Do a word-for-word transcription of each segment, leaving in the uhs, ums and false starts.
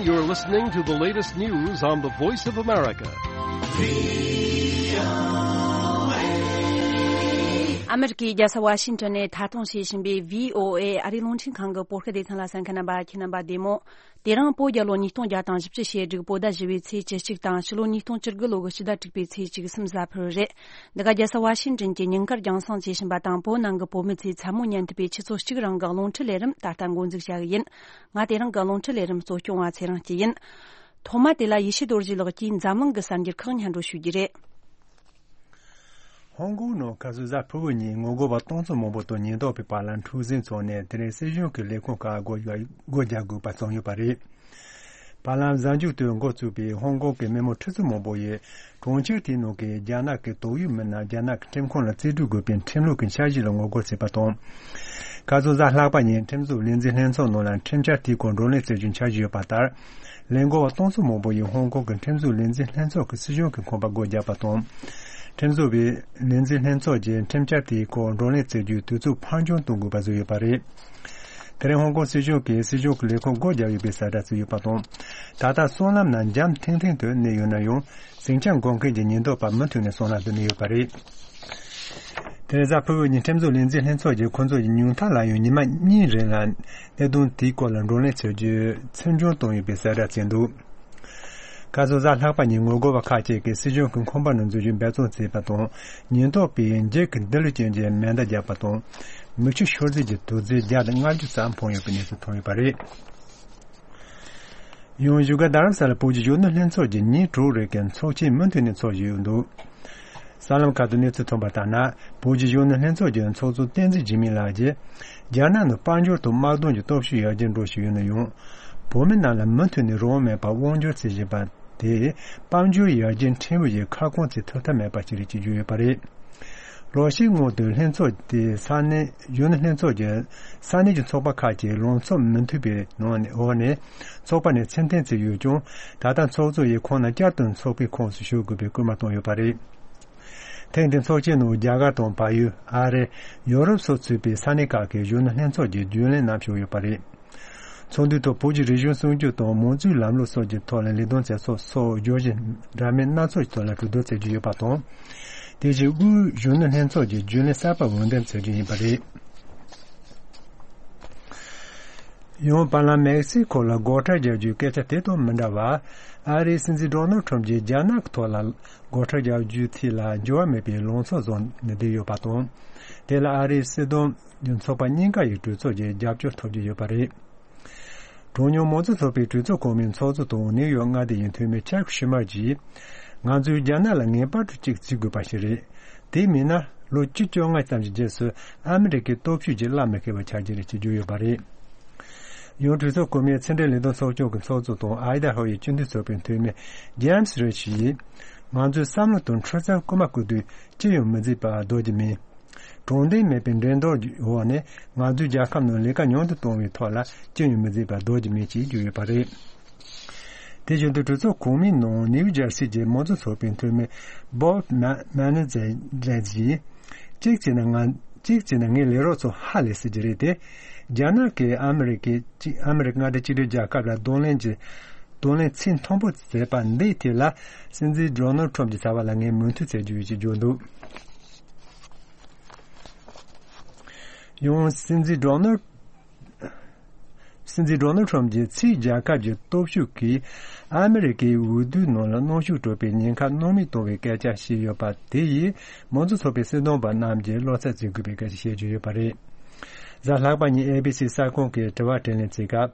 You're listening to the latest news on the Voice of America. ཨ་མེ་རི་ཀའི་རྒྱལ་ས་ཝ་ཤིང་ཏོན་ནས་མཐའ་སྟོང་བྱེད་བཞིན་པའི་བྷི་ཨོ་ཨེ་ཨ་རིའི་རླུང་འཕྲིན་ཁང་གི་བོད་སྐད་སྡེ་ཚན་ལ་གསན་མཁན་རྣམ་པ། ཁྱེད་རྣམ་པ་བདེ་མོ། དེ་རིང་བོད་རྒྱལ་ལོ་ཉིས་སྟོང་བརྒྱ་དང་བཞི་བཅུ་ཞེ་དྲུག་བོད་ཟླ་བཞི་པའི་ཚེས་བཅུ་གཅིག་དང་ཕྱི་ལོ་ཉིས་སྟོང་བཅུ་དགུ་ལོ་གི་ཕྱི་ཟླ་དྲུག་པའི་ཚེས་བཅུ་གསུམ་གཟའ་ཕུར་བུ་རེད། འདི་ག་རྒྱལ་ས་ཝ་ཤིང་ཏོན་གྱི་ཉིན་དཀར་རྒྱང་སྲིང་བྱེད་བཞིན་པ་དང་བོད་ནང་གི་བོད་མི་ཚོའི་མཚན་མོ་ཉན་ཐུབ་པའི་ཆུ་ཚོད་གཅིག་རིང་གི་རླུང་འཕྲིན་ལས་རིམ་ད་ལྟ་འགོ་འཛུགས་བྱ་གི་ཡིན། ང་དེ་རིང་གི་རླུང་འཕྲིན་ལས་རིམ་གཙོ་སྐྱོང་བ་ཚེ་རིང་སྐྱིད་ཡིན། ཐོག་མ་དེ་ལ་ཡེ་ཤེས་རྡོ་རྗེ་ལགས་ཀྱིས་འཛམ་གླིང་གི་གསར་འགྱུར་ཁག་སྙན་སྒྲོན་ཞུ་རྒྱུ་རེད། ཧོང་ཀོང་ནང་ཁ་སང་གཟའ་ཕུར་བུ་ཉིན་ངོ་རྒོལ་བ་སྟོང་ཚོ་མང་པོ་དང་ཉེན་རྟོག་པའི་བར་ལ་འཁྲུག་ཟིང་ཚོགས་ནས། དེ་རིང་སྲིད་གཞུང་གི་ལས་ཁུངས་ཁག་སྒོ་སྒོ་རྒྱག་དགོས་པ་བྱུང་ཡོད་པ་རེད། བར་ལམ་གཟའ་མཇུག་ཏུ་འགོ་བཙུགས་པའི་ཧོང་ཀོང་གི་མི་མང་ཁྲི་ཚོ་མང་པོ་ཡིས་གྲོང་ཁྱེར་དེའི་ནང་གི་རྒྱ་ནག་གི་དོགས་ཡོད་མི་སྣ་རྒྱ་ནག་གི་ཁྲིམས་ཁང་ལ་རྩིས་སྤྲོད་དགོས་པའི་ཁྲིམས་ལུགས་ཀྱི་འཆར་གཞི་ལ་ངོ་རྒོལ་བྱས་པ་དང་། ཁ་སང་གཟའ་ལྷག་པ་ཉིན་ཁྲིམས་བཟོ་ལས་འཛིན་ལྷན་ཚོགས་ནང་ལ་ཁྲིམས་འཆར་དེའི་སྐོར་བགྲོ་གླེང་བྱ་རྒྱུའི་འཆར་གཞི་ཡོད་པ་ལྟར། ལས་འགུལ་བ་སྟོང་ཚོ་མང་པོ་ཡིས་ཧོང་ཀོང་གི་ཁྲིམས་བཟོ་ལས་འཛིན་ལྷན་ཚོགས་ཀྱི་སྲིད་གཞུང་གི་ཁང་པ་སྒོ་བརྒྱབ་པ་དང་། ཁྲིམས་བཟོ་བའི་ལས་འཛིན་ལྷན་ཚོགས་ཀྱིས་ཁྲིམས་འཆར་དེའི་སྐོར་བགྲོ་གླེང་བྱ་རྒྱུའི་དུས་ཚོད་ཕར་འགྱངས་གཏོང་དགོས་པ་བཟོས་ཡོད་པ་རེད། དེ་རིང་ཧོང་ཀོང་སྲིད་གཞུང་གིས་སྲིད་གཞུང་གི་ལས་ཁུངས་སྒོ་བརྒྱབ་ཡོད་པའི་གསལ་བསྒྲགས་བྱས་ཡོད་པ་དང་། ད་ལྟ་སྲང་ལམ་ནང་འཇམ་ཐིང་ཐིང་དུ་གནས་ཡོད་ན་ཡང་། ཟིང་ཆ་འགོག་མཁན་གྱི་ཉེན་རྟོག་པ་མུ་མཐུད་ནས་སྲང་ལམ་དུ་གནས་ཡོད་པ་རེད། དེ་རིང་གཟའ་ཕུར་བུ་ཉིན་ཁྲིམས་བཟོ་ལས་འཛིན་ལྷན་ཚོགས་ཀྱིས་ཁོང་ཚོ་ཡི་ཉུང་མཐའ་ལ་ཡང་ཉི་མ་གཉིས་རིང་ལ་གནད་དོན་དེའི་སྐོར་ལ་བགྲོ་གླེང་བྱ་རྒྱུ་ཚོད་འཇོག་བཏང་ཡོད་པའི་གསལ་བསྒྲགས་བྱས་འདུག་ཁ་སང་གཟའ་ལྷག་པ་ཉིན་ངོ་རྒོལ་བ་ཁག་ཅིག་གིས་སྲིད་གཞུང་གི་ཁང་པ་ནང་འཛུལ་རྒྱུའི་འབད་བརྩོན་བྱས་པ་དང་། ཉེན་རྟོག་པས་འགྱིག་གི་རྡུལ་ཅན་གྱི་མེ་མདའ་བརྒྱབ་པ་དང་། མིག་ཆུ་ཤོར་རྫས་ཀྱི་དུག་རྫས་བརྒྱ་དང་ལྔ་བཅུ་ཙམ་འཕངས་ཡོད་པའི་གནས་ཚུལ་ཐོན་ཡོད་པ་རེད། ཡང་བཞུགས་སྒར་རྡ་རམ་ས་ལ་བོད་ཀྱི་གཞོན་ནུ་ལྷན་ཚོགས་ཀྱི་ཉིན་དྲུག་རེ་གི་ཚོགས་ཆེན་མུ་མཐུད་ནས་འཚོགས་བཞིན་ཡོད་འདུག་གསར་ལམ་ཁག་ཏུ་གནས་ཚུལ་ཐོན་པ་ལྟར་ན། བོད་ཀྱི་གཞོན་ནུ་ལྷན་ཚོགས་ཀྱི་ཚོགས་གཙོ་བསྟན་འཛིན་འཇིགས་མེད་ལགས་ཀྱིས། རྒྱ་ནག་ནང་དཔལ་འབྱོར་དང་དམག་དོན་གྱི་སྟོབས་ཤུགས་ཡར་རྒྱས་འགྲོ་བཞིན་ཡོད་ན་ཡང་། བོད་མི་རྣམས་ལ་མུ་མཐུད་ནས་རང་དབང་མེད་པར་དབང་སྒྱུར་བྱེད་བཞིན་པ་དེས། དཔལ་འབྱོར་ཡར་རྒྱས་ཕྲན་བུ་ཞིག་ཁ་སྐོང་བྱེད་ཐུབ་ཐབས་མེད་པ་ཞིག་རེད་ཅེས་བརྗོད་ཡོད་པ་རེད། ལོ་ཤས་སྔོན་དུ་ལྷན་ཚོགས་དེས་ས་གནས་གཞོན་ནུ་ལྷན་ཚོགས་ཀྱི་ས་གནས་ཀྱི་ཚོགས་པ་ཁག་ཅིག་ལངས་ཕྱོགས་མི་མཐུན་པའི་ནང་ནས་འོག་ནས་ཚོགས་པ་ནས་ཕྱིར་འཐེན་བྱས་ཡོད་ཀྱང་། ད་ལྟ་ཚོགས་གཙོ་ཡིས་ཁོང་རྣམས་བསྐྱར་དུ་ཚོགས་པའི་ཁོངས་སུ་ཞུགས་དགོས་པའི་སྐུལ་མ་བཏང་ཡོད་པ་རེད། ཐེངས་འདིའི་ཚོགས་ཆེན་ནང་རྒྱ་གར་དང་བལ་ཡུལ། ཨ་རི། ཡོ་རོབ་སོགས་ཚུད་པའི་ས་གནས་ཁག་གི་གཞོན་ནུ་ལྷན་ཚོགས་ཀྱི་རྒྱུན་ལས་རྣམས་ཞུགས་ཡོད་པ་རེད། ཚོགས་འདུའི་ཐོག་བོད་ཀྱི་རིག་གཞུང་སྲུང་སྐྱོབ་དང་མང་གཙོའི་ལམ་ལུགས་སོགས་ཀྱི་ཐོག་ལ་ལས་དོན་བྱེད་ཕྱོགས་སོགས་བརྗོད་གཞི་འདྲ་མིན་སྣ་ཚོགས་ཀྱི་ཐོག་ལ་གྲོས་བསྡུར་བྱེད་རྒྱུ་ཡོད་པ་དང་། དེ་བཞིན་དབུས་གཞོན་ནུ་ལྷན་ཚོགས་ཀྱི་རྒྱུན་ལས་གསར་པ་འོས་འདེམས་བྱེད་རྒྱུ་ཡིན་པ་རེད། ཡང་བར་ལམ་མེག་སི་ཁོ་ལ་སྒོ་ཁྲལ་རྒྱག་རྒྱུའི་སྐད་ཆ་དེ་དང་མི་འདྲ་བར། ཨ་རིའི་སྲིད་འཛིན་ཌོ་ནལ་ཁྲོམ་གྱིས་རྒྱ་ནག་གི་ཐོག་ལ་སྒོ་ཁྲལ་རྒྱག་རྒྱུའི་ཐད་ལ་འགྱུར་བ་མེད་པའི་ལངས་ཕྱོགས་བཟུང་ནས་བསྡད་ཡོད་པ་དང་། དེ་ལ་ཨ་རིའི་སྲིད་དོན་གྱི་ཚོགས་པ་གཉིས་ཀ་ཡི་གྲོས་ཚོགས་ཀྱི་རྒྱབ་སྐྱོར་ཐོབ་ཀྱི་ཡོད་པ་རེད། གྲངས་ཉུང་མང་གཙོ་ཚོགས་པའི་གྲོས་ཚོགས་གོང་མའི་ཚོགས་གཙོ་དང་ནིའུ་ཡོག་མངའ་སྡེ་ཡི་འཐུས་མི་ཆག་ཤུ་མར་གྱིས། ང་ཚོས་རྒྱ་ནག་ལ་ངེས་པར་དུ་གཅིག་བྱེད་དགོས་པ་ཞིག་རེད། དེ་མིན་ན་ལོ་བཅུ་བཅོ་ལྔ་ཙམ་གྱི་རྗེས་སུ་ཨ་མི་རི་ཀའི་སྟོབས་ཤུགས་ཀྱིས་བླ་མི་ཁེལ་བ་ཆགས་ཀྱི་རེད་ཅེས་བརྗོད་ཡོད་པ་རེད། ཡང་གྲོས་ཚོགས་གོང་མའི་ཕྱི་འབྲེལ་ལས་དོན་ཚོགས་ཆུང་གི་ཚོགས་གཙོ་དང་ཨའི་ད་ཧོ་ཡི་སྤྱི་འཐུས་ཚོགས་པའི་འཐུས་མི་ཇེམ་སི་རེ་ཆི་ཡིས། ང་ཚོས་བསམ་བློ་དང་འཁྲུལ་རྩོད་རྐུ་མ་རྐུ་དུས་ཅི་ཡང་མི་བྱེད་པ་ལྡོག་རྒྱུ་མིན། དྲང་བདེན་མེད་པའི་འགྲན་བསྡུར་འོག་ནས་ང་ཚོའི་རྒྱལ་ཁབ་ནང་ལས་ཀ་ཉུང་དུ་གཏོང་བའི་ཐོག་ལ་ཅི་ཡང་མི་བྱེད་པ་ལྡོག་རྒྱུ་མེད་ཅེས་བརྗོད་ཡོད་པ་རེད། དེ་བཞིན་དུ་གྲོས་ཚོགས་གོང་མའི་ནང་ནིའུ་ཇར་སི་གྱི་མང་གཙོ་ཚོགས་པའི་འཐུས་མི་བོབ་མ་མ་ནི་ཛེ་ཛེ་ཡིས། གཅིག་བྱས་ན་ང་གཅིག་བྱས་ན་ངའི་ལས་རོགས་ཚོ་ཧ་ལས་སྲིད་ཀྱི་རེད་དེ། རྒྱ་ནག་གིས་ཨ་མི་རི་ཀའི་གཅིག་ཨ་མི་རི་ཀ་མངའ་སྡེ་གཅིག་སྒྲིལ་རྒྱལ་ཁབ་ལ་གདོང་ལེན་གྱི་གདོང་ལེན་ཚད་མཐོན་པོ་བྱས་པ་འདིའི་ཐད་ལ་སྲིད་འཛིན་ཌོ་ནལ་ཁྲོམ་གྱི་བྱ་བ་ལ་ངས་མོས་མཐུན་བྱེད་རྒྱུ་ཡོད་ཅེས་བརྗོད་འདུག་ཡང་སྲིད་འཛིན་ཌོ་ནལ་སྲིད་འཛིན་ཌོ་ནལ་ཁྲོམ་གྱིས་ཕྱིའི་རྒྱལ་ཁབ་ཀྱི་སྟོབས་ཤུགས་ཀྱིས་ཨ་མི་རི་ཀའི་འོས་བསྡུའི་ནང་ལ་གནོན་ཤུགས་སྤྲོད་པའི་ཉེན་ཁ་སྣང་མེད་གཏོང་བའི་སྐད་ཆ་བཤད་ཡོད་པ་དེ་ཡིས་མང་གཙོ་ཚོགས་པའི་སྲིད་དོན་པ་རྣམས་ཀྱིས་བློ་འཚབ་བྱེད་དགོས་པའི་སྐད་ཆ་བཤད་ཀྱི་ཡོད་པ་རེད། གཟའ་ལྷག་པ་ཉིན་ཨེ་བི་སི་གསར་ཁང་གིས་དྲི་བ་དྲིས་ལན་བྱེད་སྐབས།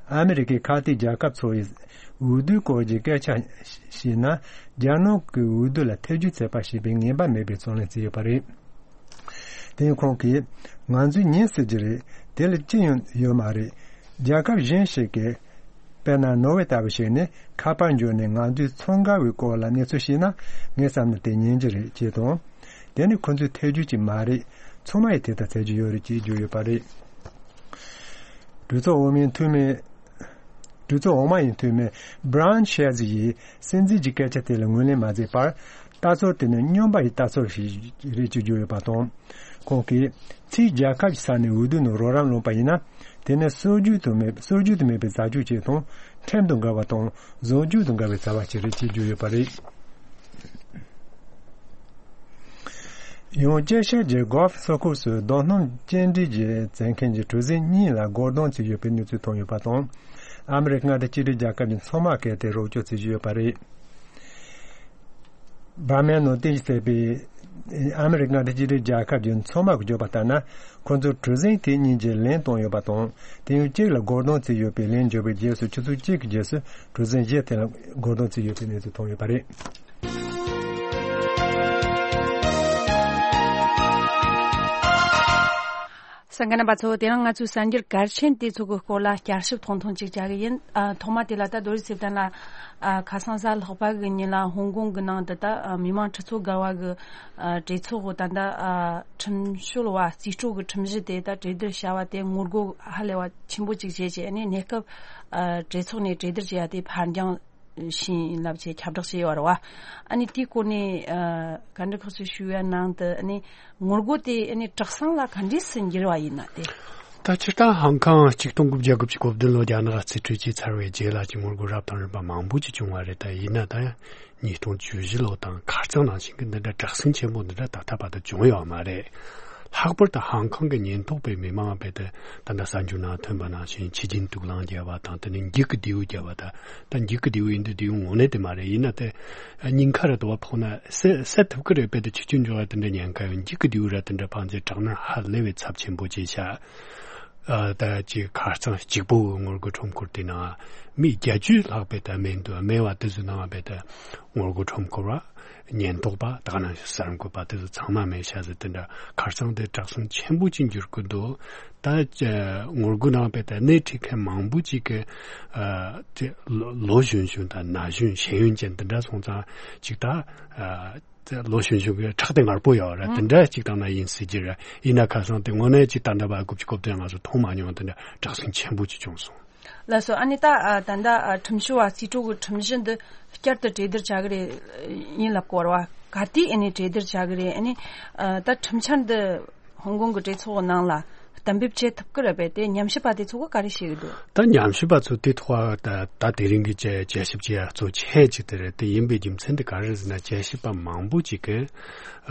ཨ་མི་རི་ཀའི་ཁ་གཏད་རྒྱལ་ཁབ་ཚོ་ཡིས་འོས་བསྡུའི་སྐོར་གྱི་སྐད་ཆ་བཤད་ན། རྒྱ་ནག་གི་འོས་བསྡུ་ལ་ཐེ་ཇུས་བྱེད་པ་ཞེས་པའི་ངེས་པ་མེད་པའི་རྩོད་གླེང་བྱས་ཡོད་པ་རེད། དེ་ཡང་ཁོང་གིས། ང་ཚོས་ཉན་སྲིད་ཀྱི་རེད། དེ་ལ་ཅི་ཡང་ཡོད་མ་རེད། རྒྱལ་ཁབ་གཞན་ཞིག་གིས། དཔེར་ན་ནོར་ཝེ་ལྟ་བུ་ཞིག་ནས་ཁ་པར་འབྱོར་ནས་ང་ཚོའི་ཚོང་འགལ་བའི་སྐོར་ལ་གནས་ཚུལ་ཤེས་ན་ངས་བསམ་ན་དེ་ཉན་གྱི་རེད་ཅེས་དང་། དེ་ནི་ཁོ་ཚོའི་ཐེ་ཇུས་ཅིག་མ་རེད། ཚང་མ་ཡིས་དེ་ལྟར་བྱེད་ཀྱི་ཡོད་རེད་ཅེས་བརྗོད་ཡོད་པ་རེད། གྲོས་ཚོགས་འོག་མའི་འཐུས་མི། གྲོས་ཚོགས་འོག་མ་ཡི་འཐུས་མི་Brian Schatz ཡིས་སྲིད་འཛིན་གྱི་སྐད་ཆ་དེ་ལ་ངོས་ལེན་མ་མཛད་པར། ལྟ་ཚུལ་དེ་ནི་སྨྱོན་པ་ཡི་ལྟ་ཚུལ་ཞིག་རེད་ཅེས་བརྗོད་ཡོད་པ་དང་། ཁོང་གིས་ཕྱིའི་རྒྱལ་ཁབ་ཀྱི་ས་ནས་འོས་བསྡུ་ནང་རོགས་རམ་བླངས་པ་ཡིན་ན། དེ་ནི་སྲོལ་རྒྱུན་དུ་མེད་སྲོལ་རྒྱུན་དུ་མེད་པའི་བྱ་སྤྱོད་ཅིག་དང་ ཁྲིམས་དང་འགལ་བ་དང་བཟོ་བཅོས་དང་འགལ་བའི་བྱ་བ་ཞིག་རེད་ཅེས་བརྗོད་ཡོད་པ་རེད། ཡང་ཅེ་ཤ་གྱི་གོ་ལྥ་སོ་ཁོག་སུ་རྡོ་སྣུམ་སྐྱེལ་འདྲེན་གྱི་བྱེད་མཁན་གྱི་གྲུ་གཟིངས་གཉིས་ལ་སྒོ་རྡུང་བྱས་ཡོད་པའི་གནས་ཚུལ་ཐོན་ཡོད་པ་དང་། ཨ་མི་རི་ཀ་མངའ་སྡེ་གཅིག་སྒྲིལ་རྒྱལ་ཁབ་ཀྱི་མཚོ་དམག་གིས་དེ་རོགས་སྐྱོར་བྱེད་བཞིན་ཡོད་པ་རེད། བར་མའི་ནང་རྟེན་གཞི་བྱས་པའི་ཨ་མི་རི་ཀ་མངའ་སྡེ་གཅིག་སྒྲིལ་རྒྱལ་ཁབ་ཀྱི་མཚོ་དམག་གིས་བརྗོད་པ་ལྟར་ན། ཁོ་ཚོས་གྲུ་གཟིངས་དེ་གཉིས་ཀྱི་ལན་བཏང་ཡོད་པ་དང་། དེ་ཡང་གཅིག་ལ་སྒོ་རྡུང་བྱས་ཡོད་པའི་ལན་བརྗོད་པའི་རྗེས་སུ་ཆུ་ཚོད་གཅིག་གི་རྗེས་སུ་གྲུ་གཟིངས་གཞན་དེ་ལ་སྒོ་རྡུང་བྱས་ཡོད་པའི་གནས་ཚུལ་ཐོན་ཡོད་པ་རེད། གསན་མཁན་རྣམ་པ་ཚོ། དེ་རིང་ང་ཚོས་གསར་འགྱུར་གལ་ཆེན་དེ་ཚོ་གི་སྐོར་ལ་བསྐྱར་ཞིབ་ཐུང་ཐུང་ཅིག་བྱ་གི་ཡིན། ཨ། ཐོག་མ་དེ་ལ་ད་རྡོ་རྗེ་ཚེ་བརྟན་ལགས། ཨ། ཁ་སང་གཟའ་ལྷག་པ་གི་ཉིན་ལ་ཧོང་ཀོང་གི་ནང་དུ་ད། ཨ། མི་མང་ཁྲི་ཚོ་བརྒལ་བ་གི། ཨ། གྲོས་ཚོགས་ད་ལྟ། ཨ། ཁྲིམས་བྱོལ་བ་རྩིས་སྤྲོད་ཀྱི་ཁྲིམས་གཞི་དེ་ད་གྲོས་བསྡུར་བྱ་བ་དེ་ངོ་རྒོལ་ཧ་ལས་པ་ཆེན་པོ་ཅིག་བྱས་རྗེས་ནས་གནས་སྐབས། ཨ། གྲོས་ཚོགས་ནས་གྲོས་བསྡུར་བྱས་ཡ་དེ་ཕར་འགྱངས་ཕྱིན་ལབ་བྱས་ཁྱབ་བསྒྲགས་བྱས་ཡོད་རེད་བ། ཨ་ནི་དེའི་སྐོར་ནས། ཨ། བཀའ་འདྲི་ཁག་ཅིག་ཞུ་ཡ་ནང་དུ། ཨ་ནི་ངོ་རྒོལ་དེ་ཨ་ནི་དྲག་ཟིང་ལ་ག་འདྲས་སུ་འགྱུར་བ་ཡིན་ན་དེ། ད་སྤྱིར་བཏང་ཧང་ཀང་གཅིག་སྟོང་དགུ་བརྒྱ་དགུ་བཅུ་གོ་བདུན་ལོ་རྒྱ་ནག་རྩིས་སྤྲོད་བྱས་ཚར་བའི་རྗེས་ལ་ཅིག་ངོ་རྒོལ་རབ་དང་རིམ་པ་མང་པོ་ཅིག་བྱུང་བ་རེད། ད་ཡིན་ན་ད་ཉིས་སྟོང་བཅུ་བཞི་ལོ་དང་ཁ་རྩང་ནང་བཞིན་གྱི་འདི་འདྲ་དྲག་ཟིང་ཆེན་པོ་འདི་འདྲ་ད་ལྟ་བར་དུ་བྱུང་ཡོད་མ་རེད། ལྷག་པར་དུ་ཧང་ཀང་གི་ཉེན་རྟོག་པའི་མི་མང་བས་དེ་ད་ལྟ་གསར་འགྱུར་ནང་ཐོན་པ་ནང་བཞིན་ཕྱི་རྒྱལ་དུག་རླངས་བརྒྱབ་པ་དང་། དེ་ནས་འགྱིག་གི་མདེའུ་བརྒྱབ་པ་དང་། ད་འགྱིག་གི་མདེའུ་ཡིན་དུས་མདེའུ་དངོས་གནས་དེ་མ་རེད། ཡིན་ན་དེ་སྙིང་ཁ་ར་དུ་བ་ཕོག་ན་བསད་བསད་ཐུབ་ཀྱི་རེད། དཔེ་དེ་ཆུ་རྒྱུན་འཇོག་ཡ་དེ་འདྲ་ཉེན་ཁ་ཡོད། འགྱིག་གི་མདེའུ་ར་དེ་འདྲ་འཕངས་རྗེས་དྲག་གནོན་ཧ་ལས་པའི་ཚབས་ཆེན་པོ་བྱས་ཤག་ཨ། ད་ཅིག་ཁ་རྩང་གཅིག་པོ་གི་ངོ་རྒོལ་ཁྲོམ་སྐོར་དེ་ནང་མི་བརྒྱད་ཅུ་ལྷག་པའི་ད་མེ་འདུག་མེ་བ་དེ་ཚོའི་ནང་བས་ད་ངོ་རྒོལ་ཁྲོམ་སྐོར་བ། ཉེན་རྟོག་པ། དེ་ག་ནང་བཞིན་གསར་འགོད་པ་དེ་ཚོ་ཚང་མ་མེད་ཤག་ཟེར། དེ་འདྲ་ཁ་རྩང་དེ་དྲག་ཟིང་ཆེན་པོ་ཅིག་འགྱུར་གི་འདུག་ད་ཅ་ངོ་རྒོལ་ནང་བས་ད་སྣེ་ཁྲིད་མཁན་མང་པོ་ཅིག་གི། ཨ། དེ་ལོ་ལོ་གཞོན་གཞོན་དང་ན་གཞོན་ཤེས་ཡོན་ཅན་དེ་འདྲ་སོང་ཙང་ཅིག་ད། ཨ། དེ་ལོ་གཞོན་གཞོན་གྱི་ཁྲག་དེ་ངར་པོ་ཡོད་ར། ཨང་། དེ་འདྲ་ཅིག་བཏང་ན་ཡིན་སྲིད་ཀྱི་ར། ཡིན་ན་ཁ་སང་དེ་དངོས་གནས་ཅིག་ད་ལྟ་བར་དགུ་བཅུ་གོ་བདུན་ང་ཚོ་མཐོང་མ་མྱོང་། དེ་འདྲ་དྲག་ཟིང་ཆེན་པོ་ཅིག་བྱུང་སོང་། ལགས་སོ། ཨ་ནི་ད། ཨ། ད་ལྟ། ཨ། ཁྲིམས་བྱོལ་བ་རྩིས་སྤྲོད་ཀྱི་ཁྲིམས་གཞི་འདི་བསྐྱར་དུ་གྲོས་བསྡུར་བྱ་གི་རེད་ཡིན་ལབ་སྐོར་བ། ག་དུས་ཨ་ནི་གྲོས་བསྡུར་བྱ་གི་རེད། ཨ་ནི། ཨ། ད་ཁྲིམས་འཆར་འདི་ཧོང་ཀོང་གི་གྲོས་ཚོགས་ནང་ལ་གཏན་འབེབས་བྱེད་ཐུབ་ཀྱི་རེད་པས། དེ་ཉམས་ཞིབ་པ་དེ་ཚོ་གིས་ག་རེ་བཤད་ཀྱི་འདུག་ད་ཉམས་ཞིབ་པ་ཚོ་དེ་ཐོག་ད་ད་དེ་རིང་གི་དཔྱད་དཔྱད་ཞིབ་བྱེད་ཡ་གཙོ་ཆེ་ཅིག་དེ་རེད། དེ་ཡིན་པའི་རྒྱུ་མཚན་དེ་ག་རེ་རེད་ཟེར་ན། དཔྱད་ཞིབ་པ་མང་པོ་ཅིག་གིས།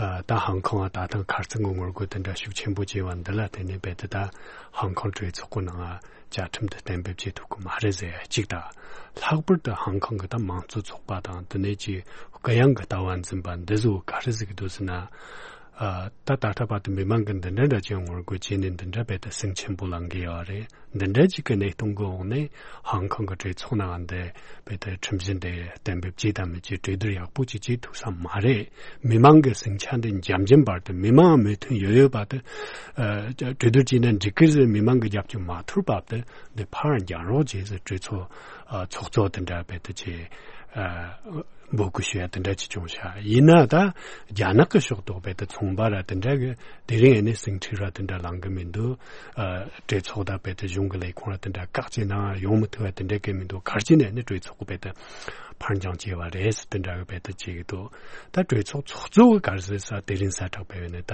ཨ། ད་ཧང་ཀོང་ང་ད་ཐེངས་ཁ་རྩང་གི་ངོ་རྒོལ་དེ་འདྲ་ཤུགས་ཆེན་པོ་བྱས་པ་འདི་ལ་བརྟེན་ནས་རྦད་དེ་ད་ཧང་ཀོང་གྲོས་ཚོགས་ཀྱི་ནང་བཅའ་ཁྲིམས་དེ་གཏན་འབེབས་བྱེད་ཐུབ་ཀྱི་མ་རེད་ཟེར་ཡ་གཅིག་དང་། ལྷག་པར་དུ་ཧང་ཀོང་གི་ད་མང་གཙོ་ཚོགས་པ་དང་། དེ་ནས་ཀྱི་གུ་ཡངས་ཀྱི་ལྟ་བ་འཛིན་པ་འདི་ཚོ་ག་རེ་ཟེར་གྱི་འདུག་ཟེར་ན། ཨ། ད་ད་ལྟ་བར་དུ་མི་མང་གིས་འདི་འདྲ་འདྲ་ཅིག་ངོ་རྒོལ་བྱས་ནས་འདི་འདྲ་རྦད་དེ་ཟིང་ཆེན་པོ་ལངས་ཀྱི་ཡོད་རེད། འདི་འདྲ་ཅིག་གི་གནས་སྟངས་ཀྱི་འོག་ནས་ཧང་ཀོང་གི་གྲོས་ཚོགས་ནང་འདི་རྦད་དེ་ཁྲིམས་གཞི་འདི་གཏན་འབེབས་བྱེད་དམ་མི་བྱེད་གྲོས་བསྡུར་ཡག་པོ་ཅིག་བྱེད་ཐུབ་ས་མ་རེད། མི་མང་གི་ཟིང་ཆ་འདི་འཇམ་འཇམ་བར་དུ། མི་མང་མོས་མཐུན་ཡོད་ཡོད་བར་དུ། ཨ། གྲོས་བསྡུར་བྱས་ན་འགྲིག་གི་ཟེར་མི་མང་གི་རྒྱབ་སྐྱོར་མ་ཐོབ་བར་དུ་འདི་ཕར་འགྱངས་རོགས་བྱེད་ཟེར་གྲོས་ཚོགས། ཨ། ཚོགས་གཙོ་དེ་འདྲ་རྦད་དེ་ཅིག་ཨ། འབོད་སྐུལ་ཞུ་ཡ་དེ་འདྲ་ཅིག་བྱུང་ཤག་ཡིན་ན་ད་རྒྱ་ནག་གི་ཕྱོགས་གཏོགས་རྦད་དེ་ཚོང་པ་ར་དེ་འདྲ་གིས་དེ་རིང་ཨ་ནི་ཟིང་འཁྲུག་ར་དེ་འདྲ་ལངས་གི་མི་འདུག་ཨ། གྲོས་ཚོགས་དང་རྦད་དེ་གཞུང་གི་ལས་ཁུངས་ར་དེ་འདྲ་བཀག་བྱས་ནའང་ཡོང་མི་ཐུབ་པ་དེ་འདྲ་གི་མི་འདུག་ག་རེ་བྱས་ནས་ཨ་ནི་གྲོས་ཚོགས་རྦད་དེ་ཕར་འགྱངས་བྱས་པ་རེད་ཟེར་དེ་འདྲ་གི་རྦད་དེ་བྱེད་ཀྱི་འདུག་ད་གྲོས་ཚོགས་ཚོགས་གཙོ་གིས་ག་རེ་ཟེར་ཟེར་ན། དེ་རིང་གསལ་བསྒྲགས་སྤེལ་བ་ནས་ད།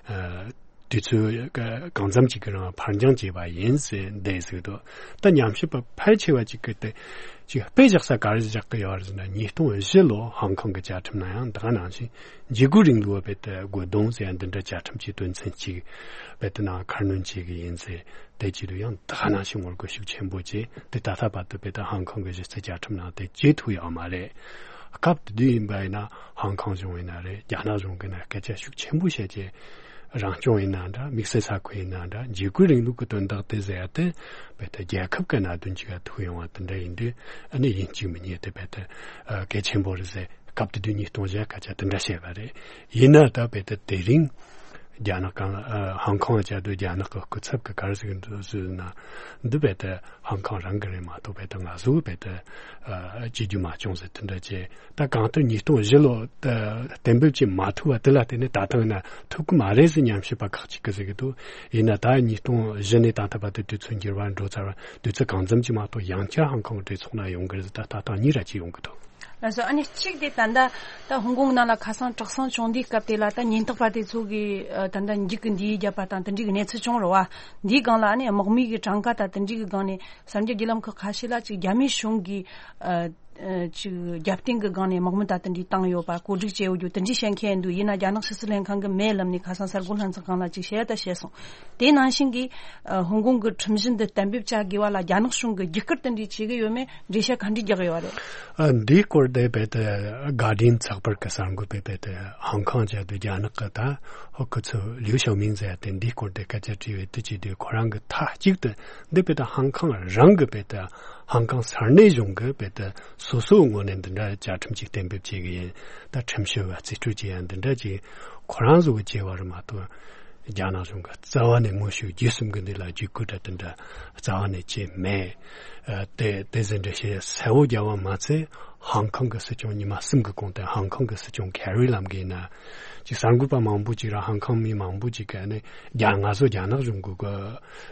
ཨ། དུས་ཚོད་གང་འཚམ་ཅིག་གི་རིང་ཕར་འགྱངས་བྱས་པ་ཡིན་ཟེར་འདི་ཟེར་གྱི་འདུག་ད་ཉམས་ཞིབ་པ་ཕལ་ཆེ་བ་ཅིག་གིས་དེ་ཅིག་དཔེ་བཞག་ས་ག་རེ་བཞག་གི་ཡོད་རེད་ཟེར་ན། ཉིས་སྟོང་བཞི་ལོ་ཧང་ཀོང་གི་བཅའ་ཁྲིམས་ནང་ཡང་ད་ག་ནང་བཞིན་འཇིགས་སྐུལ་རིང་ལུགས་རྦད་དེ་རྒོལ་རྡུང་ཟེར་ཡ་འདི་འདྲ་བཅའ་ཁྲིམས་ཀྱི་དོན་ཚན་གཅིག་རྦད་དེ་ནང་ཁ་སྣོན་བྱེད་ཀྱི་ཡིན་ཟེར། དེ་བྱེད་དུས་ཡང་ད་ག་ནང་བཞིན་ངོ་རྒོལ་ཤུགས་ཆེན་པོ་བྱས། དེ་ད་ལྟ་བར་དུ་རྦད་དེ་ཧང་ཀོང་གི་གཞི་རྩའི་བཅའ་ཁྲིམས་ནང་དེ་བྱེད་ཐུབ་ཡོད་མ་རེད། སྐབས་དེ་དུས་ཡིན་པ་ཡིན་ན་ཧང་ཀོང་གཞུང་ཡིན་ན་རེད། རྒྱ་ནག་གཞུང་གིས་ན་སྐད་ཆ་ཤུགས་ཆེན་པོ་བཤད་ཀྱི། རང་སྐྱོང་ཡིན་ན་འདྲ། དམིགས་བསལ་ས་ཁུལ་ཡིན་ན་འདྲ། འཇིགས་སྐུལ་རིང་ལུགས་ཀྱི་དོན་དག་དེ་ཟེར་ཡ་དེ་རྦད་དེ་རྒྱལ་ཁབ་ཀྱི་གནད་དོན་ཅིག་ག་ཐུག་ཡོང་བ་དེ་འདྲ་ཡིན་དུས། ཨ་ནི་ཡིན་གཅིག་མིན་གཉིས་དེ་རྦད་དེ་ཨ་གལ་ཆེན་པོ་རེད་ཟེར། སྐབས་དེ་དུས་ཉིས་སྟོང་བཞི་སྐད་ཆ་དེ་འདྲ་བཤད་པ་རེད། ཡིན་ན་ད་རྦད་དེ་དེ་རིང་རྒྱ་ནག་གང་ཨ་ཧང་ཀོང་བཅའ་སྡོད་རྒྱ་ནག་གི་སྐུ་ཚབ་ཀྱིས་ག་རེ་ཟེར་གྱི་འདུག་ཟེར་ན། འདི་རྦད་དེ་ཧང་ཀོང་རང་གི་རེད་མ་གཏོགས་རྦད་དེ་ང་ཚོ་རྦད་དེ་ཨ་བྱེད་རྒྱུ་མ་བྱུང་ཟེར་དེ་འདྲ་བྱས། ད་གང་ལྟར་ཉིས་སྟོང་བཞི་ལོ་ད་གཏན་འབེབས་བྱེད་མ་ཐུབ་པ་དེ་ལ་བརྟེན་ནས་ད་ཐེངས་ན་ཐུབ་ཀྱི་མ་རེད་ཟེར་ཉམས་ཞིབ་པ་ཁག་ཅིག་གིས་ཟེར་གྱི་འདུག་ཡིན་ན་ད་ཉིས་སྟོང་བཞི་ནས་ད་ལྟ་བར་དུ་དུས་ཚོད་འགྱུར་བ་འགྲོ་ཚར་བ། དུས་ཚོད་གང་འཚམ་ཅིག་མ་གཏོགས་ཡང་བསྐྱར་ཧང་ཀོང་གི་གྲོས་ཚོགས་ནང་ཡོང་གི་རེད་ཟེར། ད་ལྟ་སྟངས་གཉིས་ར་ཅིག་ཡོང་གི་འདུག་ལགས་སོ། ཨ་ནི་གཅིག་དེ་ད་ལྟ་ད་ཧོང་ཀོང་ནང་ལ་ཁ་སང་དྲག་ཟིང་བྱུང་དུས་སྐབས་དེ་ལ་ད་ཉེན་རྟོག་པ་དེ་ཚོ་གིས་ཨ་ད་ལྟ་འཇིགས་སྐུལ་འདི་བརྒྱབ་པ་དང་དེ་འདྲའི་གནས་ཚུལ་བྱུང་རེད་བ། འདིའི་སྒང་ལ་ཨ་ནི་དམག་མི་གི་གྲངས་ཀ་དང་དེ་འདྲའི་གི་སྒང་ནས་གསར་འགྱུར་བརྒྱུད་ལམ་ཁག་ཁ་ཤས་ལ་ཅིག་རྒྱ་མིའི་གཞུང་གིས་ཨ་ཨ་ཅིག་རྒྱབ་རྟེན་གི་སྒང་ནས་དམག་མི་ད་དེ་འདྲའི་བཏང་ཡོད་པ་གོ་སྒྲིག་བྱས་ཡོད་རྒྱུ་དེ་འདྲའི་བཤད་མཁན་འདུག། ཡིན་ན་རྒྱ་ནག་ཕྱི་སྲིད་ལྷན་ཁང་གི་མེ་ལམ་ནས་ཁ་སང་གསར་འགོད་ལྷན་ཚོགས་སྒང་ལ་ཅིག་བཤད་ད་བཤད་སོང་། དེ་ནང་བཞིན་གྱི་ཨ་ཧོང་ཀོང་གི་ཁྲིམས་གཞི་འདི་གཏན་འབེབས་བྱ་དགོས་པ་ལ་རྒྱ་ནག་གཞུང་གིས་རྒྱུགས་སྐུལ་དེ་འདྲའི་བྱེད་ཀྱི་ཡོད་མེད་འགྲེལ་བཤད་ག་འདྲ་རྒྱག་གི་ཡོད་རེད། ཨ། འདིའི་སྐོར་དེ་རྦད་དེ་གྷར་ཌི་ཡན་ཚགས་པར་གྱི་གསར་འགོད་པས་རྦད་དེ་ཧང་ཀང་བྱས་དུས་རྒྱ་ནག་གི་ད་ཧོ་ཁུ་ཚུ་ལིའུ་ཞའོ་མིང་ཟེར་ཡ་དེ་འདིའི་སྐོར་དེ་སྐད་ཆ་དྲིས་པའི་དུས་ཀྱི་དུས་ཁོ་རང་གི་མཐའ་གཅིག་ཏུ་འདི་རྦད་དེ་ཧང་ཀང་རང་གི་རྦད་དེ་ཧང་ཀང་ས་གནས་གཞུང་གི་རྦད་དེ་སོ་སོའི་ངོས་ནས་འདི་འདྲ་བཅའ་ཁྲིམས་ཅིག་གཏན་འབེབས་བྱེད་ཀྱི་ཡིན། ད་ཁྲིམས་ཞིབ་པ་རྩིས་སྤྲོད་བྱེད་ཡ་འདི་འདྲ་ཅིག་ཁོ་རང་ཚོ་གི་བྱས་པ་རེད་མ་གཏོགས། རྒྱ་ནག་གཞུང་གིས་རྩ་བ་ནས་དངོས་ཤུགས་བརྒྱུད་གསུམ་གྱི་འདི་ལ་བརྒྱུད་སྐུལ་དང་དེ་འདྲ་རྩ་བ་ནས་བྱས་མེད། ཨ། དེ་དེ་ཟིན་འདྲ་བཤད་གསལ་བོ་རྒྱབ་པ་མ་ཚད་ཧང་ཀང་གི་སྲིད་སྐྱོང་ཉི་མ་གསུམ་གྱི་གོང་དུ་ཧང་ཀང་གི་སྲིད་སྐྱོང་ཁེ་རི་ལམ་གྱིས་ན་ཅིག་གསར་འགོད་པ་མང་པོ་ཅིག་ར་ཧང་ཀང་མི་མང་པོ་ཅིག་གིས་ནི་རྒྱ་ང་ཚོ་རྒྱ་ནག་གཞུང་གི་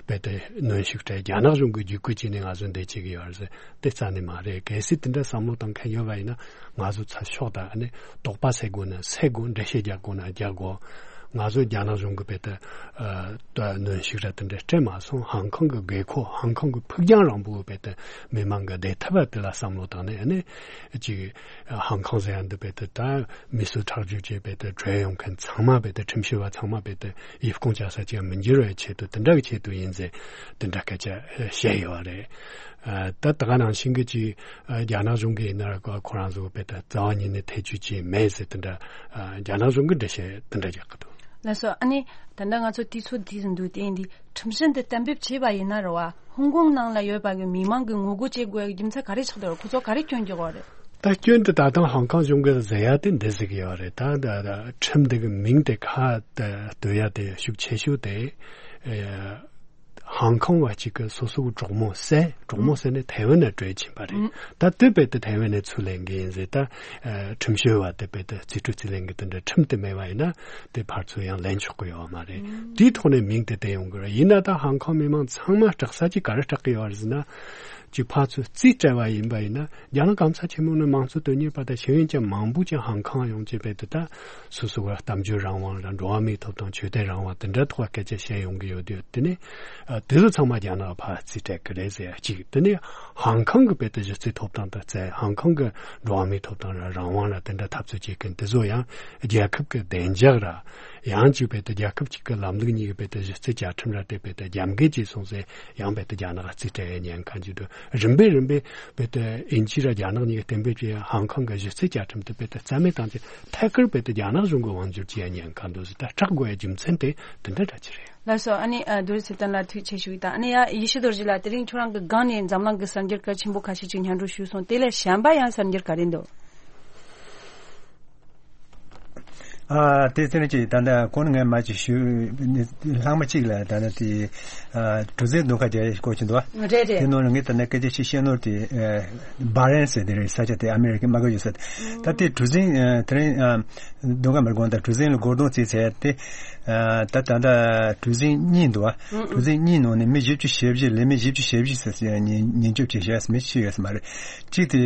རྦད་དེ་གནོན་ཤུགས་སྤྲད། རྒྱ་ནག་གཞུང་གིས་བརྒྱུད་སྐུལ་བྱས་ནས་ང་ཚོ་འདི་བྱེད་ཀྱི་ཡོད་རེད་ཟེར། དེ་རྩ་ནས་མ་རེད། གལ་སྲིད་དེ་འདྲ་བསམ་བློ་བཏང་མཁན་ཡོད་པ་ཡིན་ན། ང་ཚོ་ཚ་ཤོག་དང་ནི་དོགས་པ་སེལ་དགོས་ན་སེལ་དགོས། འགྲེལ་བཤད་རྒྱག་དགོས་ན་རྒྱག་དགོས། ང་ཚོ་རྒྱ་ནག་གཞུང་གི་རྦད་དེ་ཨ་ད་གནོན་ཤུགས་ར་དེ་འདྲ་སྤྲད་མ་སོང་། ཧང་ཀང་གི་དགོས་མཁོ། ཧང་ཀང་གི་ཕུགས་རྒྱང་རིང་པོའི་རྦད་དེ་མི་མང་གི་བདེ་ཐབས་དེ་ལ་བསམ་བློ་བཏང་ནས་ནི་ཅིག་ཧང་ཀང་ཟེར་ཡ་འདི་རྦད་དེ་ད་མི་གསོད་ཁྲག་སྦྱོར་བྱས་རྦད་དེ་བྲོས་ཡོང་མཁན་ཚང་མ་རྦད་དེ་ཁྲིམས་ཞིབ་པ་ཚང་མ་རྦད་དེ་ཡིབ་ཁུངས་བཅག་ས་ཅིག་མི་འགྱུར་བའི་ཆེད་དུ་དེ་འདྲ་གི་ཆེད་དུ་ཡིན་ཟེར་དེ་འདྲ་སྐད་ཆ་བཤད་ཡོད་རེད། ཨ། ད་ད་ག་ནང་བཞིན་གྱི་ཅིག་ཨ། རྒྱ་ནག་གཞུང་གིས་ཡིན་ན་ཁོ་ཁོ་རང་ཚོ་རྦད་དེ་རྩ་བ་ཉིད་ནས་ཐེ་བྱུས་བྱས་མེད་ཟེར་དེ་འདྲ། ཨ། རྒྱ་ནག་གཞུང་གིས་འགྲེལ་བཤད་དེ་འདྲ་རྒྱག་གི་འདུག། ལགས་སོ། ཨ་ནི་ད་ལྟ་ང་ཚོ་དུས་ཚོད་འདི་ཟིན་དུས་དེ་འདི་ཁྲིམས་གཞི་འདི་གཏན་འབེབས་བྱས་པ་ཡིན་ན་རེད་བ། ཧོང་ཀོང་ནང་ལ་ཡོད་པ་གི་མི་མང་གི་ངོ་རྒོལ་བྱེད་དགོས་ཡ་གི་རྒྱུ་མཚན་ག་རེ་ཆགས་བསྡད་རེད། ཁོ་ཚོ་ག་རེ་སྐྱོན་རྒྱག་གི་རེད། ད་སྐྱོན་དེ་ད་དུང་ཧང་ཀང་གཞུང་གིས་ཟེར་ཡ་དེ་འདི་ཟེར་གི་ཡོད་རེད། ད་ད་ད་ཁྲིམས་དེ་གི་མིང་དེ་ཁ་ད་བཏོན་ཡ་དེ་ཤུགས་ཆེ་ཤོས་དེ། ཨ། ཧང་ཀང་བ་གཅིག་གིས་སོ་སོའི་གྲོགས་མོ་བསད། གྲོགས་མོ་བསད་ནས་ཐའེ་ཝན་ནང་བྲོས་ཕྱིན་པ་རེད། ཨང་། ད་དེ་རྦད་དེ་ཐའེ་ཝན་ནས་ཚུར་ལེན་གི་ཡིན་ཟེར། ད་ཨ་ཁྲིམས་ཞིབ་པ་དེ་རྦད་དེ་རྩིས་སྤྲོད་རྩིས་ལེན་གི་དེ་འདྲ་ཁྲིམས་དེ་མེད་པ་ཡིན་ན་དེ་ཕར་ཚུར་ཡང་ལེན་ཆོག་གི་ཡོད་མ་རེད། ཨང་། དེའི་ཐོག་ནས་མིང་དེ་བཏོན་ཡོང་གི་རེད། ཡིན་ན་ད་ཧང་ཀང་མི་མང་ཚང་མ་སྐྲག་ས་ཅིག་ག་རེ་སྐྲག་གི་ཡོད་རེད་ཟེར་ན། ཅིག་ཕར་ཚུར་རྩིས་སྤྲད་པ་ཡིན་པ་ཡིན་ན། རྒྱ་ནག་གམ་ས་ཆེན་མོ་ནི་དམངས་གཙོ་དོན་གཉེར་བ་དང་ཤེས་ཡོན་ཅན་མང་པོ་ཅིག་ཧང་ཀང་ཡོང་བྱས་རྦད་དེ་ད་སོ་སོ་བ་གཏམ་བརྗོད་རང་དབང་ལ་འགྲོ་བ་མིའི་ཐོབ་ཐང་ཆོས་དད་རང་དབང་དེ་འདྲ་ཐོག་སྐད་ཆ་བཤད་ཡོང་གི་ཡོད་དུས། དེ་ནི་ཨ་དེ་ཚོ་ཚང་མ་རྒྱ་ནག་ཕར་རྩིས་སྤྲད་གི་རེད་ཟེར་ཡ་གཅིག། དེ་ནི་ཧང་ཀང་གི་རྦད་དེ་གཞི་རྩའི་ཐོབ་ཐང་དང་བཙན། ཧང་ཀང་གི་འགྲོ་བ་མིའི་ཐོབ་ཐང་ར་རང་དབང་ར་དེ་འདྲ་འཐབ་རྩོད་བྱེད་མཁན་དེ་ཚོ་ཡང་རྒྱལ་ཁབ་ཀྱི་བདེ་འཇགས་ར། ཡང་ཅིག་རྦད་དེ་རྒྱལ་ཁབ་གཅིག་གི་ལམ་ལུགས་གཉིས་ཀྱི་རྦད་དེ་གཞི་རྩའི་བཅའ་ཁྲིམས་ར་དེ་རྦད་དེ་རྒྱབ་འགལ་བྱས་སོང་ཟེར་ཡང་རྦད་དེ་རྒྱ་ནག་རྩིས་སྤྲད་ཡ་ཉེན་ཁ་འཇུག་འདུག། རིམ་པས་རིམ་པས་རྦད་དེ་དབྱིན་ཇི་ར་རྒྱ་ནག་གཉིས་ཀྱིས་གཏན་འབེབས་བྱས་ཡ་ཧང་ཀང་གི་གཞི་རྩའི་བཅའ་ཁྲིམས་དེ་རྦད་དེ་རྩ་མེད་བཏང་རྗེས་ཐད་ཀར་རྦད་དེ་རྒྱ་ནག་གཞུང་གིས་དབང་བསྒྱུར་བྱེད་ཡ་ཉེན་ཁ་འདུག་ཟེར། ད་སྐྲག་དགོས་ཡ་རྒྱུ་མཚན་དེ་དེ་འདྲ་འདྲ་ཅིག་རེད། ལགས་སོ། ཨ་ནི་ཨ་རྡོ་རྗེ་ཚེ་བརྟན་ལགས་ཐུགས་རྗེ་ཆེ་ཞུ་གི་དང་། ཨ་ནི་ཡ་ཡེ་ཤེས་རྡོ་རྗེ་ལགས། དེ་རིང་ཁྱོད་རང་གི་སྒང་ནས་འཛམ་གླིང་གི་གསར་འགྱུར་གལ་ཆེན་པོ་ཁ་ཤས་ཅིག་སྙན་སྒྲོན་ཞུས་སོང་། དེ་ལས་གཞན་པ་ཡང་གསར་འགྱུར་ག་རེ་འདུག། ཨ། དེ་ཚེ་རིང་གིས་ད་ལྟ་གོང་ནས་ངས་མར་ཅིག་ཞུས། ལྷག་མ་གཅིག་ལ་ད་ལྟ་དེ་ཨ་གྲུ་གཟིངས་རྡུང་ཁ་རྒྱག་ཡས་སྐོར་གྱི་འདུག་བ། རེད་རེད། དེ་ནང་ལ་ངས་ད་ལྟ་སྐད་ཆ་ཞིག་བཤད་ནོར་དེ་ཨ་སྦ་རེན་ཟེར་དེ་རེད། ས་ཆ་དེ་ཨ་མེ་རི་ཀའི་དམག་སྒར་ཡོད་ས། ད་དེ་གྲུ་གཟིངས་ཨ་དེ་རིང་ཨ་རྡུང་ཁ་མར་དགོངས་དག་གྲུ་གཟིངས་ལ་སྒོ་རྡུང་བྱས་ཚར་ཏེ། ཨ་ད་ད་ལྟ་གྲུ་གཟིངས་གཉིས་འདུག་བ། གྲུ་གཟིངས་གཉིས་ནང་ནས་མི་བཞི་བཅུ་ཞེ་བཞི། ལས་མི་བཞི་བཅུ་ཞེ་བཞི་ཟེར་ཟེར་ཉེན་ཉེན་སྐྱོབ་བྱེད་བཞག་མི་ཤི་ཡོད་ས་མ་རེད། གཅིག་དེ་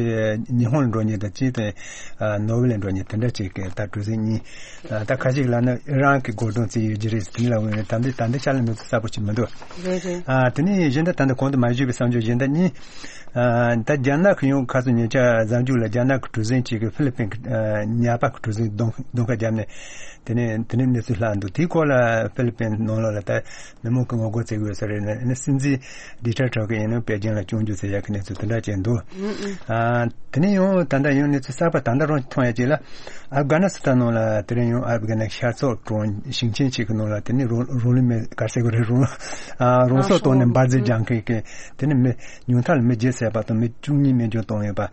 ཉི་ཧོང་ལ་འགྲོ་མཁན་དང་། གཅིག་དེ་ཨ་ནོར་ཝེ་ལ་འགྲོ་མཁན་དེ་འདྲ་གཅིག་གི་ད་གྲུ་གཟིངས་གཉིས། ཨ་ད་ཁ་ཅིག་ལ་ནི་ཨི་རན་གྱི་སྒོ་རྡུང་བྱས་ཡོད་ཀྱི་རེད་ཟེར། དེ་ལ་འོན་ད་འདི་ད་འདི་ཤར་ལ་གནས་ཚུལ་གསལ་པོ་ཅིག་མི་འདུག། རེད་རེད། ཨ་དེ་ནས་གཞན་དག་ད་ལྟ་གོང་དུ་མ་ཞུས་པའི་གསར་འགྱུར་གཞན་དག་གཉིས། ཨ་ད་རྒྱ་ནག་གི་ཡང་ཁ་སང་ཉེ་ཆར་གཟའ་མཇུག་ལ་རྒྱ་ནག་གི་གྲུ་གཟིངས་གཅིག་གིས་ཧྥི་ལི་པིན་གྱི་ཨ་ཉ་པ་གི་གྲུ་གཟིངས་རྡུང་རྡུང་ཁ་བརྒྱབ་ནས། དེ་ནས་དེ་ནས་གནས་ཚུལ་ལྷག་འདུག། དེའི་སྐོར་ལ་ཧྥི་ལི་པིན་ནང་ལོགས་ལ་ད་མི་མང་གིས་ངོ་རྒོལ་བྱེད་ཀྱི་ཡོད་ས་རེད། ཨ་ནི་སྲིད་འཛིན་ཌི་ཊར་ཊར་གྱིས་ཡིན་ན་པེ་ཅིང་ལ་སྐྱོན་བརྗོད་བྱེད་ཡག་གི་གནས་ཚུལ་དེ་འདྲ་ཅིག་འདུག། ཨ་དེ་ནས་ཡང་ད་ལྟ་ཡང་གནས་ཚུལ་གསར་པ་ད་ལྟ་རང་མཐོང་ཡ་ཅིག་ལ། ཨབ་གྷ་ནི་སི་ཐན་ནང་ལ་དེ་རིང་ཡང་ཨབ་གྷ་ནི་ཤར་ཕྱོགས་གྲོང་ཞིང་ཆེན་གཅིག་གི་ནང་ལ་དེ་ནས་རང་རང་ལུས་མེ་ག་རེ་ཟེར་དགོས་རེད། རང་ཨ་རང་སྲོག་བཏང་ནས་འབར་རྫས་སྦྱང་མཁན་གྱི་དེ་ནས་མི་ཉུང་མཐའ་ལ་མི་བརྒྱད་བསད་པ་དང་མི་བཅུ་གཉིས་རྨས་སྐྱོན་བཏང་ཡོད་པ།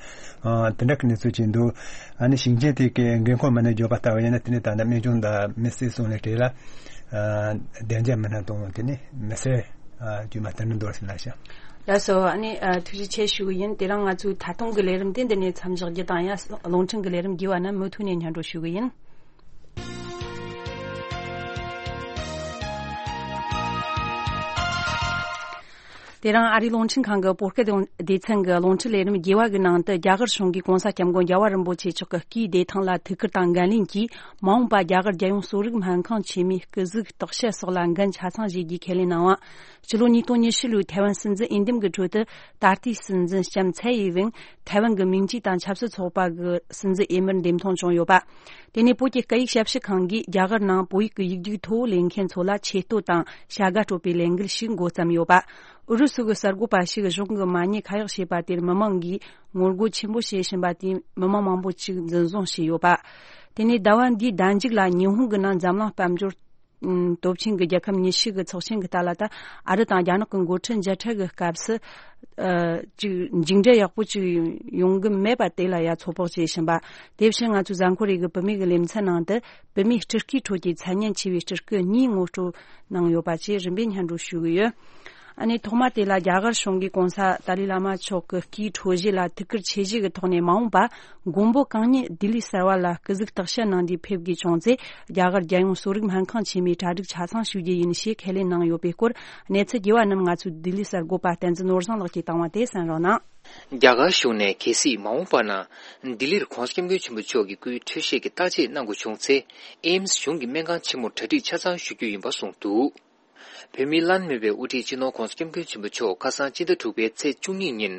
ཨ་དེ་འདྲ་གི་གནས་ཚུལ་ཅིག་འདུག། ཨ་ནི་ཞིང་ཆེན་དེ་གའི་འགན་ཁུར་མི་སྣས་བརྗོད་པ་ལྟ་བུ་ཡིན་ན། དེ་ནི་ད་ལྟ་རྨས་སྐྱོན་དང་མི་བསད་སོང་ལས་བྲལ་ལ། ཨ་བདེ་འཇགས་མི་སྣ་དང་དེ་ནི་མི་སེར་ཨ་དཀྱུས་མ་དེ་འདྲ་འདུག་ཟེར་ལ་ཤག། ལགས་སོ། ཨ་ནི་ཨ་ཐུགས་རྗེ་ཆེ་ཞུ་གི་ཡིན། དེ་རིང་ང་ཚོའི་ད་དུང་གི་ལས་རིམ་དེ་འདི་ནས་མཚམས་བཞག་རྒྱུ་དང་། ཡང་རླུང་འཕྲིན་གི་ལས་རིམ་རྒྱས་པ་རྣམས་མུ་མཐུད་ནས་སྙན་སྒྲོན་ཞུ་གི་ཡིན། དེ་རིང་ཨ་རིའི་རླུང་འཕྲིན་ཁང་གི་བོད་སྐད་སྡེ་ཚན་གྱི་རླུང་འཕྲིན་ལས་རིམ་རྒྱས་པ་གི་ནང་དུ། རྒྱ་གར་གཞུང་གིས་གོང་ས་སྐྱབས་མགོན་རྒྱལ་བ་རིན་པོ་ཆེ་མཆོག་གི་སྐུའི་བདེ་ཐང་ལ་ཐུགས་ཁུར་དང་འགན་ལེན་གྱིས། མ་འོངས་པ་རྒྱ་གར་རྒྱལ་ཡོངས་གསོ་རིག་སྨན་ཁང་ཆེན་མོའི་སྐུ་གཟུགས་བརྟག་དཔྱད་སོགས་ལ་འགན་ཆ་ཚང་བཞེས་རྒྱུའི་ཁས་ལེན་གནང་བ། ཕྱི་ལོ་ཉིས་སྟོང་ཉི་ཤུ་ལོའི་ཐའེ་ཝན་སྲིད་འཛིན་འོས་འདེམས་ཀྱི་ཁྲོད་དུ། ད་ལྟའི་སྲིད་འཛིན་ལྕམ་ཚའེ་ཡི་ཝེན་ཐའེ་ཝན་གྱི་མིང་ཅུས་དང་ཆབ་སྲིད་ཚོགས་པ་གི་སྲིད་འཛིན་འོས་མིར་འདེམས་ཐོན་བྱུང་ཡོད་པ། དེ་ནས་བོད་ཀྱི་སྐད་ཡིག་ཞབས་ཞུ་ཁང་གིས་རྒྱ་གར་ནང་བོད་ཡིག་གི་ཡིག་རྒྱུགས་ཐོ་ལེན་མཁན་ཚོ་ལ་ཆེད་བསྟོད་དང་བྱ་དགའ་སྤྲོད་པའི་ལས་འགུལ་ཞིག་འགོ་བརྩམས་ཡོད་པ། ཨུ་རུ་སུ་གི་གསར་འགོད་པ་ཞིག་གཞུང་གི་མ་ཉེས་ཁ་གཡོག་བྱས་པ་དེར་མི་མང་གིས་ངོ་རྒོལ་ཆེན་པོ་བྱེད་བཞིན་པ་དེས་མི་མང་མང་པོ་ཅིག་འཛིན་བཟུང་བྱས་ཡོད་པ། དེ་ནས་ཟླ་བ་འདིའི་ཟླ་མཇུག་ལ་ཉི་ཧོང་གི་ནང་འཛམ་གླིང་དཔལ་འབྱོར་སྟོབས་ཆེན་གྱི་རྒྱལ་ཁབ་ཉི་ཤུ་གི་ཚོགས་ཆེན་གྱི་རྟགས་ལ། ད་ཨ་རི་དང་རྒྱ་ནག་གི་འགོ་ཁྲིད་མཇལ་འཕྲད་ཀྱི་སྐབས་སུ། ཨ། ཅིག་མཇུག་འབྲས་ཡག་པོ་ཅིག་ཡོང་གི་མེད་པ་དེ་ལ་ཡ་ཚོད་དཔག་བྱེད་བཞིན་པ། དེ་བཞིན་ང་ཚོའི་གཟའ་འཁོར་རེ་གི་བུད་མེད་ཀྱི་ལེ་ཚན་ནང་དུ། བུད་མེད་སྤྲུལ་སྐུའི་ཁྲོད་ཀྱི་མཚན་སྙན་ཆེ་བའི་སྤྲུལ་སྐུ་གཉིས་ངོ་སྤྲོད་གནང་ཡོད་པ་བཅས་རིམ་པས་སྙན་སྒྲོན་ཞུ་གི་ཡོད། ཨ་ནི་ཐོག་མ་དེ་ལ། རྒྱ་གར་གཞུང་གིས་གོང་ས་ཏཱ་ལའི་བླ་མ་མཆོག་གི་སྐུའི་འཕྲོད་བཞེས་ལ་ཐུགས་ཁུར་ཆེ་བཞེས་ཀྱི་ཐོག་ནས། མ་འོངས་པ་མགོན་པོ་གང་ཉིད་ལྡི་ལི་གསར་བ་ལ་སྐུ་གཟུགས་བརྟག་དཔྱད་གནང་དུས་ཕེབས་དགོས་བྱུང་ཚེ། རྒྱ་གར་རྒྱལ་ཡོངས་གསོ་རིག་སྨན་ཁང་ཆེན་མོའི་གྲ་སྒྲིག་ཆ་ཚང་ཞུ་རྒྱུ་ཡིན་ཞེས་ཁས་ལེན་གནང་ཡོད་པའི་སྐོར། གནས་ཚུལ་རྒྱས་པ་རྣམས་ང་ཚོའི་ལྡི་ལི་གསར་འགོད་པ་བསྟན་འཛིན་ནོར་བཟང་ལགས་ཀྱིས་བཏང་བ་དེ་གསན་རོགས་གནང་། རྒྱ་གར་གཞུང་ནས་གལ་སྲིད་མ་འོངས་པ་ན་ལྡི་ལིར་གོང་ས་སྐྱབས་མགོན་ཆེན་པོ་མཆོག་གི་སྐུའི་འཕྲོད་བཞེས་ཀྱི་བརྟག་དཔྱད་གནང་དགོས་བྱུང་ཚེ། ཨེམ་སི་གཞུང་གི་སྨན་ཁང་ཆེན་མོར་གྲ་སྒྲིག་ཆ་ཚང་ཞུ་རྒྱུ་ཡིན་པ་གསུངས་འདུག། བོད་མིའི་བླ་ན་མེད་པའི་དབུ་ཁྲིད་སྤྱི་ནོར་༸གོང་ས་༸སྐྱབས་མགོན་ཆེན་པོ་མཆོག་ཁ་སང་སྤྱི་ཟླ་དྲུག་པའི་ཚེས་བཅུ་གཉིས་ཉིན་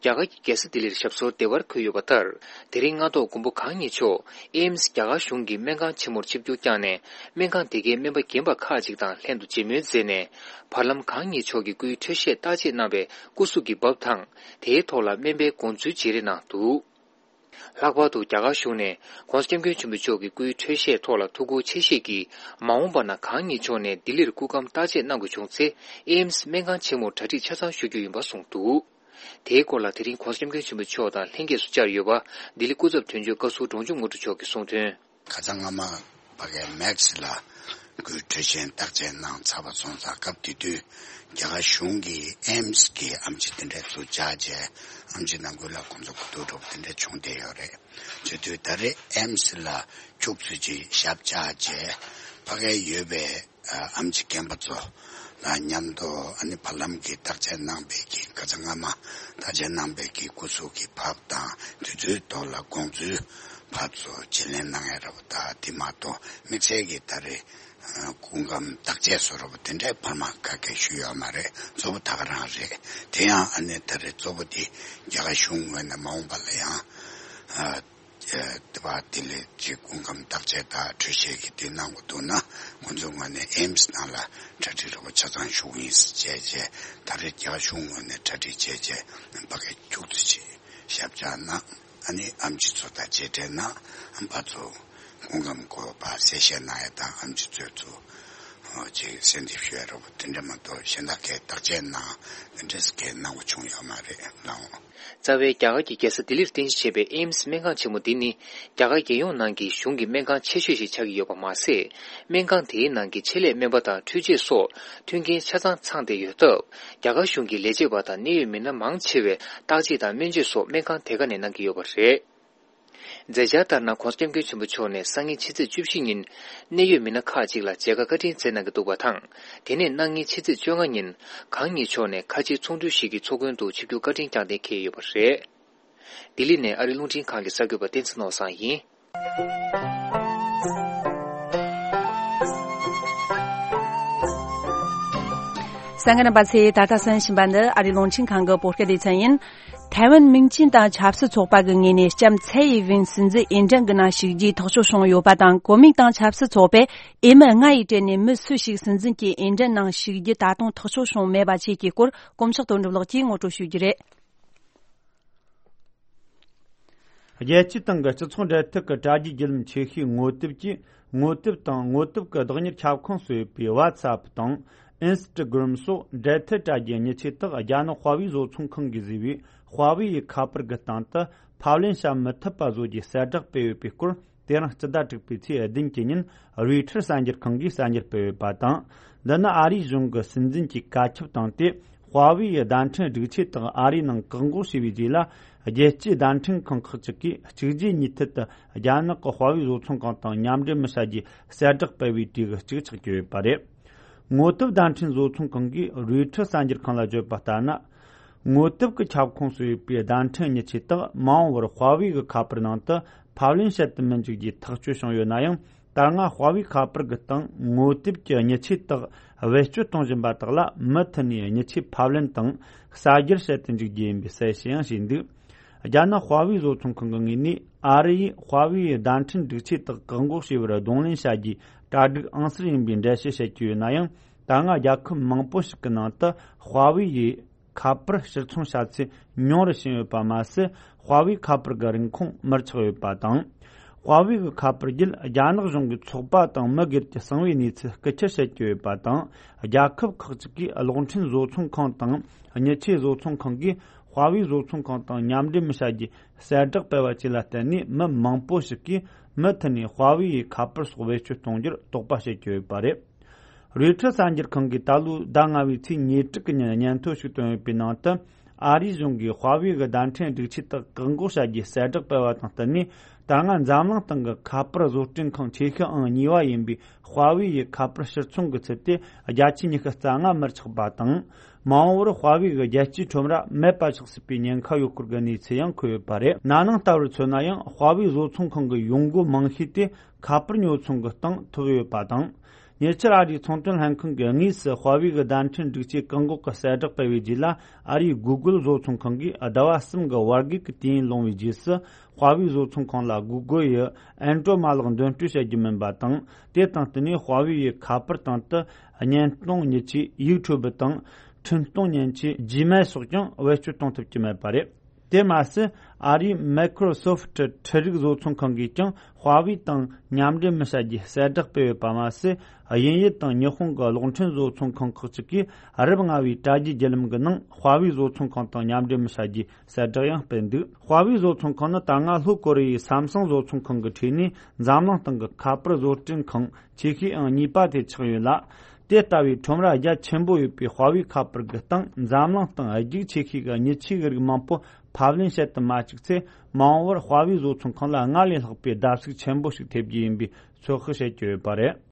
རྒྱ་གར་གྱི་རྒྱལ་ས་ལྡི་ལིར་ཞབས་སོར་བདེ་བར་འཁོད་ཡོད་པ་ལྟར། དེ་རིང་སྔ་ཐོག་མགོན་པོ་གང་ཉིད་མཆོག་ཨེམ་སི་རྒྱ་གར་གཞུང་གི་སྨན་ཁང་ཆེན་མོར་ཆིབས་བསྒྱུར་བསྐྱངས་ནས། སྨན་ཁང་དེ་གའི་སྨན་པ་རྒན་པ་ཁག་ཅིག་དང་ལྷན་དུ་མཇལ་མོལ་མཛད་ནས། བར་ལམ་གང་ཉིད་མཆོག་གི་སྐུའི་འཕྲོད་བཞེས་བརྟག་དཔྱད་གནང་བའི་སྐུ་གཟུགས་ཀྱི་བབ་དང་། དེའི་ཐོག་ལ་སྨན་པའི་དགོངས་ཚུལ་བརྗེ་རེས་གནང་འདུག། ལྷག་པར་དུ་རྒྱ་གར་གཞུང་ནས་༸གོང་ས་༸སྐྱབས་མགོན་ཆེན་པོ་མཆོག་གི་སྐུའི་འཕྲོད་བཞེས་ཐོག་ལ་ཐུགས་ཁུར་ཆེ་བཞེས་ཀྱིས། མ་འོངས་པ་ན་གང་ཉིད་མཆོག་ནས་ལྡི་ལིར་སྐུ་ཁམས་བརྟག་དཔྱད་གནང་དགོས་བྱུང་ཚེ། ཨེམ་སི་སྨན་ཁང་ཆེན་མོར་གྲ་སྒྲིག་ཆ་ཚང་ཞུ་རྒྱུ་ཡིན་པ་གསུངས་འདུག། དེའི་སྐོར་ལ་དེ་རིང་༸གོང་ས་༸སྐྱབས་མགོན་ཆེན་པོ་མཆོག་དང་ལྷན་རྒྱས་སུ་བཅར་ཡོད་པ། ལྡི་ལི་སྐུ་ཚབ་དོན་གཅོད་བཀའ་ཟུར་འབྲོང་ཆུང་དངོས་གྲུབ་མཆོག་གིས་གསུངས་དོན། ཁ་སང་སྔ་མ་ཕ་གའི་མེག་སི་ལ་སྐུའི་འཕྲོད་བཞེས་བརྟག་དཔྱད་གནང་ཚར་བ་སོང་ཙང་། སྐབས་དེ་དུས་རྒྱ་གར་གཞུང་གིས་ཨེམ་སི་གི་ཨེམ་ཆི་དེ་འདྲ་ཚུར་བཅར་རྗེས། ཨེམ་ཆི་ནང་ཁུལ་ལ་ཁོང་ཚོ་གོ་བསྡུར་འདྲ་པོ་དེ་འདྲ་བྱུང་བསྡད་ཡོད་རེད། བྱེད་དུས་ད་རེས་ཨེམ་སི་ལ་ཁྱུག་ཙམ་ཅིག་ཞབས་བཅགས་རྗེས། ཕ་གའི་ཡོད་པའི་ཨ་ཨེམ་ཆི་རྒན་པ་ཚོ་ལ་མཉམ་དུ། ཨ་ནི་བར་ལམ་གྱི་བརྟག་དཔྱད་གནང་བའི་གི། ཁ་སང་སྔ་མ་བརྟག་དཔྱད་གནང་བའི་གི་སྐུ་གཟུགས་ཀྱི་བབ་དང་། དེ་ཚོའི་ཐོག་ལ་དགོངས་ཚུལ་ཕར་ཚུར་བརྗེ་ལེན་གནང་ཡ་འདྲ་པོ་དང་། དེ་མ་གཏོགས་དམིགས་བསལ་གྱི་ད་རེས་ཨ་སྐུ་ཁམས་བརྟག་དཔྱད་བཟོ་འདྲ་པོ་དེ་འདྲའི་བར་མ་ག་གེ་ཞུས་ཡོད་མ་རེད། གཙོ་བོ་ད་ག་རང་རེད། དེ་ཡང་ཨ་ནི་ད་རེས་གཙོ་བོ་དེ་རྒྱ་གར་གཞུང་ངོས་ནས་མ་འོངས་པ་ལ་ཡང་ཨ་དེ་བ་དེ་ལས་ཅིག་སྐུ་ཁམས་བརྟག་དཔྱད་དང་འཕྲོད་བཞེས་ཀྱི་དེ་གནང་དགོས་འདུག་ན། ཁོང་ཚོའི་ངོས་ནས་ཨེམ་སི་ནང་ལ་གྲ་སྒྲིག་འདྲ་པོ་ཆ་ཚང་ཞུ་གི་ཡིན་ཟེར་བྱས་རྗེས། ད་རེས་རྒྱ་གར་གཞུང་ངོས་ནས་གྲ་སྒྲིག་བྱས་རྗེས། ཕ་གི་ཁྱུག་ཙམ་ཅིག་ཞབས་བཅགས་གནང་། ཨ་ནི་ཨེམ་ཆི་ཚོ་དང་མཇལ་འཕྲད་གནང་། ཨ་ཕར་ཚུར་སྐུ་ཁམས་སྐོར་བ་གསལ་བཤད་གནང་ཡ་དང་། ཨེམ་ཆི་ཚོས་ཚུར་ཨ་ཅིག་གསལ་འདེབས་ཞུ་ཡ་འདྲ་པོ་དེ་འདྲ་མ་གཏོགས། གཞན་དག་གིས་བརྟག་དཔྱད་གནང་། དེ་འདྲ་གང་གནང་དགོས་བྱུང་ཡོད་མ་རེད་ལགས། རྩ་བའི་རྒྱ་གར་གྱི་རྒྱལ་ས་ལྡི་ལིར་རྟེན་གཞི་བྱས་པའི་ཨེམ་སི་སྨན་ཁང་ཆེན་མོ་འདི་ནི། རྒྱ་གར་རྒྱལ་ཡོངས་ནང་གི་གཞུང་གི་སྨན་ཁང་ཆེ་ཤོས་ཤིག་ཆགས་ཀྱི་ཡོད་པ་མ་ཟད། སྨན་ཁང་དེའི་ནང་གི་ཆེད་ལས་སྨན་པ་དང་འཕྲུལ་ཆས་སོགས་མཐུན་རྐྱེན་ཆ་ཚང་ཚང་བསྡད་ཡོད་སྟབས། རྒྱ་གར་གཞུང་གི་ལས་བྱེད་པ་དང་གནད་ཡོད་མི་སྣ་མང་ཆེ་བས་བརྟག་དཔྱད་དང་སྨན་བཅོས་སོགས་སྨན་ཁང་དེ་ག་ནས་གནང་གི་ཡོད་པ་རེད། མཛད་འཆར་ལྟར་ན། ༸གོང་ས་༸སྐྱབས་མགོན་ཆེན་པོ་མཆོག་ནས་སང་ཉིན་ཕྱི་ཚེས་བཅུ་བཞི་ཉིན། གནད་ཡོད་མི་སྣ་ཁག་ཅིག་ལ་མཇལ་ཁ་བཀའ་དྲིན་སྩལ་གནང་གི་འདུག་པ་དང་། དེ་ནས་གནངས་ཉིན་ཕྱི་ཚེས་བཅོ་ལྔ་ཉིན། གང་ཉིད་མཆོག་ནས་ཁ་ཆེའི་ཚོགས་འདུ་ཞིག་གི་ཚོགས་མགོན་དུ་ཆིབས་བསྒྱུར་བཀའ་དྲིན་བསྐྱངས་གནང་གི་ཡོད་པ་རེད། ལྡི་ལི་ནས་ཨ་རིའི་རླུང་འཕྲིན་ཁང་གི་གསར་འགོད་པ་བསྟན་འཛིན་ནོར་བཟང་ཡིན། གསན་མཁན་རྣམ་པ་ཚོས་ད་ལྟ་གསན་བཞིན་པ་འདི་ཨ་རིའི་རླུང་འཕྲིན་ཁང་གི་བོད་སྐད་སྡེ་ཚན་ཡིན། ཐའེ་ཝན་མིང་ཅན་དང་ཆབ་སྲིད་ཚོགས་པ་གི་ངོས་ནས་ལྕམ་ཚའེ་ཡི་ཝེན་སྲིད་འཛིན་འོས་འགྲན་གྱི་ནང་ཞུགས་རྒྱུའི་ཐག་གཅོད་བྱུང་ཡོད་པ་དང་། གོ་མིང་དང་ཆབ་སྲིད་ཚོགས་པས་འོས་མི་ལྔ་ཡི་གྲས་ནས་མི་སུ་ཞིག་སྲིད་འཛིན་གྱི་འོས་འགྲན་ནང་ཞུགས་རྒྱུ་ད་དུང་ཐག་གཅོད་བྱུང་མེད་པ་བཅས་ཀྱི་སྐོར། དཀོན་མཆོག་དོན་གྲུབ་ལགས་ཀྱིས་ངོ་སྤྲོད་ཞུ་རྒྱུ་རེད། རྒྱལ་སྤྱིའི་སྟེང་གི་སྤྱི་ཚོགས་འབྲེལ་མཐུད་ཀྱི་དྲ་རྒྱའི་བརྒྱུད་ལམ་ཆེ་ཤོས་ངོ་དེབ་ཀྱི་ངོ་དེབ་དང་། ངོ་དེབ་ཀྱི་བདག་གཉེར་ཁྱབ་ཁོངས་སུ་ཡོད་པའི་ཝ་ཚ་ཨེབ་དང་ཨིན་སི་ཊ་གྷི་རམ་སོགས་འབྲེལ་མཐུད་དྲ་རྒྱའི་མྱི་ཆས་དག་རྒྱ་ནག་དཔའ་བོའི་བཟོ་ཚོང་ཁང་གིས་བཟོས་པའི་དཔའ་བོའི་ཁ་པར་གྱི་སྟེང་དུ་ཕབ་ལེན་བྱ་མི་ཐུབ་པ་བཟོ་རྒྱུའི་གསལ་བསྒྲགས་སྤེལ་ཡོད་པའི་སྐོར། དེ་རིང་སྤྱི་ཟླ་དྲུག་པའི་ཚེས་བདུན་གྱི་ཉིན་རོའི་ཊར་གསར་འགྱུར་ཁང་གིས་གསར་འགྱུར་སྤེལ་ཡོད་པ་དང་། འདི་ནི་ཨ་རིའི་གཞུང་གི་སྲིད་འཛིན་གྱི་བཀའ་ཁྱབ་བཏང་སྟེ། དཔའ་བོའི་བརྡ་འཕྲིན་སྒྲིག་ཆས་དག་ཨ་རིའི་ནང་བཀག་འགོག་བྱས་པའི་རྗེས་ལ། རྒྱལ་སྤྱིའི་བརྡ་འཕྲིན་ཁང་ཁག་ཅིག་གིས་གཅིག་རྗེས་གཉིས་མཐུད་དུ་རྒྱ་ནག་གི་དཔའ་བོའི་བཟོ་ཚོང་ཁང་དང་མཉམ་འབྲེལ་མི་བྱ་རྒྱུའི་གསལ་བསྒྲགས་སྤེལ་བའི་གྲས་ཀྱི་གཅིག་ཆགས་ཀྱི་ཡོད་པ་རེད། ངོ་དེབ་བརྡ་འཕྲིན་བཟོ་ཚོང་ཁང་གིས་རོའི་ཊར་གསར་འགྱུར་ཁང་ལ་བརྗོད་པ་ལྟར་ན། ངོ་དེབ་ཀྱི་ཁྱབ་ཁོངས་སུ་ཡོད་པའི་བརྡ་འཕྲིན་མྱི་ཆས་དག་མ་འོངས་པར་ཧྭ་ཝེ་གི་ཁ་པར་ནང་དུ་ཕབ་ལེན་བྱེད་དུ་མི་འཇུག་རྒྱུའི་ཐག་གཅོད་བྱུང་ཡོད་ན་ཡང་། ད་སྔ་ཧྭ་ཝེ་ཁ་པར་གྱི་སྟེང་ངོ་དེབ་ཀྱི་མྱི་ཆས་དག་བེད་སྤྱོད་གཏོང་བཞིན་པ་དག་ལ་མུ་མཐུད་ནས་མྱི་ཆས་ཕབ་ལེན་དང་གསར་སྒྱུར་བྱེད་དུ་འཇུག་རྒྱུ་ཡིན་པའི་གསལ་བཤད་ཡང་བྱས་འདུག་རྒྱ་ནག་ཧྭ་ཝེ་བཟོ་ཚོང་ཁང་གི་ངོས་ནས་ཨ་རི་ཡིས་ཧྭ་ཝེ་ཡི་བརྡ་འཕྲིན་སྒྲིག་ཆས་དག་བཀག་འགོག་བྱས་པར་གདོང་ལེན་བྱ་རྒྱུའི་གྲ་སྒྲིག་ཨང་གསར་ཡིན་པའི་འགྲེལ་བཤད་བྱེད་ཀྱི་ཡོད་ན་ཡང་། ད་སྔ་རྒྱལ་ཁབ་མང་པོ་ཞིག་གི་ནང་དུ་ཧྭ་ཝེ་ཡི་ཁ་པར་ཕྱིར་ཚོང་བྱ་ཚད་ཉུང་རུ་ཕྱིན་ཡོད་པ་མ་ཟད། ཧྭ་ཝེ་ཁ་པར་གྱི་རིན་གོང་མར་ཆག་ཡོད་པ་དང་། ཧྭ་ཝེ་གི་ཁ་པར་བརྒྱུད་རྒྱ་ནག་གཞུང་གི་ཚོགས་པ་དང་མི་སྒེར་གྱི་གསང་བའི་གནས་ཚུལ་རྐུ་འཁྱེར་བྱེད་ཀྱི་ཡོད་པ་དང་། རྒྱལ་ཁབ་ཁག་ཅིག་གིས་གློག་འཕྲིན་བཟོ་ཚོང་ཁང་དང་མྱི་ཆས་བཟོ་ཚོང་ཁང་གིས་ཧྭ་ཝེ་བཟོ་ཚོང་ཁང་དང་མཉམ་འབྲེལ་མི་བྱ་རྒྱུའི་གསལ་བསྒྲགས་སྤེལ་བ་བཅས་ལ་བརྟེན་ནས། མི་མང་པོ་ཞིག་གིས་མུ་མཐུད་ནས་ཧྭ་ཝེ་ཡི་ཁ་པར་སོགས་བེད་སྤྱོད་གཏོང་རྒྱུར་དོགས་པ་བྱེད་ཀྱི་ཡོད་པ་རེད། རོའི་ཊར་གསར་འགྱུར་ཁང་གིས་ད་ལོའི་ཟླ་ལྔ་པའི་ཚེས་ཉེར་དྲུག་གི་ཉིན་སྙན་ཐོ་ཞིག་བཏོན་ཡོད་པའི་ནང་དུ། ཨ་རིའི་གཞུང་གིས་ཧྭ་ཝེ་གི་བརྡ་འཕྲིན་སྒྲིག་ཆས་དག་བཀག་འགོག་བྱ་རྒྱུའི་གསལ་བསྒྲགས་སྤེལ་བ་དང་བསྟུན་ནས། ད་སྔ་འཛམ་གླིང་སྟེང་གི་ཁ་པར་བཟོ་སྐྲུན་ཁང་ཆེ་ཤོས་ཨང་གཉིས་པ་ཡིན་པའི་ཧྭ་ཝེ་ཡི་ཁ་པར་ཕྱིར་ཚོང་གི་ཚད་དེ་བརྒྱ་ཆའི་ཉི་ཤུ་རྩ་ལྔ་མར་ཆག་པ་དང་། མ་འོངས་པར་ཧྭ་ཝེ་གི་རྒྱལ་སྤྱིའི་ཁྲོམ་ར་མེད་པ་ཆགས་སྲིད་པའི་ཉེན་ཁ་ཡོད་སྐོར་གྱི་གནས་ཚུལ་ཡང་འཁོད་ཡོད་པ་རེད། ན་ནིང་ལྟ་བུར་མཚོན་ན་ཡང་། ཧྭ་ཝེ་བཟོ་ཚོང་ཁང་གི་ཡོང་སྒོ་མང་ཤོས་དེ་ཁ་པར་ཉོ་ཚོང་གི་སྟེང་ཐུག་ཡོད་པ་དང་། ཉེ་ཆར་ཨ་རིའི་ཚོང་དོན་ལྷན་ཁང་གིས་དངོས་སུ་ཧྭ་ཝེ་གི་བརྡ་འཕྲིན་སྒྲིག་ཆས་བཀག་འགོག་གི་གསལ་བསྒྲགས་སྤེལ་བའི་རྗེས་ལ། ཨ་རིའི་གུ་གུལ་བཟོ་ཚོང་ཁང་གིས་ཟླ་བ་གསུམ་གྱི་བར་བརྒལ་གྱི་དུས་ཡུན་ལོངས་པའི་རྗེས་སུ། ཧྭ་ཝེ་བཟོ་ཚོང་ཁང་ལ་གུ་གུལ་ཡི་ཨན་ཌོ་རོ་ཌི་མ་ལག་འདོན་སྤྲོད་བྱེད་རྒྱུ་མིན་པ་དང་། དེ་དང་བསྟུན་ནས་ཧྭ་ཝེ་ཡི་ཁ་པར་སྟེང་དུ་བརྙན་གཏོང་མྱི་ཆས་ཡིག་འཕྲོད་པ་དང་། འཕྲིན་གཏོང་མཉེན་ཆས་ཇི་མེལ་སོགས་ཀྱང་བེད་སྤྱོད་གཏོང་ཐུབ་ཀྱི་མེད་པ་རེད། དེ་མ་ཟད། ཨ་རིའི་མའི་ཀྲོ་སོབ་ཊི་འཕྲུལ་རིག་བཟོ་ཚོང་ཁང་གིས་ཀྱང་ཧྭ་ཝེ་དང་མཉམ་འབྲེལ་མི་བྱ་རྒྱུའི་གསལ་བསྒྲགས་སྤེལ་ཡོད་པ་མ་ཟད། དབྱིན་ཡུལ་དང་ཉི་ཧོང་གི་གློག་འཕྲིན་བཟོ་ཚོང་ཁང་ཁག་ཅིག་གིས་རབས་ལྔ་བའི་དྲ་རྒྱའི་བརྒྱུད་ལམ་གྱི་ནང་ཧྭ་ཝེ་བཟོ་ཚོང་ཁང་དང་མཉམ་འབྲེལ་མི་བྱ་རྒྱུའི་གསལ་བསྒྲགས་ཡང་སྤེལ་འདུག་ཧྭ་ཝེ་བཟོ་ཚོང་ཁང་ནི་ད་སྔ་ལྷོ་ཀོ་རི་ཡའི་སམ་སུང་བཟོ་ཚོང་ཁང་གི་ཁྲོད་ནས་འཛམ་གླིང་སྟེང་གི་ཁ་པར་བཟོ་སྐྲུན་ཁང་ཆེ་ཤོས་ཨང་གཉིས་པ་དེ་ཆགས་ཡོད་ལ། དེ་ལྟ་བུའི་ཁྲོམ་ར་རྒྱ་ཆེན་པོ་ཡོད་པའི་ཧྭ་ཝེ་ཁ་པར་གྱི་སྟེང་འཛམ་གླིང་སྟེང་རྒྱུག་ཆེ་ཤོས་ཀྱི་མྱི་ཆས་ཀྱི་རིགས་མང་པོ་ཕབ་ལེན་བྱེད་དུ་མ་བཅུག་ཚེ། མ་འོངས་པར་ཧྭ་ཝེ་བཟོ་ཚོང་ཁང་ལ་སྔར་ལས་ལྷག་པའི་བརྡབ་གསིག་ཆེན་པོ་ཞིག་ཐེབས་རྒྱུ་ཡིན་པའི་ཚོད་དཔག་བྱེད་ཀྱི་ཡོད་པ་རེད།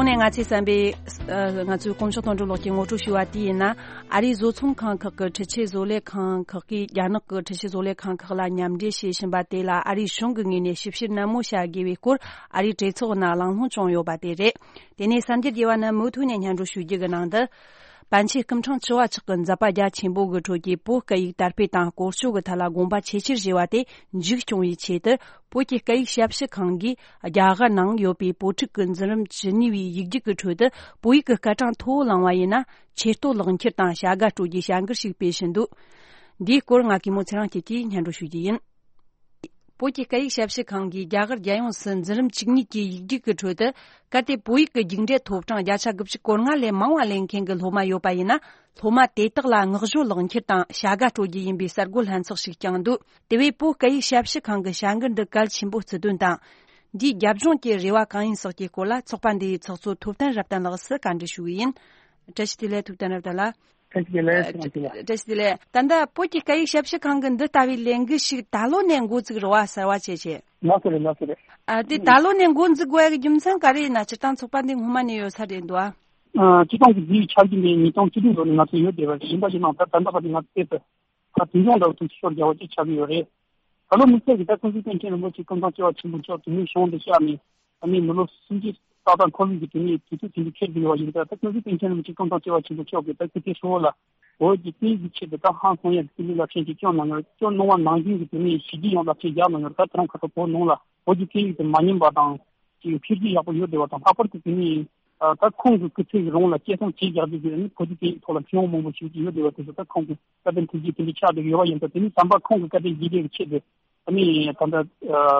གོང་ནས་ང་ཚོས་བསམ་པའི་ཨ་ང་ཚོའི་དཀོན་མཆོག་དོན་གྲུབ་ལགས་ཀྱིས་ངོ་སྤྲོད་ཞུས་པ་དེ་ཡིན་ན། ཨ་རིའི་བཟོ་ཚོང་ཁང་ཁག་གི་འཕྲུལ་ཆས་བཟོ་ལས་ཁང་ཁག་གིས་རྒྱ་ནག་གི་འཕྲུལ་ཆས་བཟོ་ལས་ཁང་ཁག་ལ་མཉམ་འབྲེལ་བྱེད་བཞིན་པ་དེ་ལ་ཨ་རིའི་གཞུང་གི་ངོས་ནས་ཞིབ་བཤེར་ནན་མོ་བྱ་དགོས་པའི་སྐོར་ཨ་རིའི་གྲོས་ཚོགས་ནང་གླེང་སློང་བྱུང་ཡོད་པ་དེ་རེད། དེ་ནས་གསར་འགྱུར་རྒྱས་པ་རྣམས་མུ་མཐུད་ནས་སྙན་སྒྲོན་ཞུ་རྒྱུ་གི་ནང་དུ། པཎ་ཆེན་སྐུ་ཕྲེང་བཅུ་བ་མཆོག་གི་མཛད་པ་རྒྱ་ཆེན་པོ་གི་ཁྲོད་ཀྱི་བོད་སྐད་ཡིག་དར་སྤེལ་དང་བཀོལ་སྤྱོད་ཀྱི་ཐད་ལ་དགོངས་པ་ཆེས་ཆེར་བཞེས་པ་དེ་མཇུག་སྐྱོང་བའི་ཆེད་དུ། བོད་ཀྱི་སྐད་ཡིག་ཞབས་ཞུ་ཁང་གིས་རྒྱ་གར་ནང་ཡོད་པའི་བོད་ཕྲུག་གི་འཛིན་རིམ་བཅུ་གཉིས་པའི་ཡིག་རྒྱུགས་ཀྱི་ཁྲོད་དུ་བོད་ཡིག་གི་སྐར་གྲངས་མཐོ་བོ་བླངས་པ་ཡིན་ན། ཆེ་བསྟོད་ལག་འཁྱེར་དང་བྱ་དགའ་སྤྲོད་རྒྱུའི་བྱ་འགུལ་ཞིག་སྤེལ་བཞིན་འདུག་འདིའི་སྐོར་ང་གི་མོ་ཚེ་རིང་སྐྱིད་ཀྱིས་སྙན་སྒྲོན་ཞུ་རྒྱུ་ཡིན། བོད་ཀྱི་སྐད་ཡིག་ཞབས་ཞུ་ཁང་གིས་རྒྱ་གར་རྒྱལ་ཡོངས་སུ་འཛིན་རིམ་བཅུ་གཉིས་ཀྱི་ཡིག་རྒྱུགས་ཀྱི་ཁྲོད་དུ། གལ་ཏེ་བོད་ཡིག་གི་རྒྱུགས་འབྲས་ཐོབ་གྲངས་བརྒྱ་ཆ་དགུ་བཅུ་གོ་ལྔ་ལས་མང་བ་ལེན་མཁན་གྱི་སློབ་མ་ཡོད་པ་ཡིན་ན། སློབ་མ་དེ་དག་ལ་བསྔགས་བརྗོད་ལག་འཁྱེར་དང་བྱ་དགའ་སྤྲོད་རྒྱུ་ཡིན་པའི་གསར་འགོད་ལྷན་ཚོགས་ཤིག་བསྐྱངས་འདུག་དེ་བས་བོད་སྐད་ཡིག་ཞབས་ཞུ་ཁང་གི་བྱ་འགུལ་འདི་གལ་ཆེན་པོ་བརྩི་དོན་དང་། འདིའི་རྒྱབ་ལྗོངས་ཀྱི་རེ་བ་གང་ཡིན་སོགས་ཀྱི་སྐོར་ལ་ཚོགས་པ་འདིའི་ཚོགས་གཙོ་ཐུབ་བསྟན་རབ་བརྟན་ལགས་སུ་བཀའ་འདྲི་ཞུ་གི་ཡིན། བཀྲ་ཤིས་བདེ་ལེགས། ཐུབ་བསྟན་རབ་བརྟན་ལགས། བཀྲ་ཤིས་བདེ་ལེགས། བཀྲ་ཤིས་བདེ་ལེགས། བཀྲ་ཤིས་བདེ་ལེགས། ད་ལྟ་བོད་ཀྱི་སྐད་ཡིག་ཞབས་ཞུ་ཁང་གིས་འདི་ལྟ་བུའི་ལས་འགུལ་ཞིག་ད་ལོ་ནས་འགོ་བཙུགས་རེད་བ། གསར་བ་བྱས་བྱས། ལགས་སོ་རེད། ལགས་སོ་རེད། ཨ་དེ་ད་ལོ་ནས་འགོ་འཛུགས་དགོས་ཡ་གི་རྒྱུ་མཚན་ག་རེ་ཡིན་ན། སྤྱིར་བཏང་ཚོགས་པ་འདི་སྔོན་མ་ནས་ཡོད་ས་རེད་འདུག་ཨ། ཨ་སྤྱིར་བཏང་གི་འདིའི་ཆ་རྐྱེན་དེ་ཉིས་སྟོང་བཅུ་དྲུག་ལོ་ནས་ང་ཚོ་ཡོད་བསྡད་པ་རེད། ཡིན་པ་ཡིན་ནའང་ད་ད་ལྟ་བར་དུ་ང་ཚོ་བལྟས་ཚེ། ད་དུས་ཡུན་རིང་པོ་དུས་ཚོད་རྒྱག་པ་ཅིག་ཆགས་ཀྱི་ཡོད་རེད། ད་ལོ་དམིགས་བསལ་གྱི་ད་ཀུན་གཟིགས་པཎ་ཆེན་རིན་པོ་ཆེ་སྐུ་ཐང་བཅུ་པ་ཆེན་པོ་མཆོག་དེ་ནས་གཞུང་དུ་གཤེགས་ནས། ཨ་ནི་མི་ལོ་སུམ་ཅུ་ཏག་ཏག་འཁོར་བའི་གི་དུས་ནས་དུས་ཚོད་དེ་འདྲ་འཁེལ་དགོས་པ་ཡིན་ཙང་། ད་ཀུན་གཟིགས་པཎ་ཆེན་རིན་པོ་ཆེ་སྐུ་ཐང་བཅུ་པ་ཆེན་པོ་མཆོག་གིས་ད་སྐུ་ཚེ་ཧྲིལ་བོ་ལ་བོད་ཀྱི་སྐད་ཡིག་གི་ཆེད་དུ་ད་ཧང་སང་ཡག་གི་སྐུ་ལུས་རླབས་ཆེན་ཅིག་བསྐྱོན་གནང་ཡོད། བསྐྱོན་གནང་བ་ནང་བཞིན་གྱི་དུས་ནས་ཞི་བདེ་ཡང་རླབས་ཆེན་རྒྱག་གནང་ཡོད། ད་ད་རུང་ཁ་ཐོག་བོད་ནང་ལ་བོད་ཀྱི་སྐད་ཡིག་དེ་མ་ཉམས་པ་དང་ཅིག་འཕེལ་རྒྱས་ཡག་པོ་ཡོད་བསྡད་པ་དང་། ལྷག་པར་དུ་དེ་ནས་ད་ཁོང་གི་སྐུ་ཚེ་གི་རིང་ལ་སྐད་གསང་བྱས་བཞག་རྒྱུ་གི་ནི་བོད་ཀྱི་སྐད་ཡིག་ཐོག་ལ་མཁས་དབང་མང་པོ་ཞིག་ཡོད་བསྡད་པ་དེ་ཚོ་ད་ཁོང་གི་བཀའ་དྲིན་ཐུགས་རྗེ་དེ་འདྲ་ཆགས་བསྡད་ཡོད་པ་ཡིན་ཙང་། དེ་ནི་ཟམ་པ་ཁོང་གི་བཀའ་དྲིན་རྗེས་དྲན་གྱི་ཆེད་དུ། ཨ་ནི་ད་ལྟ་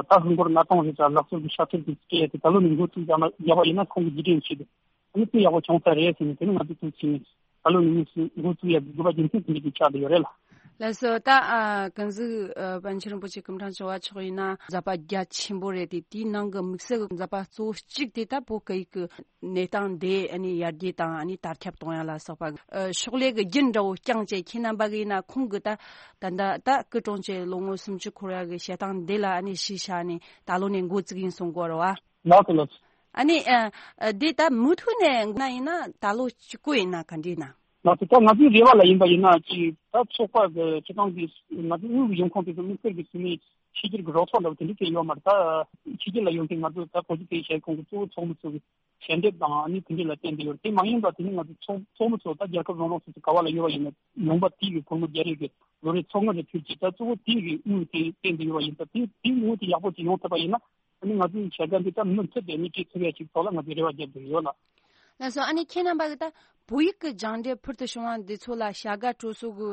ད་ཧིན་སྒོར་ལྔ་སྟོང་རེ་ཙམ་ལག་སོར་གྱི་ཕྱག་ཐེབས་ཀྱི་སྐད་དེ་ད་ལོ་ནས་འགོ་བཙུགས་བཞག་ན་བཞག་པ་ཡིན་ན། ཁོང་གི་རྗེས་དྲན་ཆེད་དུ་ཨ་ནི་དཔེ་ཡག་པོ་བྱུང་ས་རེད་ཟེར་ནས། དེ་ནི་ང་ཚོ་ཐུགས་ཆེ་ནས་ད་ལོ་ནས་དངོས་སུ་འགོ་བཙུགས་ཡག་གི་དགོས་པ་རྒྱུ་མཚན་དེ་འདྲ་ཅིག་ཆགས་བསྡད་ཡོད་རེད་ལ། ལགས་སོ། ད་ཨ་ཀུན་གཟིགས་ཨ་པཎ་ཆེན་རིན་པོ་ཆེ་སྐུ་ཕྲེང་བཅུ་བ་མཆོག་ཡིན་ན་མཛད་པ་རྒྱ་ཆེན་པོ་རེད་དེ། དེའི་ནང་གི་དམིགས་བསལ་གྱི་མཛད་པ་གཙོ་བོ་གཅིག་དེ་ད་བོད་སྐད་ཡིག་གི་གནས་སྟངས་དེ་ཨ་ནི་ཡར་རྒྱས་དང་ཨ་ནི་དར་ཁྱབ་གཏོང་ཡ་ལ་སོགས་པ་ཨ་ཕྱག་ལས་ཀྱི་རྒྱུན་འདྲ་བོ་བསྐྱངས་བྱས། ཁྱེད་རྣམ་པ་གི་ཡིན་ན་ཁོང་གི་ད་ད་ད་ད་སྐུ་གྲོངས་བྱས་ལོ་ངོ་སུམ་ཅུ་འཁོར་ཡ་གི་བཤད་སྟངས་འདི་ལ་ཨ་ནི་གཞི་བཞག་ནས་ད་ལོ་ནས་འགོ་བཙུགས་ཡིན་གསུང་གི་ཡོད་རེད་བ། ལགས་སོ་ལགས་སོ། ཨ་ནི་ཨ་ཨ་འདི་ད་མུ་མཐུད་ནས་འགོ་ན་ཡིན་ན་ད་ལོ་གཅིག་པོ་ཡིན་ན་ག་འདྲ་ཡིན་ན། ང་ཚོ་ད་ང་ཚོའི་རེ་བ་ལ་ཡིན་པ་ཡིན་ན་ཅིག་ད་ཚོགས་པ་གི་སྤྱི་བཏང་གི་ང་ཚོའི་དངུལ་གྱི་ཡོང་ཁུངས་དེ་ཚོ་དམིགས་བསལ་གྱི་ཚུལ་ནས་ཕྱི་རྒྱལ་གྱི་རོགས་ཚོགས་འདྲ་བོ་དེ་འདྲ་སྐྱེས་ཡོད་མ་རེད། ད་ཕྱི་རྒྱལ་ལ་ཡོང་མཁན་ང་ཚོ་ད་བོད་ཀྱི་སྐད་ཡིག་ཤེས་ཁོང་གི་གཙོ་བོ་ཚོགས་མི་ཚོ་གི་ཞལ་འདེབས་དང་ཨ་ནི་དེ་འདྲ་ལ་བརྟེན་ཏེ་ཡོད་རེད། དེ་མ་ཡིན་པ་དེ་ནི་ང་ཚོ་ཚོགས་ཚོགས་མི་ཚོ་ད་རྒྱལ་ཁབ་རང་རང་སོ་སོ་ག་བ་ལ་ཡོད་པ་ཡིན་ན་ལུང་པ་དེའི་གི་སྒོར་མོ་བརྒྱ་རེ་གི་ལོ་རེ་ཚོགས་དངུལ་རེ་ཕུལ་གྱི་ད་གཙོ་བོ་དེའི་གི་དངུལ་དེ་བརྟེན་ཏེ་ཡོད་པ་ཡིན་ཙང་དེ་དེའི་དངུལ་དེ་ཡག་པོ་ཅིག་ཡོང་ཐུབ་པ་ཡིན་ན། ཨ་ནི་ང་ཚོའི་བྱ་དགའ་འདི་ད་མུ་མཐུད་དེ་ནི་སྤྲད་ཐུབ་ཡ་ཅིག་ཐོག་ལ་ང་ཚོས་རེ་བ་རྒྱབ་བསྡད་ཡོད་ལགས། ལགས་སོ། ཨ་ནི་ཁྱེད་རྣམ་པ་གི་ད་བོད་ཡིག་གི་སྦྱངས་འབྲས་ཕུལ་དུ་བྱུང་བ་འདི་ཚོ་ལ་བྱ་དགའ་སྤྲོད་གསོག་གི་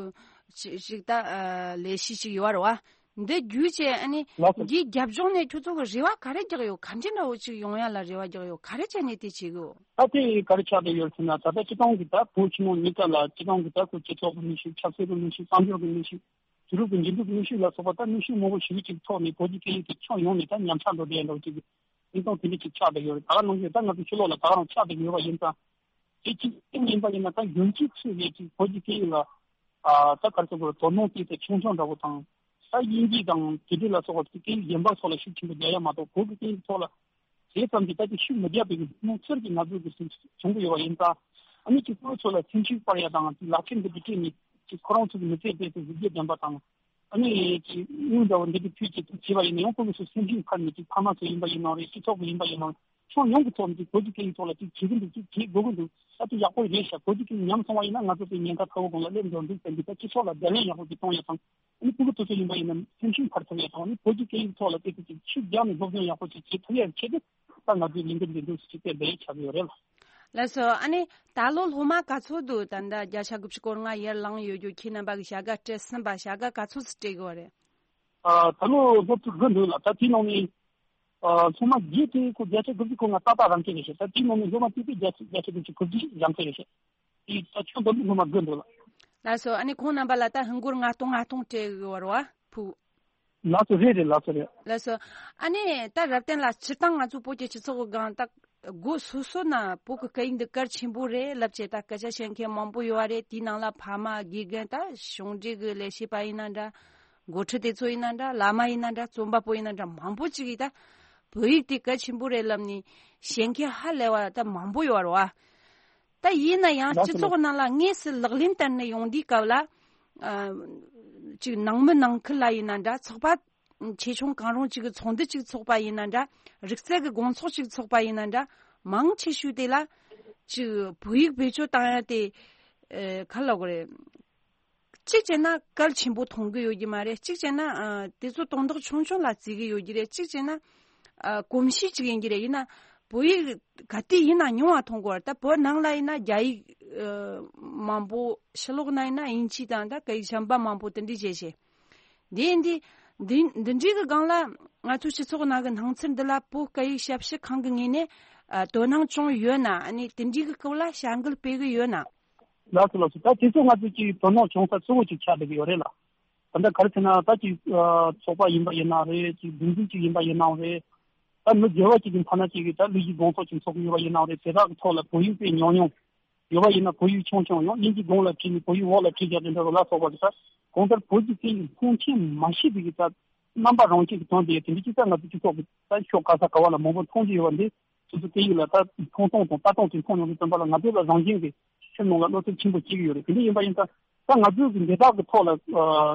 ཅི་ཞིག་ད་ཨ་ལས་གཞི་ཅིག་ཡོད་རེད་བ། འདི་བརྒྱུད་བྱས་ཨ་ནི་ལགས་སོ། འདིའི་རྒྱབ་ལྗོངས་ནས་ཁྱོད་ཚོ་གི་རེ་བ་ག་རེ་རྒྱག་ཡོད། ག་འདྲ་འདྲ་བོ་ཅིག་ཡོང་ཡ་ལ་རེ་བ་རྒྱག་ཡོད། ག་རེ་བྱས་ནས་དེ་བྱེད་གི་ཡོད། ད་དེ་ག་རེ་ཆགས་བསྡད་ཡོད་ཟེར་ན། ད་ལྟ་སྤྱི་བཏང་གི་ད་བོད་ཕྱི་ནང་གཉིས་ཀ་ལ་སྤྱི་བཏང་གི་ད་ཁོ་སྤྱི་ཚོགས་ཀྱི་གནས་ཤིག་ཆབ་སྲིད་ཀྱི་གནས་ཤིག་གསར་འགྱུར་གྱི་གནས་ཤིག་དུས་རབས་ཀྱི་འགྱུར་འགྲོས་ཀྱི་གནོན་ཤུགས་ལ་སོགས་པ་ད་གནོན་ཤུགས་མང་པོ་ཞེ་པོ་ཅིག་ཐོག་ནས་བོད་ཀྱི་སྐད་ཡིག་དེ་ཕྱོགས་ཡོངས་ནས་ད་ཉམས་ཆག་འགྲོ་བསྡད་འགྲོ་ཅིག་གི་གནས་སྟངས་དེ་འདྲ་ཅིག་ཆགས་བསྡད་ཡོད་རེད། ད་ག་ནང་བཞིན་ད་ང་ཚོ་ཕྱི་ལོགས་ལ་ད་ག་རང་ཆགས་བསྡད་ཡོད་པ་ཡིན་ཙང་། དེ་གཅིག་ཡིན་པ་ཡིན་ན་ད་རྒྱུན་གཅིག་ཚུད་ནས་ཅིག་བོད་ཀྱི་སྐད་ཡིག་ལ་ཨ་ད་ག་རེ་ཟེར་དགོས་རེད། དོ་སྣང་དེ་ཚོ་ཆུང་ཆུང་འདྲ་བོ་དང་། ད་དབྱིན་ཇི་དང་དེ་འདྲ་ལ་སོགས་པ་སྐད་ཡིག་གཞན་པ་ཚོ་ལ་ཤུགས་ཆེན་པོ་རྒྱག་ཡ་མ་གཏོགས་བོད་ཀྱི་སྐད་ཡིག་ཐོག་ལ་དེ་ཙམ་གྱིས་ད་ཅིག་ཤུགས་མི་རྒྱག་པའི་གི་ཐུགས་འཚེར་གྱི་ང་ཚོའི་གི་སེམས་བྱུང་གི་ཡོད་པ་ཡིན་ཙང་། ཨ་ནི་ཅིག་ཁོ་ཚོ་ལ་སེམས་ཤུགས་སྤར་ཡ་དང་ཅིག་ལག་ཁྱེར་འདི་འདྲ་སྤྲད་ནས་ཅིག་ཁོ་རང་ཚོ་གི་མི་ཚེ་དེ་ཚོ་གཟི་བརྗིད་ལྡན་པ་དང་། ཨ་ནི་ཅིག་དངུལ་འདྲ་བོ་འདི་འདྲ་ཕུལ་ཅིག་ཅིག་བྱས་པ་ཡིན་ན་ཡང་ཁོ་ཚོ་སེམས་ཤུགས་འཕར་ནས་ཅིག་ཕ་མ་ཚོ་ཡིན་པ་ཡིན་ནའང་རེད། སྤྱི་ཚོགས་ཀྱི་ཡིན་པ་ཡིན་ནའང་རེད། ཕྱོགས་ཡོངས་ཀྱི་ཐོག་ནས་ཅིག་བོད་ཀྱི་སྐད་ཡིག་ཐོག་ལ་ཅིག་བྱེད་ཀྱི་འདུག་ཅིག་བྱེད་དགོས་ཀྱི་འདུག་ད་དེ་ཡག་པོ་རེད་ཤག་བོད་ཀྱི་སྐད་ཡིག་ཉམས་སོང་བ་ཡིན་ན་ང་ཚོ་དེ་ཉེན་ཁ་ཁ་བོ་སྒང་ལ་སླེབས་འགྲོ་འདུག་ཟེར་འདི་ད་སྤྱི་ཚོགས་ལ་བརྡ་ལན་ཡག་པོ་ཅིག་གཏོང་ཡ་དང་། ཨ་ནི་ཕྲུ་གུ་དེ་ཚོ་ཡིན་པ་ཡིན་ན་སེམས་ཤུགས་འཕར་ཐུབ་ཡ་དང་། ཨ་ནི་བོད་ཀྱི་སྐད་ཡིག་ཐོག་ལ་དེ་ཚོ་ཅིག་ཤུགས་རྒྱག་ནས་སློབ་སྦྱོང་ཡག་པོ་ཅིག་བྱེད་ཐུབ་ཡ་ཆེད་དུ་ད་ང་ཚོའི་ལས་འགུལ་འདི་འདུག་ཟེར་དེ་འདྲའི་ཆགས་ཡོད་རེད་ལ། ལགས་སོ། ཨ་ནི་ད་ལོ་སློབ་མ་ག་ཚོད་འདུག་ད་ལྟ་བརྒྱ་ཆ་དགུ་བཅུ་སྐོར་ལྔ་ཡར་ལངས་ཡོད་རྒྱུ། ཁྱེད་རྣམ་པ་གི་བྱ་དགའ་སྤྲད་ཟིན་པ་བྱ་དགའ་ག་ཚོད་ཙམ་སྤྲད་དགོས་རེད། ཨ་ད་ལོ་སློབ་ཕྲུག་དགུ་འདུག་ལ། ད་དེའི་ནང་ནས་ཨ་སློབ་མ་བརྒྱད་དེ་ཁོ་བརྒྱ་ཆ་དགུ་བཅུ་གོ་ལྔ་ཏག་ཏག་རང་འཁྱེར་རེད་ཤག་ད་དེའི་ནང་ནས་སློབ་མ་གཅིག་དེ་བརྒྱ་ཆ་བརྒྱ་ཆ་དགུ་བཅུ་གོ་བརྒྱད་རང་འཁྱེར་རེད་ཤག་དེ་ད་ཁྱོན་བསྡོམས་སློབ་མ་དགུ་འདུག་ལ། ལགས་སོ། ཨ་ནི་ཁོང་རྣམ་པ་ལ་ད་ཧིན་སྒོར་ལྔ་སྟོང་སྤྲད་ཡོད་རེད་བ་ཕུག་ལགས་སོ། རེད་རེད། ལགས་སོ་རེད། ལགས་སོ། ཨ་ནི་ད་རབ་བརྟན་ལགས་སྤྱིར་བཏང་ང་ཚོ་བོད་ཀྱི་སྤྱི་ཚོགས་ཀྱི་སྒང་ད་སྒོ་སོ་སོ་ན་བོད་ཀྱི་སྐད་ཡིག་འདི་གལ་ཆེན་པོ་རེད་ལབ་བྱས་ད་སྐད་ཆ་བཤད་མཁན་མང་པོ་ཡོད་པ་རེད། དེའི་ནང་ལ་ཕ་མ་དགེ་རྒན་ད་གཞུང་འབྲེལ་གྱི་ལས་བྱེད་པ་ཡིན་ན་འདྲ། འགོ་ཁྲིད་དེ་ཚོ་ཡིན་ན་འདྲ། བླ་མ་ཡིན་ན་འདྲ། རྩོམ་པ་པོ་ཡིན་ན་འདྲ། མང་པོ་ཅིག་གིས་ད་བོད་ཡིག་དེ་གལ་ཆེན་པོ་རེད་ལབ་ནས་བཤད་མཁན་ཧ་ལས་པ་ད་མང་པོ་ཡོད་རེད་བ། ད་ཡིན་ན་ཡང་ལགས་སོ། སྤྱི་ཚོགས་ནང་ལ་དངོས་སུ་ལག་ལེན་བསྟར་ནས་ཡོང་དུས་སྐབས་ལ་ཨ་ཅིག་ནང་མི་ནང་ཁུལ་ལ་ཡིན་ན་འདྲ། ཚོགས་པ་ཆེ་ཆུང་གང་རུང་ཅིག་གི་ཚོགས་འདུ་ཅིག་ཚོགས་པ་ཡིན་ན་འདྲ། རིག་རྩལ་གྱི་དགོང་ཚོགས་ཅིག་ཚོགས་པ་ཡིན་ན་འདྲ། མང་ཆེ་ཤོས་དེ་ལ་ཅིག་བོད་ཡིག་བེད་སྤྱོད་བཏང་ཡ་དེ་ཨ་ག་ལབ་དགོས་རེད། གཅིག་བྱས་ན་གལ་ཆེན་པོ་མཐོང་གི་ཡོད་ཀྱི་མ་རེད། གཅིག་བྱས་ན་ཨ་དེ་ཚོ་དོན་དག་ཆུང་ཆུང་ལ་བརྩི་གི་ཡོད་ཀྱི་རེད། གཅིག་བྱས་ན་ཨ་གོམས་གཤིས་གཅིག་ཡིན་གྱི་རེད། ཡིན་ན་བོད་ཡིག་ག་དུས་ཡིན་ན་ཉུང་བ་མཐོང་གི་ཡོད་རེད། ད་བོད་ནང་ལ་ཡིན་ན་རྒྱ་ཡིག་ཨ་མང་པོ། ཕྱི་ལོགས་ན་ཡིན་ན་དབྱིན་ཇི་དང་ད་སྐད་ཡིག་གཞན་པ་མང་པོ་དེ་འདྲ་བྱས་བྱས། འདི་འདི་འདི་འདི་འདྲའི་གི་སྒང་ལ་ང་ཚོའི་སྤྱི་ཚོགས་ནང་གི་སྣང་ཚུལ་འདི་ལ་བོད་སྐད་ཡིག་ཞབས་ཞུ་ཁང་གི་ངོས་ནས་ཨ་དོ་སྣང་བྱུང་ཡོད་ན། ཨ་ནི་དེ་འདྲའི་གི་སྐོར་ལ་བྱ་འགུལ་སྤེལ་གི་ཡོད་ན། ལགས་སོ་ལགས་སོ། ད་དེ་ཚོ་ང་ཚོ་ཅིག་དོ་སྣང་བྱུང་ས་གཙོ་བོ་ཅིག་ཆགས་བསྡད་ཀྱི་ཡོད་རེད་ལ། ད་ལྟ་ག་རེ་ཟེར་ན་ད་ཅིག་ཨ་ཚོགས་པ་ཡིན་པ་ཡིན་ནའང་རེད། ཅིག་སྒྲིག་འཛུགས་ཅིག་ཡིན་པ་ཡིན་ནའང་རེད། ད་མི་སྒེར་བ་ཅིག་གི་ཕ་ན་ཅིག་གིས་ད་ལས་གཞི་དགོང་ཚོགས་ཅིག་ཚོགས་ཀྱི་ཡོད་པ་ཡིན་ནའང་རེད། དེ་དག་གི་ཐོག་ལ་བོད་ཡིག་དཔེ་ཉུང་ཉུང་ཡོད་པ་ཡིན་ན་བོད་ཡིག་ཆུང་ཆུང་ཡང་དབྱིན་ཇི་གདོང་ལ་བྲིས་ནས་བོད་ཡིག་འོག་ལ་བྲིས་བཞག་དེ་འདྲ་རུ་ལ་སོགས་པ་གི་ད་གང་ལྟར་བོད་ཀྱི་སྐད་ཡིག་མཐོང་ཆེན་མ་ཤེས་པའི་གི་ད་རྣམ་པ་རང་བཞིན་གྱི་དོན་དེ་དེ་འདྲ་ཅིག་ད་ང་ཚོ་སྤྱི་ཚོགས་ཀྱི་ད་ཕྱོགས་ག་ས་ག་བ་ལ་མང་པོ་མཐོང་རྒྱུ་ཡོད་པ་འདི། སོ་སོ་སྐད་ཡིག་ལ་ད་མཐོང་སྟངས་དང་ལྟ་སྟངས་དེ་མཐོང་ཡོང་དུས་ཙམ་པ་ལ་ང་ཚོ་ལ་རང་བཞིན་གྱི་ཁྱིམ་ནང་ལ་བློ་འཚབ་ཆེན་པོ་སྐྱེ་གི་ཡོད་རེད། དེ་འདྲ་ཡིན་པ་ཡིན་ཙང་ད་ང་ཚོའི་གི་འདི་དག་གི་ཐོག་ལ་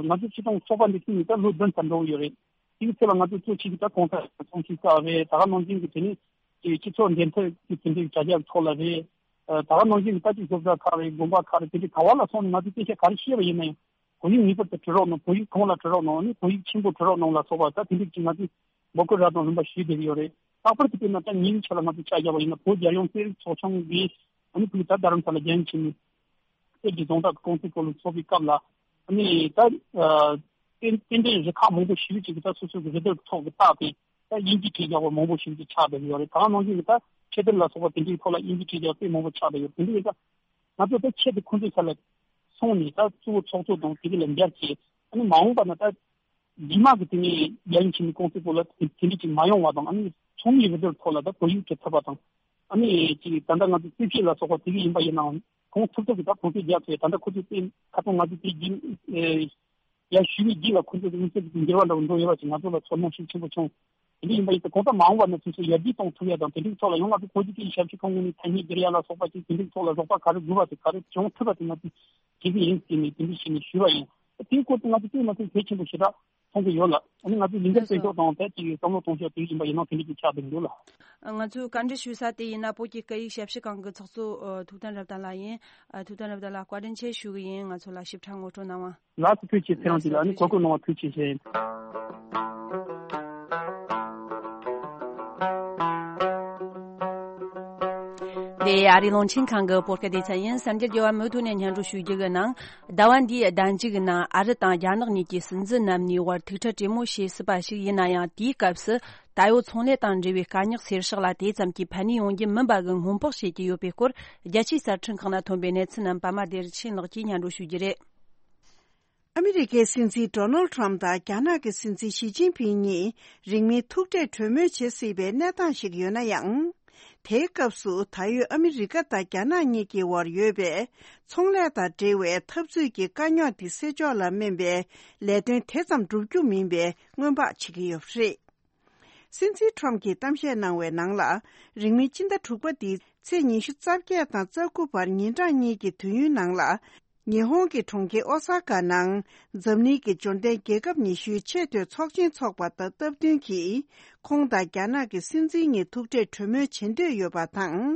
ང་ཚོ་སྤྱི་བཏང་ཚོགས་པ་འདི་བཙུགས་ནས་ད་ལོ་བདུན་ཙམ་འགྲོ་གི་ཡོད་རེད། དེ་གི་ཚེ་ལ་ང་ཚོ་གཙོ་ཆེ་གི་ད་གོང་ས་ཚོགས་ཆེན་ཁག་རེད། ད་ག་ནང་བཞིན་གི་དེ་ནས་ཅིག་སྤྱི་ཚོགས་འབྲེལ་མཐུད་ཀྱི་དེ་འདྲའི་དྲ་རྒྱ་ཐོག་ལ་རེད། ད་ག་ནང་བཞིན་གི་ད་ཅིག་སློབ་གྲྭ་ཁག་རེད། དགོན་པ་ཁག་རེད། དེ་འདྲའི་ག་བ་ལ་སོང་ནས་ང་ཚོས་སྐད་ཆ་ག་རེ་བཤད་པ་ཡིན་ན་ཡང་། བོད་ཡིག་ངེས་པར་དུ་བྲི་རོགས་གནང་། བོད་ཡིག་གོང་ལ་བྲི་རོགས་གནང་། ཨ་ནི་བོད་ཡིག་ཆེན་པོ་བྲི་རོགས་གནང་ལ་སོགས་པ་ད་དེ་འདྲ་ཅིག་ང་ཚོས་འབོད་སྐུལ་རབ་དང་རིམ་པ་ཞུས་བསྡད་ཀྱི་ཡོད་རེད། ལྷག་པར་དུ་དཔེར་ན་ད་ངའི་ཆ་ལ་ང་ཚོས་ཆ་བཞག་པ་ཡིན་ན་བོད་རྒྱལ་ཡོངས་གསོ་རིག་ཚོགས་ཆུང་གིས་ཨ་ནི་ཕུལ་ད་རྡ་རམ་ས་ལ་རྒྱ་ཡིག་ཆེན་མོའི་གསེར་གྱི་རྫོང་བདག་གི་ཀུང་སི་སྐོར་ལ་ཚོགས་པའི་སྐབས་ལ་ཨ་ནི་ད་རྟེན་རྟེན་འབྲེལ་རུ་ཁག་མང་པོ་ཞེ་པོ་ཅིག་གིས་ད་སོ་སོ་གི་རུ་སྡེ་ཐོག་གི་བཏགས་ཏེ་ད་དབྱིན་ཇི་བྲིས་བཞག་པ་མང་པོ་ཞེ་པོ་ཅིག་ཆགས་བསྡད་ཀྱི་ཡོད་རེད། ད་ག་ནང་བཞིན་གྱི་ད་ཆེད་དོན་ལ་སོགས་པ་དེ་འདྲའི་ཐོག་ལ་དབྱིན་ཇི་བྲིས་བཞག་དཔེ་མང་པོ་ཆགས་བསྡད་ཡོད། དེ་འདྲ་ཡིན་ཙང་ང་ཚོ་ད་ཆེད་དུ་ཁོང་ཚོའི་ས་ལ་ ཁོང་ནས་ད་གཙོ་བོ་ཚོགས་གཙོ་དང་དེ་ག་ལ་འབྲེལ་བྱས། ཨ་ནི་མ་འོངས་པ་ན་ད་རྗེས་མ་གི་དེ་ནས་རྒྱལ་ཡོངས་ཆེན་མོའི་ཀུང་སི་སྐོར་ལ་དེ་དེ་འདྲ་ཅིག་མ་ཡོང་བ་དང་། ཨ་ནི་ཚོགས་མིའི་རེ་འདུན་ཐོག་ལ་ད་བོད་ཡིག་སྤྲད་ཐུབ་པ་དང་། ཨ་ནི་ཅིག་ད་ལྟ་ང་ཚོ་རྩིས་བཤེར་ལ་སོགས་པ་དེ་ག་ཡིན་པ་ཡིན་ནའང་ཁོང་ཐུབ་ཐུབ་ཀྱི་ད་གོང་འཕེལ་རྒྱག་ཐུབ། ད་ལྟ་ཁོ་ཚོས་དེ་ཁ་སང་ང་ཚོ་དེ་རྒྱུན་ཡར་ཞུས་པའི་རྗེས་ལ་ཁོ་ཚོས་དམིགས་བསལ་གྱི་འགྱུར་བ་འདྲ་བོ་འགྲོ་ཡོད་པ་ཅིག་ང་ཚོ་ལ་ཚོར་སྣང་ཤུགས་ཆེན་པོ་བྱུང་། དེ་འདྲ་ཡིན་པ་ཡིན་ཙང་གོང་ས་མ་འོངས་པ་ན་དེ་ཚོ་ཡར་རྒྱས་གཏོང་ཐུབ་ཡ་དང་། དེ་འདྲའི་ཐོག་ལ་ཡང་ང་ཚོ་བོད་ཀྱི་སྐད་ཡིག་ཞབས་ཕྱི་ཁང་ངོས་ནས་ཐ་སྙད་སྒྱུར་ཡ་ལ་སོགས་པ་ཅིག་དེ་འདྲའི་ཐོག་ལ་རོགས་པ་ག་རེ་དགོས་པ་དེ་ག་རེ་བྱུང་ཐུབ་པ་དེ་ང་ཚོས་བྱེད་ཀྱི་ཡིན་ཟེར་ནས་དེ་འདྲ་བྱས་ནས་ཞུས་པ་ཡིན། དེའི་སྐོར་དུ་ང་ཚོ་དཔེ་མ་ཚད་གལ་ཆེན་པོ་ཞེ་དྲག་མཐོང་གི་ཡོད་ལ། ཨ་ནི་ང་ཚོས་ལས་འགན་ལགས་སོ། སྤེལ་ཕྱོགས་དང་ཐད་ཀྱི་བསམ་བློ་གཏོང་ཕྱོགས་དེ་ཡིན་པ་ཡིན་ན་དེ་འདྲ་ཅིག་ཆགས་བསྡད་འདུག་ལ། ང་ཚོས་བཀའ་འདྲི་ཞུ་ས་དེ་ཡིན་ན་བོད་ཀྱི་སྐད་ཡིག་ཞབས་ཕྱི་ཁང་གི་ཚོགས་གཙོ་ཨ་ཐུབ་བསྟན་རབ་བརྟན་ལགས་ཡིན། ཨ་ཐུབ་བསྟན་རབ་བརྟན་ལགས་བཀའ་དྲིན་ཆེ་ཞུ་གི་ཡིན། ང་ཚོ་ལ་ཞིབ་ཕྲ་ངོ་སྤྲོད་གནང་བ། ལགས་སོ། ཐུགས་རྗེ་ཆེ། ཁྱེད་རང་དེ་ལ་ཨ་ནི་གོ་སྐབས་གནང་བ་ཐུགས་རྗེ་ཆེ། འདི་ཨ་རིའི་རླུང་འཕྲིན་ཁང་གི་བོད་སྐད་སྡེ་ཚན་ཡིན། གསར་འགྱུར་རྒྱས་པ་མུ་མཐུད་ནས་སྙན་སྒྲོན་ཞུ་རྒྱུ་གི་ནང་། ཟླ་བ་འདིའི་ཟླ་མཇུག་གི་ནང་ཨ་རི་དང་རྒྱ་ནག་གཉིས་ཀྱི་སྲིད་འཛིན་རྣམ་གཉིས་བར་ཐུག་འཕྲད་གྲོས་མོལ་བྱེད་སྲིད་པ་ཞིག་ཡིན་ན་ཡང་། དེའི་སྐབས་སུ་ད་ཡོད་ཚོང་ལས་དང་འབྲེལ་བའི་དཀའ་རྙོག་སེལ་བཞག་ལ་དེ་ཙམ་གྱིས་ཕན་ནུས་ཡོང་རྒྱུ་མིན་པ་གི་སྔོན་དཔག་བྱེད་ཀྱི་ཡོད་པའི་སྐོར། རྒྱལ་སྤྱིའི་གསར་འཕྲིན་ཁག་ནང་ཐོན་པའི་གནས་ཚུལ་རྣམས་པད་མ་བདེ་ཆེན་ལགས་ཀྱིས་སྙན་སྒྲོན་ཞུ་རྒྱུ་རེད། ཨ་མི་རི་ཀའི་སྲིད་འཛིན་ཌོ་ནལ་ཁྲམ་དང་རྒྱ་ནག་གི་སྲིད་འཛིན་ཞི་ཅིན་ཕིང་གཉིས་རིང་མིན་ཐུག་འཕྲད་གྲོས་མོལ་བྱེད་སྲིད་པའི་གནས་སྟངས་ཤིག་ཡོད་ན་ཡང་། དེའི་སྐབས་སུ་ད་ཡོད་ཨ་མི་རི་ཀ་དང་རྒྱ་ནག་གཉིས་ཀྱི་དབར་ཡོད་པའི་ཚོང་ལས་དང་འབྲེལ་བའི་འཐབ་རྩོད་ཀྱི་དཀའ་རྙོག་དེ་སེལ་ཕྱོགས་ལ་སྨན་པའི་ལས་དོན་དེ་ཙམ་འགྲུབ་རྒྱུ་མིན་པའི་སྔོན་དཔག་བྱེད་ཀྱི་ཡོད་པ་རེད། སྲིད་འཛིན་ཁྲོམ་གྱིས་གཏམ་བཤད་གནང་བའི་ནང་ལ། རིང་མིན་སྤྱི་ཟླ་དྲུག་པ་འདིའི་ཚེས་ཉི་ཤུ་རྩ་བརྒྱད་དང་རྩ་དགུ་བར་ཉིན་གྲངས་གཉིས་ཀྱི་དུས་ཡུན་ནང་ལ། ཉི་ཧོང་གི་གྲོང་ཁྱེར་ཨོ་ས་ཀ་ནང་འཛམ་གླིང་གི་འབྱོར་ལྡན་རྒྱལ་ཁབ་ཉི་ཤུའི་ཆེས་མཐོའི་ཚོགས་ཆེན་འཚོགས་པ་དང་སྟབས་བསྟུན་གྱིས། ཁོང་དང་རྒྱ་ནག་གི་སྲིད་འཛིན་གཉིས་ཐུག་འཕྲད་གྲོས་མོལ་བྱེད་འདོད་ཡོད་པ་དང་།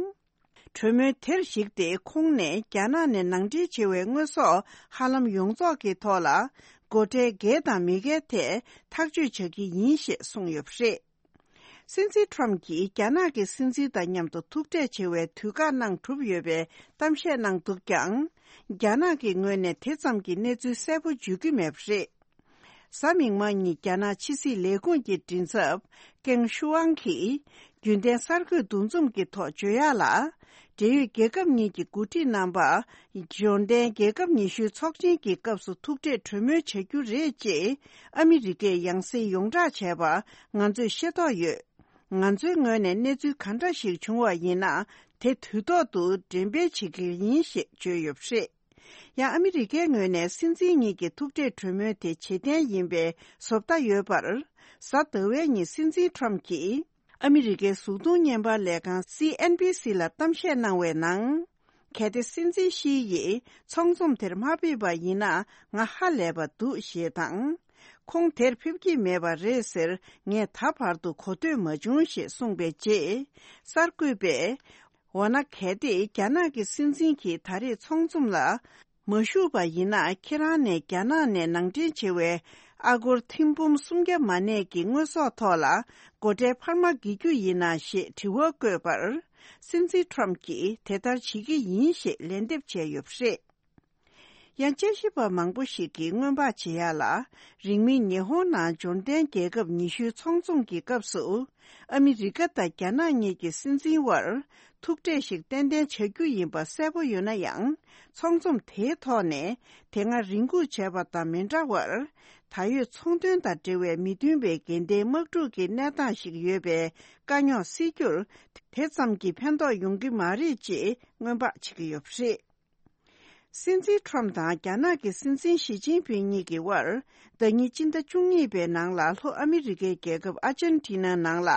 གྲོས་མོལ་དེར་གཞིགས་ཏེ་ཁོང་ནས་རྒྱ་ནག་ནས་ནང་འདྲེན་བྱས་པའི་དངོས་ཟོག་ཧ་ལམ་ཡོངས་རྫོགས་ཀྱི་ཐོག་ལ་སྒོ་ཁྲལ་འགེལ་དང་མི་འགེལ་ཐད་ཐག་གཅོད་བྱ་གི་ཡིན་ཞེས་གསུངས་ཡོད་པ་རེད། སྲིད་འཛིན་ཁྲོམ་གྱིས་རྒྱ་ནག་གི་སྲིད་འཛིན་དང་མཉམ་དུ་ཐུག་འཕྲད་བྱེད་པའི་དུས་བཀག་གནང་གྲུབ་ཡོད་པའི་གཏམ་བཤད་གནང་འདུག་ཀྱང་། རྒྱ་ནག་གི་ངོས་ནས་དེ་ཙམ་གྱི་གནས་ཚུལ་གསལ་པོ་བརྗོད་ཀྱི་མེད་པ་རེད། གཟའ་མིག་དམར་ཉིན་རྒྱ་ནག་ཕྱི་སྲིད་ལས་ཁུངས་ཀྱི་མགྲིན་ཚབ་ཀེང་ཤུའང་གིས་རྒྱུན་ལྡན་གསར་འགོད་འདུ་འཛོམས་ཀྱི་ཐོག་བརྗོད་ཡག་ལ། འབྲེལ་ཡོད་རྒྱལ་ཁབ་གཉིས་ཀྱི་འགོ་ཁྲིད་རྣམ་པ་འབྱོར་ལྡན་རྒྱལ་ཁབ་ཉི་ཤུའི་ཚོགས་ཆེན་གྱི་སྐབས་སུ་ཐུག་འཕྲད་གྲོས་མོལ་བྱ་རྒྱུ་རེད་ཅེས་ཨ་མི་རི་ཀས་ཡང་སེ་ཡོངས་བསྒྲགས་བྱས་པ་ང་ཚོས་ཤེས་རྟོགས་ཡོད། ང་ཚོའི་ངོས་ནས་གནས་ཚུལ་ག་འདྲ་ཞིག་བྱུང་བ་ཡིན་ན་དེ་དུས་ཐོག་ཏུ་འགྲེམས་སྤེལ་བྱེད་ཀྱི་ཡིན་ཞེས་བརྗོད་ཡོད་པ་རེད། ཡང་ཨ་མི་རི་ཀའི་ངོས་ནས་སྲིད་འཛིན་གཉིས་ཀྱི་ཐུག་འཕྲད་གྲོས་མོལ་དེ་བྱེད་གཏན་ཡིན་པའི་བཟོ་ལྟ་ཡོད་པར། གཟའ་ཟླ་བའི་ཉིན་སྲིད་འཛིན་ཁྲོམ་གྱིས་ཨ་མི་རི་ཀའི་གཟུགས་མཐོང་བརྙན་པར་ལས་ཁང་སི་ཨེན་བྷི་སི་ལ་གཏམ་བཤད་གནང་བའི་ནང་། གལ་ཏེ་སྲིད་འཛིན་ཞི་ཡིས་ཚོགས་འཛོམས་དེར་མ་ཕེབས་པ་ཡིན་ན་ང་ཧ་ལས་པ་འདུག་ཞེས་དང་། ཁོང་དེར་ཕེབས་ཀྱི་མེད་པ་རེད་ཟེར་ངས་ད་བར་དུ་གོ་ཐོས་མ་བྱུང་ཞེས་གསུངས་པའི་རྗེས། གསར་འགོད་པས། འོ་ན་གལ་ཏེ་རྒྱ་ནག་གི་སྲིད་འཛིན་གྱིས་ད་རེས་ཚོགས་འཛོམས་ལ་མ་ཞུགས་པ་ཡིན་ན། ཁྱེད་རང་ནས་རྒྱ་ནག་ནས་ནང་འདྲེན་བྱེད་པའི་ཨ་སྒོར་ཐེར་འབུམ་སུམ་བརྒྱ་མ་གནས་ཀྱི་དངོས་ཟོག་ཐོག་ལ་སྒོ་ཁྲལ་འཕར་མ་འགེལ་རྒྱུ་ཡིན་ན་ཞེས་དྲི་བ་བཀོད་པར། སྲིད་འཛིན་ཁྲོམ་གྱིས་དེ་ལྟར་བྱེད་ཀྱི་ཡིན་ཞེས་ལན་འདེབས་བྱས་ཡོད་པ་རེད། ཡང་དཔྱད་ཞིབ་པ་མང་པོ་ཞིག་གིས་སྔོན་དཔག་བྱེད་ཡག་ལ། རིང་མིན་ཉི་ཧོང་ནང་འབྱོར་ལྡན་རྒྱལ་ཁབ་ཉི་ཤུའི་ཚོགས་འཛོམས་ཀྱི་སྐབས་སུ། ཨ་མི་རི་ཀ་དང་རྒྱ་ནག་གཉིས་ཀྱི་སྲིད་འཛིན་དབར་ཐུག་འཕྲད་ཞིག་ཏན་ཏན་བྱ་རྒྱུ་ཡིན་པ་གསལ་པོ་ཡོད་ན་ཡང་། ཚོགས་འཛོམས་དེའི་ཐོག་ནས་དེ་སྔ་རེ་སྒུག་བྱས་པ་དང་མི་འདྲ་བར། ད་ཡོད་ཚོང་དོན་དང་འབྲེལ་བའི་མི་མཐུན་པའི་འགལ་ཟླའི་དམག་འཁྲུག་གི་གནས་སྟངས་ཤིག་ཡོད་པའི་དཀའ་རྙོག་སེལ་རྒྱུར། དེ་ཙམ་གྱིས་ཕན་ཐོགས་ཡོང་གི་མ་རེད་ཅེས་སྔོན་དཔག་བྱེད་ཀྱི་ཡོད་པ་རེད། སྲིད་འཛིན་ཁྲོམ་དང་རྒྱ་ནག་གི་སྲིད་འཛིན་ཞི་ཅིན་ཕིང་གཉིས་ཀྱི་དབར། ཟླ་ཉིན་སྤྱི་ཟླ་བཅུ་གཉིས་པའི་ནང་ལ་ལྷོ་ཨ་མི་རི་ཀའི་རྒྱལ་ཁབ་ཨར་ཇན་ཊི་ན་ནང་ལ་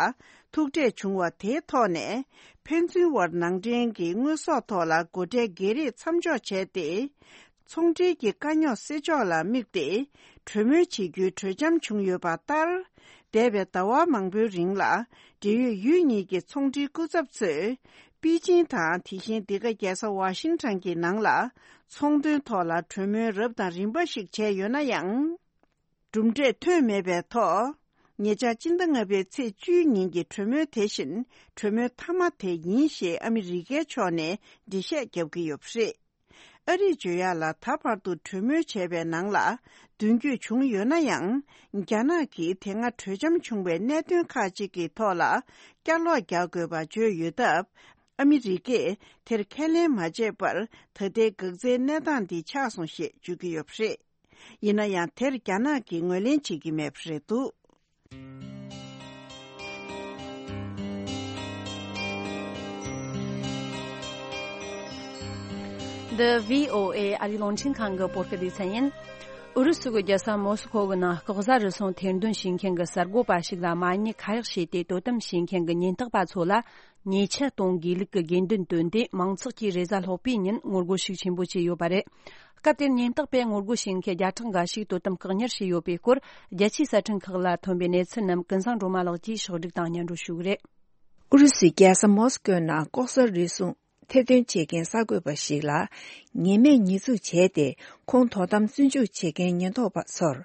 ཐུག་འཕྲད་བྱུང་བ་དེའི་ཐོག་ནས། ཕན་ཚུན་དབར་ནང་འདྲེན་གྱི་དངོས་ཟོག་ཐོག་ལ་སྒོ་ཁྲལ་སྒེར་རེས་མཚམས་འཇོག་བྱས་ཏེ། ཚོང་འབྲེལ་གྱི་དཀའ་རྙོག་སེལ་ཕྱོགས་ལ་དམིགས་ཏེ། གྲོས་མོལ་བྱེད་རྒྱུའི་གྲོས་འཆམ་བྱུང་ཡོད་པ་ལྟར། འདས་པའི་ཟླ་བ་མང་པོའི་རིང་ལ། འབྲེལ་ཡོད་ཡུལ་གཉིས་ཀྱི་ཚོང་འབྲེལ་སྐུ་ཚབ་ཚོས། པེ་ཅིང་དང་། དེ་བཞིན་འདི་ག་རྒྱལ་ས་ཝ་ཤིང་ཊོན་གྱི་ནང་ལ། ཚོང་དོན་ཐོག་ལ་གྲོས་མོལ་རབ་དང་རིམ་པ་ཞིག་བྱས་ཡོད་ན་ཡང་། གྲུབ་འབྲས་ཐོན་མེད་པའི་ཐོག་ཉེ་ཆར་སྤྱི་ཟླ་ལྔ་པའི་ཚེས་བཅུའི་ཉིན་གྱི་གྲོས་མོལ་དེ་བཞིན་གྲོས་མོལ་མཐའ་མ་དེ་ཡིན་ཞེས་ཨ་མི་རི་ཀའི་ཕྱོགས་ནས་འགྲེལ་བཤད་བརྒྱབ་ཀྱི་ཡོད་པ་རེད། ཨ་རིས་བརྗོད་ཡག་ལ། ད་བར་དུ་གྲོས་མོལ་བྱས་པའི་ནང་ལ་མདུན་སྐྱོད་བྱུང་ཡོད་ན་ཡང་། རྒྱ་ནག་གིས་དེ་སྔ་གྲོས་འཆམ་བྱུང་བའི་གནད་དོན་ཁག་ཅིག་གི་ཐོག་ལ་བསྐྱར་ལོག་རྒྱག་དགོས་པ་བརྗོད་ཡོད་སྟབས། ཨ་མི་རི་ཀས་དེར་ཁས་ལེན་མ་བྱས་པར། ད་ལྟའི་འགག་རྩའི་གནས་སྟངས་འདི་ཆགས་སོང་ཞེས་བརྗོད་ཀྱི་ཡོད་པ་རེད། ཡིན་ན་ཡང་དེར་རྒྱ་ནག་གིས་ངོས་ལེན་བྱེད་ཀྱི་མེད་པ་རེད་འདུག། འདི་བྷི་ཨོ་ཨེ་ཨ་རིའི་རླུང་འཕྲིན་ཁང་གི་བོད་སྐད་སྡེ་ཚན་ཡིན། ཨུ་རུ་སུ་གི་རྒྱལ་ས་མོ་སི་ཁོ་གི་ནང་ལྐོག་ཟ་རུལ་སུངས་ཐེར་འདོན་བྱེད་མཁན་གྱི་གསར་འགོད་པ་ཞིག་ལ་མ་ཉེས་ཁ་གཡོགས་བྱས་ཏེ་དོ་དམ་བྱེད་མཁན་གྱི་ཉེན་རྟོག་པ་ཚོ་ལ་ཉེས་ཆད་གཏོང་དགོས་ལུགས་ཀྱི་དགོས་འདུན་བཏོན་ཏེ། མང་ཚོགས་ཀྱིས་རེས་གཟའ་ལྷག་པའི་ཉིན་ངོ་རྒོལ་ཤུགས་ཆེན་པོ་བྱས་ཡོད་པ་རེད། སྐབས་དེར་ཉེན་རྟོག་པས་ངོ་རྒོལ་བྱེད་མཁན་བརྒྱ་ཕྲག་འགའ་ཞིག་དོ་དམ་བཀག་ཉར་བྱས་ཡོད་པའི་སྐོར། རྒྱལ་སྤྱིའི་གསར་འཕྲིན་ཁག་ལ་ཐོན་པའི་གནས་ཚུལ་རྣམས་ཀུན་བཟང་སྒྲོལ་མ་ལགས་ཀྱིས་ཕྱོགས་སྒྲིག་དང་སྙན་སྒྲོན་ཞུ་གི་རེད། ཨུ་རུ་སུའི་རྒྱལ་ས་མོ་སི་ཀོའི་ནང་ལྐོག་ཟ་རུལ་སུངས་ཐེར་འདོན་བྱེད་མཁན་གསར་འགོད་པ་ཞིག་ལ་ཉེས་མེད་ཉེས་འཛུགས་བྱས་ཏེ། ཁོང་དོ་དམ་བཙོན་འཇུག་བྱེད་མཁན་ཉེན་རྟོག་པ་ཚོར་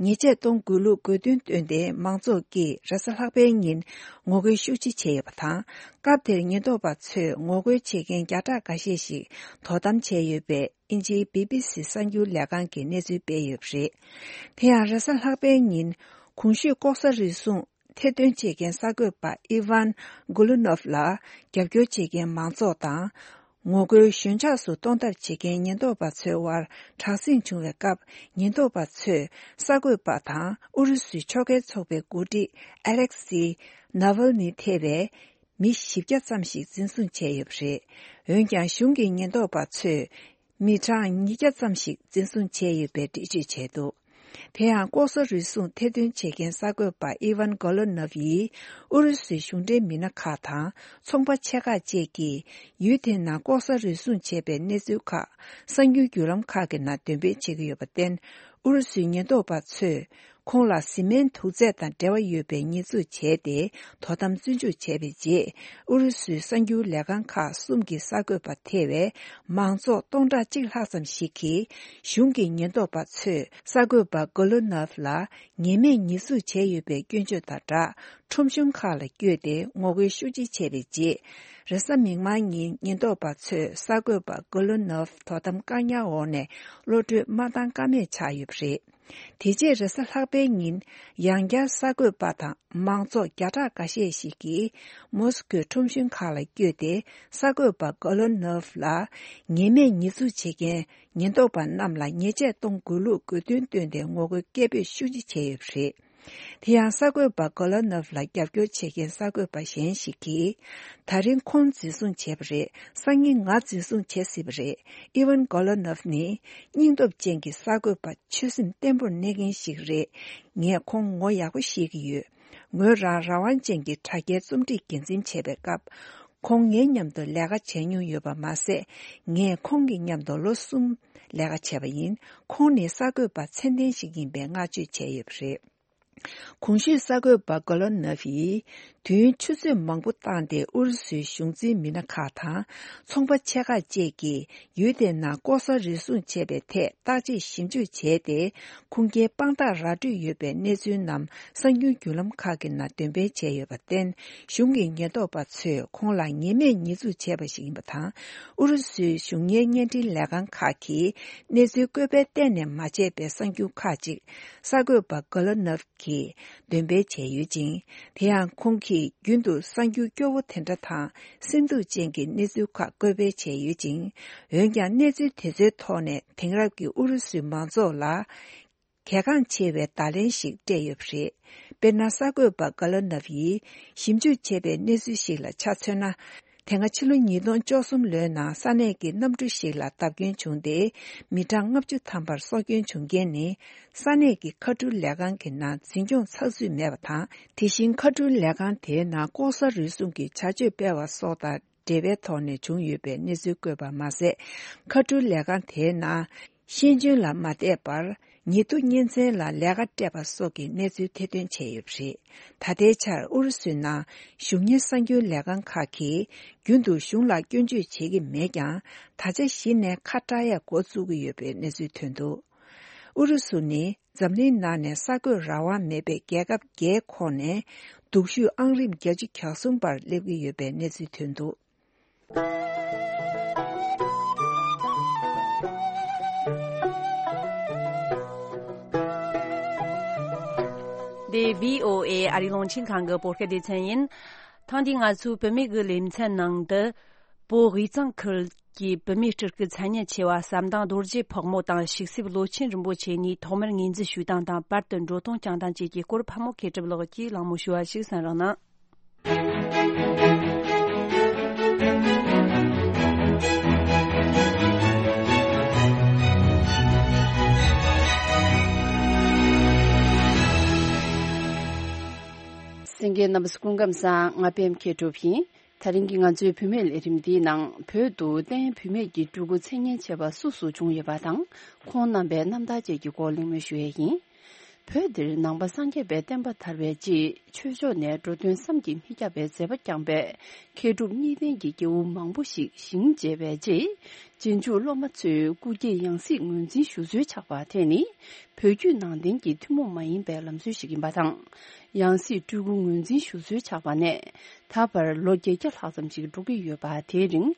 ཉེས་ཆད་གཏོང་དགོས་ལུགས་དགོས་འདུན་བཏོན་ཏེ། མང་ཚོགས་ཀྱིས་རེས་གཟའ་ལྷག་པའི་ཉིན་ངོ་རྒོལ་ཤུགས་ཆེ་བྱས་ཡོད་པ་དང་། སྐབས་དེར་ཉེན་རྟོག་པ་ཚོས་ངོ་རྒོལ་བྱེད་མཁན་བརྒྱ་ཕྲག་འགའ་ཤས་ཤིག་དོ་དམ་བྱས་ཡོད་པའི་དབྱིན་ཇིའི་བི་བི་སི་གསར་འགྱུར་ལས་ཁང་གིས་གནས་ཚུལ་སྤེལ་ཡོད་པ་རེད། དེ་ཡང་རེས་གཟའ་ལྷག་པའི་ཉིན་གོང་ཞུས་ལྐོག་ཟ་རུལ་སུངས་ཐེར་འདོན་བྱེད་མཁན་གསར་འགོད་པ་ཨི་ཝན་གོ་ལུ་ནོབ་ལ་རྒྱབ་སྐྱོར་བྱེད་མཁན་མང་ཚོགས་དང་། ངོ་རྒོལ་ཞོད་འཇགས་སུ་གཏོང་ཐབས་བྱེད་མཁན་ཉེན་རྟོག་པ་ཚོའི་དབར་དྲག་ཟིང་བྱུང་བའི་སྐབས། ཉེན་རྟོག་པ་ཚོས་གསར་འགོད་པ་དང་ཨུ་རུ་སུའི་ཕྱོགས་འགལ་ཚོགས་པའི་འགོ་ཁྲིད་ཨ་ལེག་སི་ནཱ་ཝལ་ནི་ཐེ་བའི་མི་བཞི་བརྒྱ་ཙམ་ཞིག་འཛིན་བཟུང་བྱས་ཡོད་པ་རེད། འོན་ཀྱང་གཞུང་གི་ཉེན་རྟོག་པ་ཚོས་མི་གྲངས་ཉིས་བརྒྱ་ཙམ་ཞིག་འཛིན་བཟུང་བྱས་ཡོད་པའི་འགྲེལ་བརྗོད་བྱས་འདུག། དེ་ཡང་ལྐོག་ཟ་རུལ་སུངས་ཐེར་འདོན་བྱེད་མཁན་གསར་འགོད་པ་ཨི་ཝན་གོ་ལོ་ནོབ་ཡིས་ཨུ་རུ་སུའི་གཞུང་འབྲེལ་མི་སྣ་ཁག་དང་ཚོང་པ་ཆེ་ཁག་བཅས་ཀྱིས་ཡུལ་དེའི་ནང་ལྐོག་ཟ་རུལ་སུངས་བྱས་པའི་གནས་ཚུལ་ཁག་གསར་འགྱུར་བརྒྱུད་ལམ་ཁག་གི་ནང་འདོན་སྤེལ་བྱེད་ཀྱི་ཡོད་པར་བརྟེན། ཨུ་རུ་སུའི་ཉེན་རྟོག་པ་ཚོས་ཁོང་ལ་བཟི་སྨན་དུག་རྫས་དང་འབྲེལ་བ་ཡོད་པའི་ཉེས་འཛུགས་བྱས་ཏེ། དོ་དམ་བཙོན་འཇུག་བྱས་པའི་རྗེས། ཨུ་རུ་སུའི་གསར་འགྱུར་ལས་ཁང་ཁག་གསུམ་གྱི་གསར་འགོད་པ་ཐེ་བའི་མང་ཚོགས་སྟོང་ཕྲག་གཅིག་ལྷག་ཙམ་ཞིག་གིས། གཞུང་གི་ཉེན་རྟོག་པ་ཚོས་གསར་འགོད་པ་གོ་ལོ་ནོབ་ལ་ཉེས་མེད་ཉེས་འཛུགས་བྱས་ཡོད་པའི་སྐྱོན་བརྗོད་དང་སྦྲགས། ཁྲོམ་གཞུང་ཁག་ལ་བསྐྱོད་དེ་ངོ་རྒོལ་ཤུགས་ཆེ་བྱས་པའི་རྗེས། རེས་གཟའ་མིག་དམར་ཉིན་ཉེན་རྟོག་པ་ཚོས་གསར་འགོད་པ་གོ་ལོ་ནོབ་དོ་དམ་བཀག་ཉར་འོག་ནས་གློད་གྲོལ་མ་བཏང་ཀ་མེད་ཆགས་ཡོད་པ་རེད། དེ་རྗེས་རེས་གཟའ་ལྷག་པའི་ཉིན། ཡང་བསྐྱར་གསར་འགོད་པ་དང་མང་ཚོགས་བརྒྱ་ཕྲག་འགའ་ཤས་ཤིག་གིས་མོ་སི་ཁོའི་ཁྲོམ་གཞུང་ཁག་ལ་བསྐྱོད་དེ། གསར་འགོད་པ་གོ་ལོ་ནོབ་ལ་ཉེས་མེད་ཉེས་འཛུགས་བྱེད་མཁན་ཉེན་རྟོག་པ་རྣམས་ལ་ཉེས་ཆད་གཏོང་དགོས་ལུགས་དགོས་འདུན་བཏོན་ཏེ་ངོ་རྒོལ་སྐད་འབོད་ཤུགས་ཆེ་བྱས་ཡོད་པ་རེད། དེ་ཡང་གསར་འགོད་པ་གོ་ལོ་ནོབ་ལ་རྒྱབ་སྐྱོར་བྱེད་མཁན་གསར་འགོད་པ་གཞན་ཞིག་གིས། ད་རིང་ཁོང་འཛིན་བཟུང་བྱས་པ་རེད། སང་ཉིན་ང་འཛིན་བཟུང་བྱེད་སྲིད་པ་རེད། ཨི་ཝན་གོ་ལོ་ནོབ་ནི་སྙིང་སྟོབས་ཅན་གྱི་གསར་འགོད་པ། ཆོད་སེམས་བརྟན་པོར་གནས་མཁན་ཞིག་རེད། ངས་ཁོང་ངོ་ཡག་པོ་ཤེས་ཀྱི་ཡོད། ངོས་རང་རང་དབང་ཅན་གྱི་དྲ་རྒྱའི་རྩོམ་སྒྲིག་འགན་འཛིན་བྱས་པའི་སྐབས། ཁོང་ངའི་མཉམ་དུ་ལས་ཀ་བྱས་མྱོང་ཡོད་པ་མ་ཟད། ངས་ཁོང་གི་མཉམ་དུ་ལོ་གསུམ་ལས་ཀ་བྱས་པ་ཡིན། ཁོང་ནི་གསར་འགོད་པ་ཚད་ལྡན་ཞིག་ཡིན་པའི་བསྔགས་བརྗོད་བྱས་ཡོད་པ་རེད། གོང་ཞུས་གསར་འགོད་པ་གོ་ལོ་ནོབ་ཡིས་དུས་ཡུན་ཆུ་ཚོད་མང་པོ་བཏང་སྟེ་ཨུ་རུ་སུའི་གཞུང་འཛིན་མི་སྣ་ཁག་དང་ཚོང་པ་ཆེ་ཁག་བཅས་ཀྱིས་ཡུལ་དེའི་ནང་ལྐོག་ཟ་རུལ་སུངས་བྱས་པའི་ཐད་བརྟག་དཔྱད་ཞིབ་འཇུག་བྱས་ཏེ། ཁུངས་སྐྱེལ་དཔང་རྟགས་ར་སྤྲོད་ཡོད་པའི་གནས་ཚུལ་རྣམས་གསར་འགྱུར་བརྒྱུད་ལམ་ཁག་གི་ནང་འདོན་སྤེལ་བྱས་ཡོད་པར་བརྟེན། གཞུང་གི་ཉེན་རྟོག་པ་ཚོས་ཁོང་ལ་ཉེས་མེད་ཉེས་འཛུགས་བྱས་པ་ཞིག་ཡིན་པ་དང་། ཨུ་རུ་སུའི་གཞུང་གཉེར་བརྙན་འཕྲིན་ལས་ཁང་ཁག་གིས་གནས་ཚུལ་བཀོད་སྤེལ་གཏན་ནས་མ་བྱས་པའི་གསར་འགྱུར་ཁག་ཅིག་གསར་འགོད་པ་གོ་ལོ་ནོབ་ཀྱིས་འདོན་སྤེལ་བྱས་ཡོད་ཅིང་། དེ་ཡང་ཁོང་གིས་རྒྱུན་དུ་གསར་འགྱུར་སྐྱོ་བོ་དེ་འདྲ་དང་སེམས་སྡུག་ཅན་གྱི་གནས་ཚུལ་ཁག་བཀོད་སྤེལ་བྱས་ཡོད་ཅིང་། འོན་ཀྱང་གནས་ཚུལ་དེ་ཚོའི་ཐོག་ནས་དེང་རབས་ཀྱི་ཨུ་རུ་སུའི་མང་ཚོགས་ལ་གལ་འགངས་ཆེ་བའི་བརྡ་ལན་ཞིག་སྤྲད་ཡོད་པ་རེད། དཔེར་ན། གསར་འགོད་པ་ག་ལ་ནོབ་ཡིས་ཞིབ་འཇུག་བྱས་པའི་གནས་ཚུལ་ཞིག་ལ་ཆ་མཚོན་ན། དེ་སྔ་ཕྱི་ལོ་ཉིས་སྟོང་བཅུ་གསུམ་ལོའི་ནང་ས་གནས་ཀྱི་གནམ་གྲུ་ཞིག་ལ་བརྡབ་སྐྱོན་བྱུང་སྟེ། མི་གྲངས་ལྔ་བཅུ་ཐམ་པར་སྲོག་སྐྱོན་བྱུང་རྐྱེན་ནི། ས་གནས་ཀྱི་མཁའ་འགྲུལ་ལས་ཁང་གི་ནང་འཛིན་སྐྱོང་ཚགས་ཚུད་མེད་པ་དང་། དེ་བཞིན་མཁའ་འགྲུལ་ལས་ཁང་དེའི་ནང་ལྐོག་ཟ་རུལ་སུངས་ཀྱི་བྱ་སྤྱོད་སྤེལ་བ་སོགས་དང་འབྲེལ་བའི་ཐོག་ནས་བྱུང་ཡོད་པའི་གནས་ཚུལ་བཀོད་པ་མ་ཟད། མཁའ་འགྲུལ་ལས་ཁང་དེའི་ནང་ཤེས་འཇོན་ལ་མ་བལྟས་པར། ཉེ་དུ་གཉེན་ཚན་ལ་ལས་ཀ་སྤྲད་པ་སོགས་ཀྱི་གནས་ཚུལ་ཐེར་འདོན་བྱས་ཡོད་པ་རེད། ད་ལྟའི་ཆར་ཨུ་རུ་སུའི་ནང་གཞུང་གཉེར་གསར་འགྱུར་ལས་ཁང་ཁག་གིས་རྒྱུན་དུ་གཞུང་ལ་སྐྱོན་བརྗོད་བྱེད་ཀྱི་མེད་ཀྱང་། ད་ཆ་གཞི་ནས་ཁ་བྲལ་ཡ་འགོ་བཙུགས་ཀྱི་ཡོད་པའི་གནས་ཚུལ་ཐོན་འདུག། ཨུ་རུ་སུ་ནི་འཛམ་གླིང་ནང་ནས་གསར་འགོད་རང་དབང་མེད་པའི་རྒྱལ་ཁབ་བརྒྱད་ཁོངས་ནས་སྡུག་ཤོས་ཨང་རིམ་བརྒྱད་ཅུ་གྱ་གསུམ་པར་སླེབས་ཀྱི་ཡོད་པའི་གནས་ཚུལ་ཐོན་འདུག། འདི་བྷི་ཨོ་ཨེ་ཨ་རིའི་རླུང་འཕྲིན་ཁང་གི་བོད་སྐད་སྡེ་ཚན་ཡིན། ཐེངས་འདིའི་ང་ཚོའི་བུད་མེད་ཀྱི་ལེ་ཚན་ནང་དུ། བོད་དབུས་གཙང་ཁུལ་གྱི་བུད་མེད་སྤྲུལ་སྐུ་མཚན་སྙན་ཆེ་བ་ཟམ་གདོང་རྡོ་རྗེ་ཕག་མོ་དང་ཤིག་སེབ་ལོ་ཆེན་རིན་པོ་ཆེ་གཉིས་ཐོག་མར་ངོས་འཛིན་ཞུས་སྟངས་དང་བར་དུ་འགྲོ་སྟངས་བསྐྱངས་སྟངས་བཅས་ཀྱི་སྐོར་ཕག་མོ་མཁས་གྲུབ་ལགས་ཀྱིས་གླེང་མོལ་ཞུ་བ་ཞིག་གསན་རོགས་གནང་། གསན་མཁན་རྣམ་པ་སྐུ་ཁམས་བཟང་། ང་པད་མ་མཁས་གྲུབ་ཡིན། དེ་རིང་གི་ང་ཚོའི་བུད་མེད་ལས་རིམ་འདིའི་ནང་བོད་དུ་བསྟན་བུད་མེད་ཀྱི་སྤྲུལ་སྐུ་མཚན་སྙན་ཆེ་བ་སུ་སུ་བྱུང་ཡོད་པ་དང་། ཁོང་རྣམ་པའི་རྣམ་ཐར་བཅས་ཀྱི་སྐོར་གླེང་མོལ་ཞུ་ཡས་ཡིན། བོད་འདིར་ནང་པ་སངས་རྒྱས་པའི་བསྟན་པ་དར་བའི་རྗེས་ཆོས་ཕྱོགས་ནས་འགྲོ་དོན་བསམ་གྱིས་མི་ཁྱབ་པའི་མཛད་པ་བསྐྱངས་པའི་མཁས་གྲུབ་གཉིས་ལྡན་གྱི་སྐྱེས་བུ་མང་པོ་ཞིག་ཞིང་མཇལ་བའི་རྗེས། རྗེས་འཇུག་སློབ་མ་ཚོས་སྐུ་སྐྱེས་ཡང་སྲིད་ངོས་འཛིན་ཞུ་སྲོལ་ཆགས་པ་དེ་ནི་བོད་བརྒྱུད་ནང་བསྟན་གྱི་ཐུན་མོང་མ་ཡིན་པའི་ལམ་སྲོལ་ཞིག་ཡིན་པ་དང་། ཡང་སྲིད་སྤྲུལ་སྐུ་ངོས་འཛིན་ཞུ་སྲོལ་ཆགས་པ་ནས་ད་བར་ལོ་བརྒྱད་བརྒྱ་ལྷག་ཙམ་ཞིག་འགྲོ་གི་ཡོད་པ། དེའི་རིང་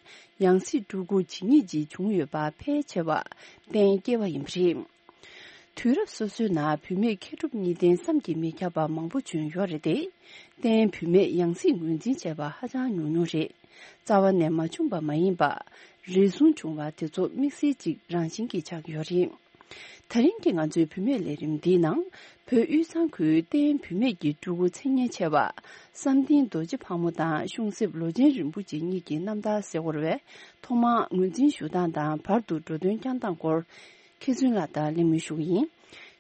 ཡང་སྲིད་སྤྲུལ་སྐུ་ཇི་སྙེད་ཅིག་བྱུང་ཡོད་པ་ཕལ་ཆེ་བ་གཏན་འཁེལ་བ་ཡིན་པ་རེད། དུས་རབས་སོ་སོའི་ནང་བུད་མེད་མཁས་གྲུབ་གཉིས་ལྡན་བསམ་གྱིས་མི་ཁྱབ་པ་མང་པོ་བྱོན་ཡོད་རེད་དེ། བསྟན་བུད་མེད་ཡང་སྲིད་ངོས་འཛིན་བྱས་པ་ཧ་ཅང་ཉུང་ཉུང་རེད། རྩ་བ་ནས་མ་བྱུང་པ་མ་ཡིན་པ། རེ་ཟུང་བྱུང་བ་དེ་ཚོ་དམིགས་བསལ་གཅིག་རང་བཞིན་གྱིས་ཆགས་ཡོད་རེད། དེ་རིང་གི་ང་ཚོའི་བུད་མེད་ལས་རིམ་འདིའི་ནང་བོད་དབུས་གཙང་ཁུལ་བསྟན་བུད་མེད་ཀྱི་སྤྲུལ་སྐུ་མཚན་སྙན་ཆེ་བ་བསམ་གཏན་རྡོ་རྗེ་ཕག་མོ་དང་ཤོང་སྲིབ་ལོ་ཆེན་རིན་པོ་ཆེ་གཉིས་ཀྱི་རྣམ་ཐར་གསལ་བོར་བས་ཐོག་མར་ངོས་འཛིན་ཞུ་སྟངས་དང་བར་དུ་འགྲོ་དོན་བསྐྱངས་སྟངས་སྐོར། མཁས་བཙུན་ལགས་དང་གླེང་མོལ་ཞུ་གི་ཡིན།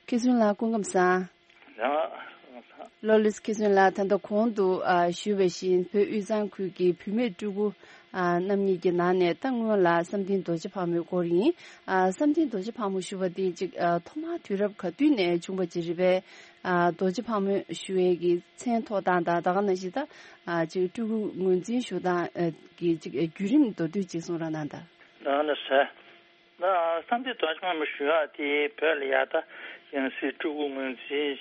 མཁས་བཙུན་ལགས་སྐུ་ཁམས་བཟང་། ཡང་། ལོ་ལེགས་མཁས་བཙུན་ལགས། ད་ལྟ་གོང་དུ་ཨ་ཞུས་པ་བཞིན་བོད་དབུས་གཙང་ཁུལ་གྱི་བུད་མེད་སྤྲུལ་སྐུ་ཨ་རྣམ་གཉིས་ཀྱི་ནང་ནས་ད་སྔོན་ལ་བསམ་གཏན་རྡོ་རྗེ་ཕག་མོའི་སྐོར་ཡིན། ཨ་བསམ་གཏན་རྡོ་རྗེ་ཕག་མོ་ཞུ་བ་འདི་ཅིག་ཨ་ཐོག་མར་དུས་རབས་ག་དུས་ནས་བྱུང་བ་ཅིག་རེད་པས། ཨ་རྡོ་རྗེ་ཕག་མོ་ཞུ་བའི་གི་མཚན་ཐོགས་སྟངས་དང་ད་ག་ནང་བཞིན་ད་ཨ་ཅིག་སྤྲུལ་སྐུ་ངོས་འཛིན་ཞུ་སྟངས་ཨ་གི་ཅིག་བརྒྱུད་རིམ་མདོར་བསྡུས་ཅིག་གསུང་རོགས་གནང་དང་། ད་ནི་ཟེར། ད་བསམ་གཏན་རྡོ་རྗེ་ཕག་མོ་ཞུ་ཡག་དེ་བོད་ལ་ཡ་ད་ཡང་སྲིད་སྤྲུལ་སྐུ་ངོས་འཛིན་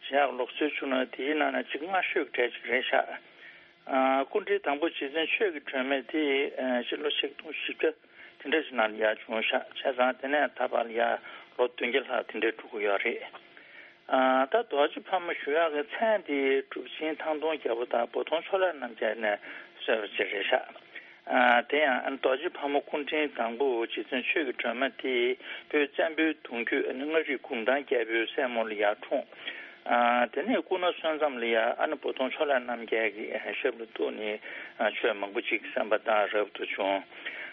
བྱེད་ཡག་ལུགས་སྲོལ་བྱུང་ན་དེའི་ནང་ནས་ཅིག་སྔ་ཤོས་གྲས་ཅིག་རེད་ཤག་ཨ་སྐུ་ཕྲེང་དང་པོ་རྗེ་བཙུན་ཆོས་ཀྱི་སྒྲོན་མེ་དེ་ཕྱི་ལོ་ཆིག་སྟོང་བཞི་བརྒྱ་དེ་འདྲ་ཞིག་ནང་ལ་ཡ་བྱུང་ཤག་བྱས་ཙང་དེ་ནས་ད་བར་ལ་ཡ་ལོ་བདུན་བརྒྱ་ལྷག་དེ་འདྲ་འགྲོ་གི་ཡོད་རེད། ཨ་ད་རྡོ་རྗེ་ཕག་མོ་ཞུ་ཡག་གི་མཚན་དེ་གྲུབ་ཆེན་ཐང་སྟོང་རྒྱལ་པོ་དང་བོ་དོང་ཕྱོགས་ལས་རྣམ་རྒྱལ་ནས་གསོལ་བ་ཅིག་རེད་ཤག་ཨ་དེ་ཡང་ཨ་ནི་རྡོ་རྗེ་ཕག་མོ་སྐུ་ཕྲེང་དང་པོ་རྗེ་བཙུན་ཆོས་ཀྱི་སྒྲོན་མ་དེ་བོད་བཙན་པོའི་གདུང་རྒྱུད་ཨ་ནི་མངའ་རིས་གུང་ཐང་རྒྱལ་པོའི་སྲས་མོ་ལ་ཡར་འཁྲུངས། ཨ་དེ་ནས་སྐུ་ན་སོན་ཙམ་ལ་ཡ་ཨ་ནི་བོ་དོང་ཕྱོགས་ལས་རྣམ་རྒྱལ་གྱི་ཞབས་ལ་གཏུགས་ནས་ཆོས་མང་པོ་ཅིག་གསན་པ་དང་རབ་ཏུ་བྱུང་།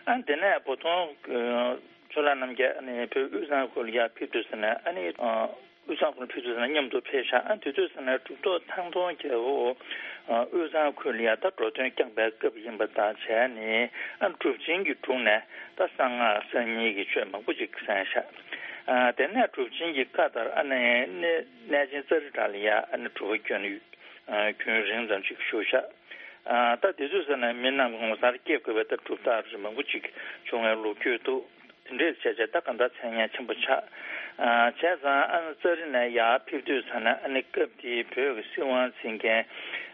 ཨ་དེ་ནས་བོ་དོང་ཕྱོགས་ལས་རྣམ་རྒྱལ་ཨ་ནི་བོད་དབུས་གཙང་ཁུལ་ལ་ཡར་ཕེབས་དུས་ཙམ་ནས་ཨ་ནི། དབུས་གཙང་ཁུལ་ཕེབས་དུས་ཙམ་ན་མཉམ་དུ་ཕེབས་ཤག་ཨ་དེ་དུས་ཙམ་ན་གྲུབ་ཐོབ་ཐང་སྟོང་རྒྱལ་པོ་དབུས་གཙང་ཁུལ་ལ་ཡ་ད་འགྲོ་དོན་བསྐྱངས་པའི་སྐབས་ཡིན་པ་དང་བྱས་ནས་ཨ་གྲུབ་ཆེན་གྱི་དྲུང་ནས་ད་གསང་སྔགས་གསར་རྙིང་གི་ཆོས་མང་པོ་ཅིག་གསན་ཤག་ཨ་དེ་ནས་གྲུབ་ཆེན་གྱི་བཀའ་ལྟར་ཨ་ནི་གནས་གནས་ཆེན་ཙཱ་རི་ཏྲ་ལ་ཡ་ཨ་ནི་སྒྲུབ་པ་རྒྱུན་རིང་ཙམ་ཅིག་བཞུགས་ཤག་ཨ་ད་དེ་དུས་ཙམ་ན་མི་རྣམས་ངོ་མཚར་སྐྱེ་དགོས་པའི་ད་གྲུབ་རྟགས་མང་པོ་ཅིག་བྱུང་བའི་ལོ་རྒྱུས་འདུག་དེ་འདྲས་བྱས་བྱས་ད་གང་ལྟར་མཚན་སྙན་ཆེན་པོ་ཆགས། ཨ་བྱས་ཙང་ཨ་ནི་ཙཱ་རི་ནས་ཡར་ཕེབས་དུས་ཙམ་ན་ཨ་ནི་སྐབས་དེའི་བོད་ཀྱི་སྲིད་དབང་འཛིན་མཁན་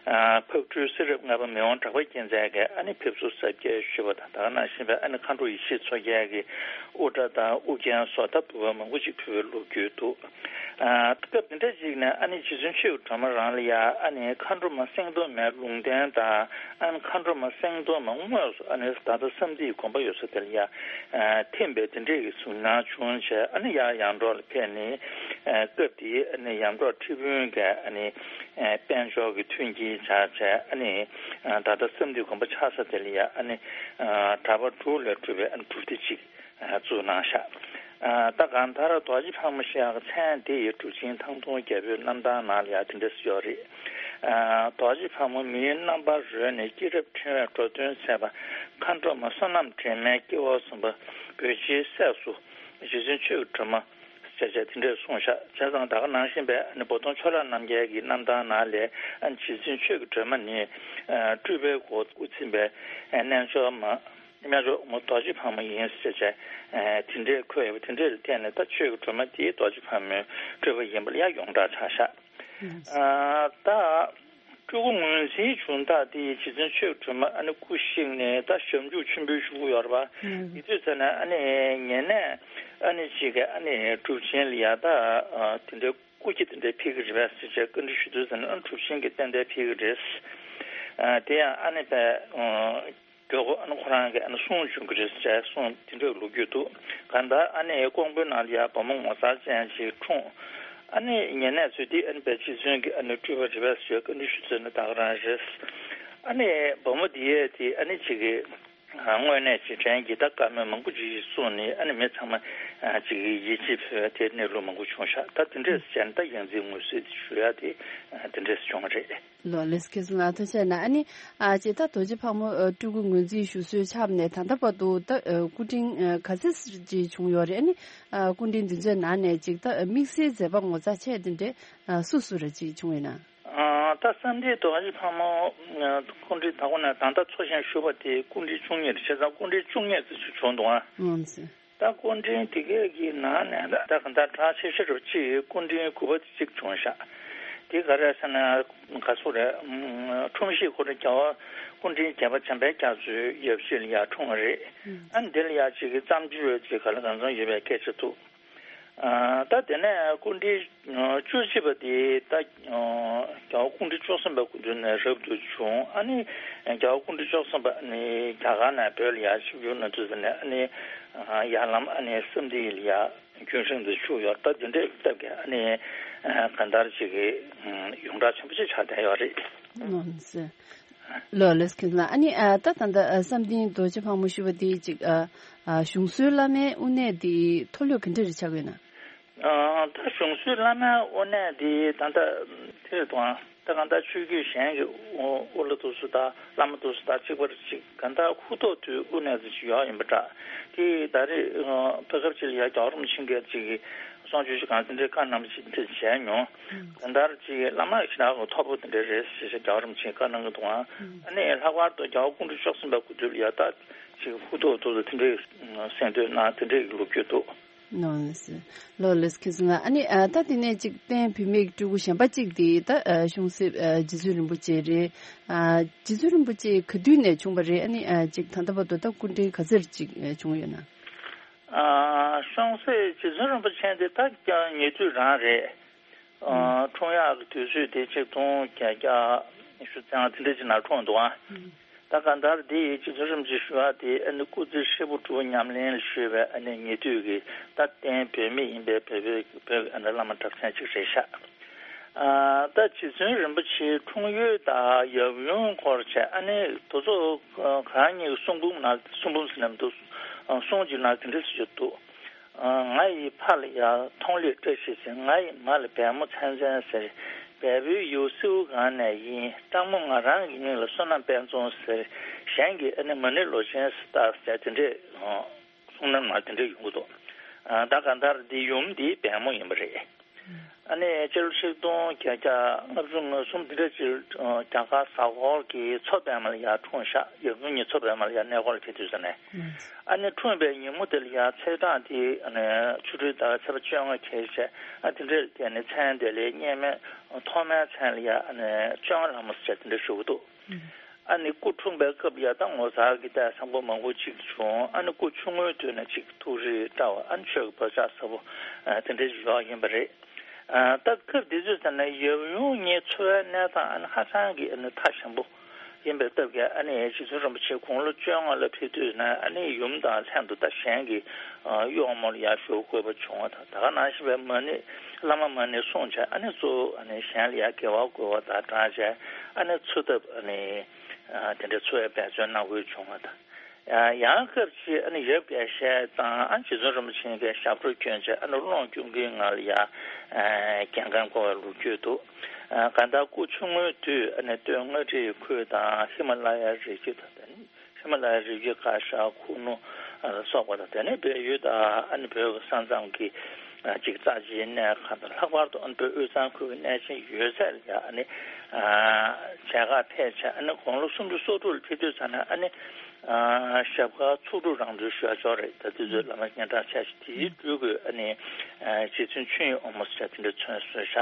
ཨ་ཕག་གྲུའི་གསེར་རབས་ལྔ་པ་མི་དབང་གྲགས་པ་རྒྱལ་མཚན་གྱིས་ཨ་ནི་ཕེབས་བསུ་གཟབ་རྒྱས་ཞུས་པ་དང་ད་ག་ནང་བཞིན་པའི་ཨ་ནི་མཁའ་འགྲོ་ཡེ་ཤེས་མཚོ་རྒྱལ་གྱིས་དབུ་སྐྲ་དང་དབུ་རྒྱན་སོགས་ད་འབུལ་བ་མང་པོ་ཅིག་ཕུལ་བའི་ལོ་རྒྱུས་འདུག་ཨ་སྐབས་དེ་འདྲ་ཅིག་ནས་ཨ་ནི་རྗེ་བཙུན་ཆོས་ཀྱི་སྒྲོན་མ་རང་ལ་ཡ་ཨ་ནི་མཁའ་འགྲོ་མ་སེང་གདོང་མའི་ལུང་བསྟན་དང་ཨ་ནི་མཁའ་འགྲོ་མ་སེང་གདོང་མ་དངོས་སུ་ཨ་ནི་ད་ལྟ་བསམ་གཏན་དགོན་པ་ཡོད་ས་དེ་ལ་ཡ་ཐིམ་པའི་དེ་འདྲའི་གི་གཟིགས་སྣང་བྱུང་བྱས་ཨ་ནི་ཡར་ཡར་འབྲོག་ལ་ཕེབས་ནས་སྐབས་དེའི་ཨ་ནི་ཡར་འབྲོག་ཁྲི་དཔོན་གྱི་ཨ་ནི་དཔལ་འབྱོར་གྱི་མཐུན་རྐྱེན་སྦྱར་བྱས་ཨ་ནི་ད་ལྟ་བསམ་གཏན་དགོན་པ་ཆགས་ས་དེ་ལ་ཡ་ཨ་ནི་གྲྭ་པ་དྲུག་ལས་གྲུབ་པའི་ཨ་ནི་སྒྲུབ་སྡེ་གཅིག་བཙུགས་གནང་ཤག་ཨ་ད་གང་ལྟར་རྡོ་རྗེ་ཕག་མོ་ཞེས་ཡག་མཚན་དེ་ཡི་གྲུབ་ཆེན་ཐང་སྟོང་རྒྱལ་པོའི་རྣམ་ཐར་ནང་ལ་ཡང་དེ་འདྲ་ཞིག་ཡོད་རེད། ཨ་རྡོ་རྗེ་ཕག་མོ་མིའི་རྣམ་པར་རོལ་ནས་སྐྱེས་རབས་ཕྲེང་བའི་འགྲོ་དོན་མཛད་པ་མཁའ་འགྲོ་མ་བསོད་ནམས་དྲན་མེད་སྐྱེ་བོ་གསུམ་པ་བོད་རྗེའི་སྲས་སུ་རྗེ་བཙུན་ཆོས་ཀྱི་སྒྲོན་མ་ཞེས་བྱ་དེ་འདྲས་གསུངས་ཤག་བྱས་ཙང་ད་ག་ནང་བཞིན་པའི་ཨ་ནི་བོ་དོང་ཕྱོགས་ལས་རྣམ་རྒྱལ་གྱི་རྣམ་ཐར་ནང་ལས་ཨ་ནི་རྗེ་བཙུན་ཆོས་ཀྱི་སྒྲོན་མ་ནི་ཨ་སྤྲུལ་པའི་སྒོ་དབུ་འཛིན་པའི་ཨ་རྣལ་འབྱོར་མ། རྣལ་འབྱོར་མ་རྡོ་རྗེ་ཕག་མོ་ཡིན་ཟེར་བྱས་དེ་འདྲའི་འཁོད་ཡོད་པ་དེ་འདྲའི་ཐད་ནས་ད་ཆོས་ཀྱི་སྒྲོན་མ་དེ་རྡོ་རྗེ་ཕག་མོའི་སྤྲུལ་པ་ཡིན་པ་ལ་ཡང་ཡོངས་གྲགས་ཆགས་ཤག་ཨ་ད་སྤྲུལ་སྐུ་ངོས་འཛིན་བྱུང་སྟངས་དེ་རྗེ་བཙུན་ཆོས་ཀྱི་སྒྲོན་མ་ཨ་ནི་སྐུ་གཤེགས་ནས་ད་ཞབས་འཇུག་ཆེན་པོའི་གཞུག་གུ་ཡོད་རེད་པ། དེ་དུས་ཙམ་ནས་ཨ་ནི་ངེད་ནས་ཨ་ནི་ཅིག་གི་ཨ་ནི་གྲུབ་ཆེན་ལ་ཡ་ད་དེ་འདྲའི་སྐུ་སྐྱེ་དེ་འདྲའི་ཕེབས་ཀྱི་རེད་པས་ཟེར་བྱས་བཀའ་འདྲི་ཞུ་དུས་ཙམ་ནས་ཨ་ནི་གྲུབ་ཆེན་གྱིས་ཏན་ཏན་ཕེབས་ཀྱི་རེད། ཨ་དེ་ཡང་ཨ་ནི་པས། གྲོད་ཁོག་ཨ་ནི་ཁོ་རང་གི་ཨ་ནི་སྲུང་བྱུང་གི་རེད་ཟེར་གསུངས་དེ་འདྲའི་ལོ་རྒྱུས་འདུག་གང་ལྟར་ཨ་ནི་ཀོང་པོའི་ནང་ལ་ཡ་བུ་མོ་ངོ་མཚར་ཅན་ཅིག་འཁྲུངས། ཨ་ནི་ཉེ་གནས་ཚོས་དེ་ཨ་ནི་བལ་སྤྱི་མཚོན་གྱི་ཨ་ནི་སྤྲུལ་པ་རེད་པས་ཟེར་བཀའ་འདྲི་ཞུ་ཚུལ་ནི་ད་ག་རང་རེད། ཨ་ནི་བུ་མོ་དེ་ཡས་དེ་ཨ་ནི་ཅིག་གི་དངོས་གནས་ཅིག་དྲན་གྱི་ད་བཀའ་མོལ་མང་པོ་ཅིག་གསུངས་ནས་ཨ་ནི་མི་ཚང་མ་ཅིག་གི་ཡིད་ཆེས་འཕེལ་བའི་དེ་གནས་ལུགས་མང་པོ་བྱུང་ཤག་ད་དེ་འདྲས་བྱས་ན་ད་ཡང་རྩིས་ངོས་བཟུང་ཞུ་ཡ་དེ་དེ་འདྲས་བྱུང་བ་རེད། ལོ་ལེགས་ཁྱེད་ཚོ་ལ་ཐུགས་རྗེ་གནང་། ཨ་ནི་ཨ་ཅེ་ད་རྡོ་རྗེ་ཕག་མོ་ཨ་སྤྲུལ་སྐུ་ངོས་འཛིན་ཞུ་སྲོལ་ཆགས་ནས་ད་ལྟ་བར་དུ་ད་ཨ་སྐུ་ཕྲེང་ཨ་ག་ཚོད་ཅིག་བྱུང་ཡོད་རེད། ཨ་ནི་ཨ་སྐུ་ཕྲེང་འདི་ཚོའི་ནང་ནས་ཅིག་ད་དམིགས་བསལ་མཛད་པ་ངོ་མཚར་ཆེ་དེ་འདྲས་ཨ་སུ་སུ་རེ་ཅིག་བྱུང་ཡོད་ན། ཨ་ད་བསམ་གཏན་རྡོ་རྗེ་ཕག་མོ་ཨ་སྐུ་ཕྲེང་ད་གོ་ནས་ད་ལྟ་འཚོ་ཞིང་བཞུགས་པ་དེ་སྐུ་ཕྲེང་བཅུ་གཉིས་རེད། བྱས་ཙང་སྐུ་ཕྲེང་བཅུ་གཉིས་ཙམ་ཞིག་བྱུང་འདུག་ཨ། ཨང་སེ། ད་སྐུ་ཕྲེང་དེ་གས་ཀྱི་ནང་ནས་ད་ད་གང་ལྟར་གྲགས་ཆེ་ཤོས་རུ་གཅིག་སྐུ་ཕྲེང་དགུ་པ་དེ་གཅིག་བྱུང་ཤག་དེ་ག་རེ་ཟེར་ན་ག་སུ་རེད། ཨུམ། འཁྲུངས་གཞིས་ཁོ་རང་རྒྱལ་བ་སྐུ་ཕྲེང་བརྒྱད་པ་འཇམ་དཔལ་རྒྱ་མཚོའི་ཡབ་གཞིས་ལ་ཡར་འཁྲུངས་པ་རེད། ཨ་འདི་ལ་ཡ་གཅིག་གི་བརྩམས་ཆོས་ཅིག་ག་ལ་གང་འཚམ་ཡོད་པའི་སྐད་ཆ་འདུག་ཨ་ད་དེ་ནས་སྐུ་ཕྲེང་བཅུ་གཅིག་པ་དེ་ད་རྒྱལ་བ་སྐུ་ཕྲེང་བཅུ་གསུམ་པའི་སྐུ་མདུན་ནས་རབ་ཏུ་བྱུང་། ཨ་ནི་རྒྱལ་བ་སྐུ་ཕྲེང་བཅུ་གསུམ་པ་ནི་རྒྱ་གར་ནས་བོད་ལ་ཡར་ཆིབས་བསྒྱུར་གནང་དུས་ཙམ་ནས་ཨ་ནི་ཡར་ལམ་ཨ་ནི་བསམ་གཏན་ལ་ཡར་རྒྱུན་བསྲིངས་ཏེ་བཞུགས་ཡོད། ད་དེ་འདྲའི་སྟབས་ཀྱིས་ཨ་ནི་གང་ལྟར་ཅིག་གི་ཡོངས་གྲགས་ཆེན་པོ་ཅིག་ཆགས་བསྡད་ཡོད་རེད། ལོ་ལེགས་ཁྱེད་ལ། ཨ་ནི་ཨ་ད་ད་ལྟ་ཨ་བསམ་གཏན་རྡོ་རྗེ་ཕག་མོ་ཞུ་བ་དེ་ཅིག་ཨ་ཨ་གཞུང་སྲོལ་བླ་མའི་དབུ་གནས་དེ་མཐོ་ལོས་ག་འདྲ་རེ་ཆགས་ཡོད་ན། ཨ་ད་གཞུང་སྲོལ་བླ་མའི་དབུ་གནས་དེ་ད་ལྟ་དེ་རེད་དོ། ད་གང་ལྟར་ཆོས་བརྒྱུད་གཞན་གྱི་དབུ་བླ་དེ་ཚོ་དང་བླ་མ་དེ་ཚོ་དང་གཅིག་པ་རེད། ཅིག་གང་ལྟར་ཧུར་ཐག་དུས་དབུ་གནས་ཚོ་ཅིག་ཡོད་ཡིན་པ་འདྲ། དེ་ད་རེས་ཨ་བོད་སྐབས་ཅིག་ལ་ཡ་རྒྱལ་བ་རིན་པོ་ཆེ་གིས་ཅིག་གསུང་ཆོས་ཞིག་གང་དེ་འདྲའི་བཀའ་གནང་བ་ཅིག་དེ་བྱས་མྱོང་། གང་ལྟར་ཅིག་བླ་མ་ཞེ་དྲག་གི་ཐོར་བུ་དེ་འདྲ་རེད་ཟེར་ཞེས་རྒྱལ་བ་རིན་པོ་ཆེས་བཀའ་གནང་གི་འདུག་ཨང་། ཨ་ནི་ལྷག་པར་དུ་རྒྱལ་བ་སྐུ་ཕྲེང་བཅུ་གསུམ་པའི་སྐུ་དུས་ལ་ཡ་ད་ཅིག་ཧུར་ཐག་ཐོག་ཏུ་དེ་འདྲའི་གསན་ཐོས་གནང་དེ་འདྲའི་ལོ་རྒྱུས་འདུག་ནོ་ལེ་སི། ལོ་ལེ་སི་ཁྱེད་ཚོ་ལ། ཨ་ནི་ཨ་ད་དེ་ནས་ཅིག་བསྟན་བུད་མེད་ཀྱི་སྤྲུལ་སྐུ་གཞན་པ་ཅིག་དེ་ད་ཨ་གཤོང་གསེབ་ཨ་རྗེ་བཙུན་རིན་པོ་ཆེ་རེད། ཨ་རྗེ་བཙུན་རིན་པོ་ཆེ་ག་དུས་ནས་བྱུང་བ་རེད། ཨ་ནི་ཨ་ཅིག་ད་ལྟ་བར་དུ་ད་སྐུ་ཕྲེང་ག་ཚོད་ཅིག་ཨ་བྱུང་ཡོད་ན། ཨ་གཤོང་གསེབ་རྗེ་བཙུན་རིན་པོ་ཆེ་དེ་ད་ཀྱང་ཉེ་དུས་རང་རེད། ཨ་འཁྲུངས་ཡག་གི་དུས་ཚོད་དེ་ཆིག་སྟོང་བརྒྱད་བརྒྱ་ཉི་ཤུ་རྩ་ལྔ་དེ་འདྲ་ཅིག་ནང་འཁྲུངས་འདུག་ཨ། ད་གང་ལྟར་འདི་ཡི་རྗེ་བཙུན་རིན་པོ་ཆེ་ཞུ་བ་དེ་ཨ་ནི་སྐུ་ཚེ་ཧྲིལ་པོ་གྲུབ་ཉམས་ལེན་ལ་གཞོལ་བའི་ཨ་ནི་ཉེ་དུས་ཀྱི་ད་བསྟན་བུད་མེད་ཡིན་པའི་བོད་པའི་བོད་ཀྱི་ཨ་ནི་བླ་མ་གྲགས་ཅན་ཅིག་རེད་ཤག་ཨ་ད་རྗེ་བཙུན་རིན་པོ་ཆེའི་འཁྲུངས་ཡུལ་དང་ཡབ་ཡུམ་སྐོར་བྱས་ཨ་ནི་དེ་ཚོ་གང་ཉིད་གསུང་འབུམ་ནང་གསུང་འབུམ་ཟེར་ན་མི་འདུག་གསུང་ཅིག་ནང་དེ་འདྲ་ཞིག་འདུག་ང་ཡི་ཕ་ལ་ཡ་མཐོང་ལེགས་བཀྲ་ཤིས་ཟེར། ང་ཡི་མ་ལ་བལ་མོ་ཚན་ཚན་ཟེར། བལ་པོའི་ཡུལ་སེའུ་སྒང་ནས་ཡིན། སྤྲང་མོ་ང་རང་གི་མིང་ལ་བསོད་ནམས་དཔལ་འཛོམས་ཟེར། གཞན་གྱིས་ཨ་ནི་མ་ཎི་ལོ་ཆེན་ཟེར་བཏགས་ཟེར་དེ་འདྲས་གསུང་ནམ་ན་དེ་འདྲས་ཡོང་གི་འདུག་ད་གང་ལྟར་འདི་ཡུམ་འདི་བལ་མོ་ཡིན་པ་རེད། ཨ་ནི་སྤྱི་ལོ་ཆིག་སྟོང་བརྒྱད་བརྒྱ་ལྔ་བཅུ་ང་གསུམ་འདི་འདྲ་ཅིག་རྒྱ་གར་གཟའ་འཁོར་གྱི་མཚོ་པདྨ་ལ་ཡར་འཁྲུངས་ཤག་ཡབ་ཡུམ་གཉིས་མཚོ་པདྨ་ལ་ཡར་གནས་སྐོར་ལ་ཕེབས་དུས་ཙམ་ནས། ཨ་ནི་འཁྲུངས་པའི་ཉིན་མོ་དེ་ལ་ཡ་ཚེས་གྲངས་དེ་ཨ་ནི་ཆུ་སྦྲུལ་ཟླ་བའི་ཚེས་པ་བཅོ་ལྔ་ཁེལ་བྱས། ཨ་དེ་འདྲ་དེ་ནི་མཚན་དེ་ལས་སྔོན་མའི་ཐོག་མའི་མཚན་ལ་ཡ་ཨ་ནི་བཅོ་ལྔ་ལྷ་མོ་ཟེར་དེ་འདྲ་ཞུ་གི་འདུག་ཨ་ནི་སྐུ་འཁྲུངས་པའི་སྐབས་ལ་ཡ་ད་ངོ་མཚར་གྱི་ལྟས་བཟང་པོ་མང་པོ་ཅིག་བྱུང་། ཨ་ནི་སྐུ་ཆུང་ངུའི་དུས་ནས་ཅིག་ཐུགས་རིག་བཀྲ་བ། ཨ་ནི་ཆོས་ཀྱི་བག་ཆགས་ཟབ་པོ་དེ་འདྲ་ཞིག་ཡོད་ཡིན་པ་རེད། ད་སྐབས་དེ་ཚོའི་ཚེ་ན་ཡབ་ཡུམ་གཉིས་འཚོ་བའི་གནས་སྟངས་ཨ་ནི་ཧ་ཅང་གི་ཨ་ནི་ཐག་ཞན་པོ་ཡིན་པའི་སྟབས་ཀྱིས། ཨ་ནི་རྗེ་བཙུན་རིན་པོ་ཆེ་དགུང་ལོ་བཅོ་ལྔ་ལ་ཕེབས་དུས་ན་ཨ་ནི་ཡུམ་དང་ལྷན་དུ་ད་གཞན་གྱི་གཡོག་མོ་ལ་ཡར་ཞུགས་དགོས་པ་བྱུང་བ་དང་། ད་ག་ནང་བཞིན་པའི་མ་ཎི་བླ་མ་མ་ཎི་གསུངས་བྱས། ཨ་ནི་གཙོ་བོ་ཨ་ནི་གཞན་ལ་ཡར་དགེ་བ་བསྐུལ་བ་དང་སྦྲགས་བྱས། ཨ་ནི་འཚོ་ཐབས་ཨ་ནི་དེ་འདྲའི་འཚོ་བའི་འབད་བརྩོན་གནང་དགོས་བྱུང་བ་དང་། ཡང་སྐབས་ཅིག་ཨ་ནི་ཡབ་རྒྱལ་བཤད་དང་ཨ་རྗེ་བཙུན་རིན་པོ་ཆེ་གིས་ཞབས་བྲོ་བསྐྱོན་བྱས། ཨ་ནི་ཀློང་ཆུང་ཆུང་ངང་ལ་ཡ་རྒྱལ་ཁམས་བསྐོར་བའི་ལོ་རྒྱུས་འདུག་གང་ལྟར་སྐུ་ཆུང་ངུའི་དུས་ཨ་ནི་སྟོད་མངའ་རིས་ཁུལ་དང་ཧི་མ་ལ་ཡའི་རི་རྒྱུད་དང་། ད་ནི་ཧི་མ་ལ་ཡའི་རི་རྒྱུད་ཁ་ཤས་ཁུ་ནུ་ལ་སོགས་པ་དང་། དེ་ནས་བལ་ཡུལ་དང་ཨ་ནི་བོད་ཀྱི་ས་མཚམས་ཀྱི་ཅིག་རྩ་ཆེའི་གནས་ཁག་དང་། ལྷག་པར་དུ་ཨ་ནི་བོད་དབུས་གཙང་ཁུལ་གྱི་གནས་ཆེན་ཡོད་ཚད་ལ་ཡ་ཨ་ནི་མཇལ་ཁ་ཕེབས་བྱས། ཨ་ནི་དགུང་ལོ་སུམ་ཅུ་སོ་དྲུག་ལ་ཕེབས་དུས་ཙམ་ནས་ཨ་ནི། ཨ་ཞབས་དཀར་ཚོགས་དྲུག་རང་གྲོལ་ཞུ་ཡ་ཅིག་རེད། ད་དེ་ཚོའི་བླ་མ་སྙན་གྲགས་ཆེ་ཤོས་དེའི་སྤྲུལ་སྐུ་ཨ་ནི་ཨ་རྗེ་བཙུན་ཆོས་དབྱིངས་དབང་མོ་ཟེར་དེ་འདྲ་མཚན་གསོལ་ཤག་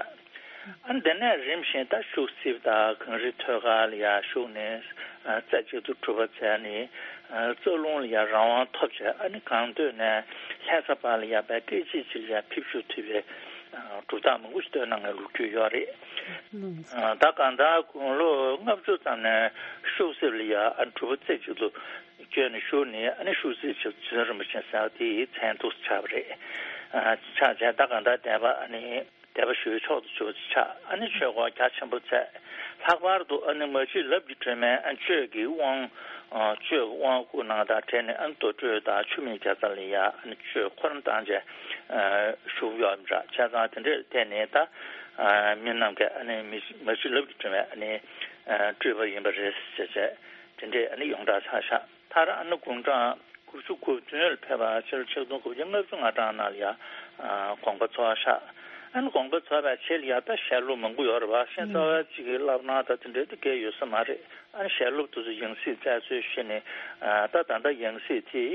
ཨ་ནི་དེ་ནས་རིམ་བཞིན་ད་ཤུག་སེ་དང་གངས་རི་ཐོད་དཀར་ལ་ཡར་ཞུགས་ནས། ཨ་རྩེ་གཅིག་ཏུ་གྲུབ་པ་བྱས་ནས། ཨ་རྩ་རླུང་ལ་ཡར་རང་དབང་ཐོབ་བྱས། ཨ་ནི་གངས་སྟོད་ནས་ལྷ་ས་བར་ལ་ཡར་བལ་སྐད་ཅིག་ཅིག་ལ་ཡར་ཕེབས་བཞུགས་ཐུབ་པའི་ གྲུབ་རྟགས་མང་པོ་ཞིག་བཏོན་གནང་བའི་ལོ་རྒྱུས་ཡོད་རེད། ད་གང་ལྟར་དགུང་ལོ་ལྔ་བཅུ་ཙམ་ནས་ཤུག་གསེབ་ལ་ཡ་ཨ་གྲུ་པ་རྩེ་གཅིག་ཏུ་བསྐྱོད་ནས་བཞུགས་ནས། ཨ་ནི་ཤུག་གསེབ་ཆེན་པོ་རྗེ་བཙུན་རིན་པོ་ཆེ་ཟེར་བ་དེའི་མཚན་ཐོག་ཆགས་པ་རེད། ཆགས་བྱས་ད་གང་ལྟར་དད་པ་ཨ་ནི་དད་པ་ཞུ་བའི་མཆོག་ཏུ་གྱུར་པ་ཆགས། ཨ་ནི་ཆོས་སྒོ་རྒྱ་ཆེན་པོ་བཙལ། ལྷག་པར་དུ་ཨ་ནི་མ་གཅིག་ལབ་ཀྱི་སྒྲོན་མེ་ཨ་གཅོད་ཀྱི་དབང་། གཅོད་ཀྱི་དབང་བསྐུར་གནང་དང་འབྲེལ་ནས་ཨ་ནི་རྡོ་གྲུ་དང་ཆུ་སྨད་རྒྱ་ཚ་ལ་ཡ་ཨ་ནི་གཅོད་ཁོ་རང་བཏང་བྱས་བཞུགས་ཡོད་འདྲ། བྱས་ཙང་དེ་འདྲའི་ཐད་ནས་ད་མི་རྣམས་ཀྱིས་ཨ་ནི་མ་གཅིག་ལབ་ཀྱི་སྒྲོན་མེ་ཨ་ནི་སྤྲུལ་པ་ཡིན་པ་རེད་ཟེར་བྱས་དེ་འདྲའི་ཨ་ནི་ཡོངས་གྲགས་ཆགས་ཤག་མཐར་ཨ་ནི་དགུང་གྲངས་དགུ་བཅུ་གོ་བདུན་ལ་ཕེབས་པ་ཕྱི་ལོ་ཆིག་སྟོང་དགུ་བརྒྱ་ལྔ་བཅུ་ང་གྲངས་ནང་ལ་ཡ་དགོངས་པ་རྫོགས་ཤག་ཨ་ནི་དགོངས་པ་རྫོགས་པའི་རྗེས་ལ་ཡ་ད་ཞལ་སློབ་མང་པོ་ཡོད་རེད་པ། ཤེས་ཚོར་བ་གཅིག་གི་བསླབ་གནང་དང་དེ་འདྲའི་དེ་གས་ཡོད་ས་མ་རེད། ཨ་ནི་ཞལ་སློབ་དེ་ཚོ་ཡང་སྲིད་བཙལ་འཚོལ་བྱས་ནས་ད་ད་ལྟ་ཡང་སྲིད་དེ་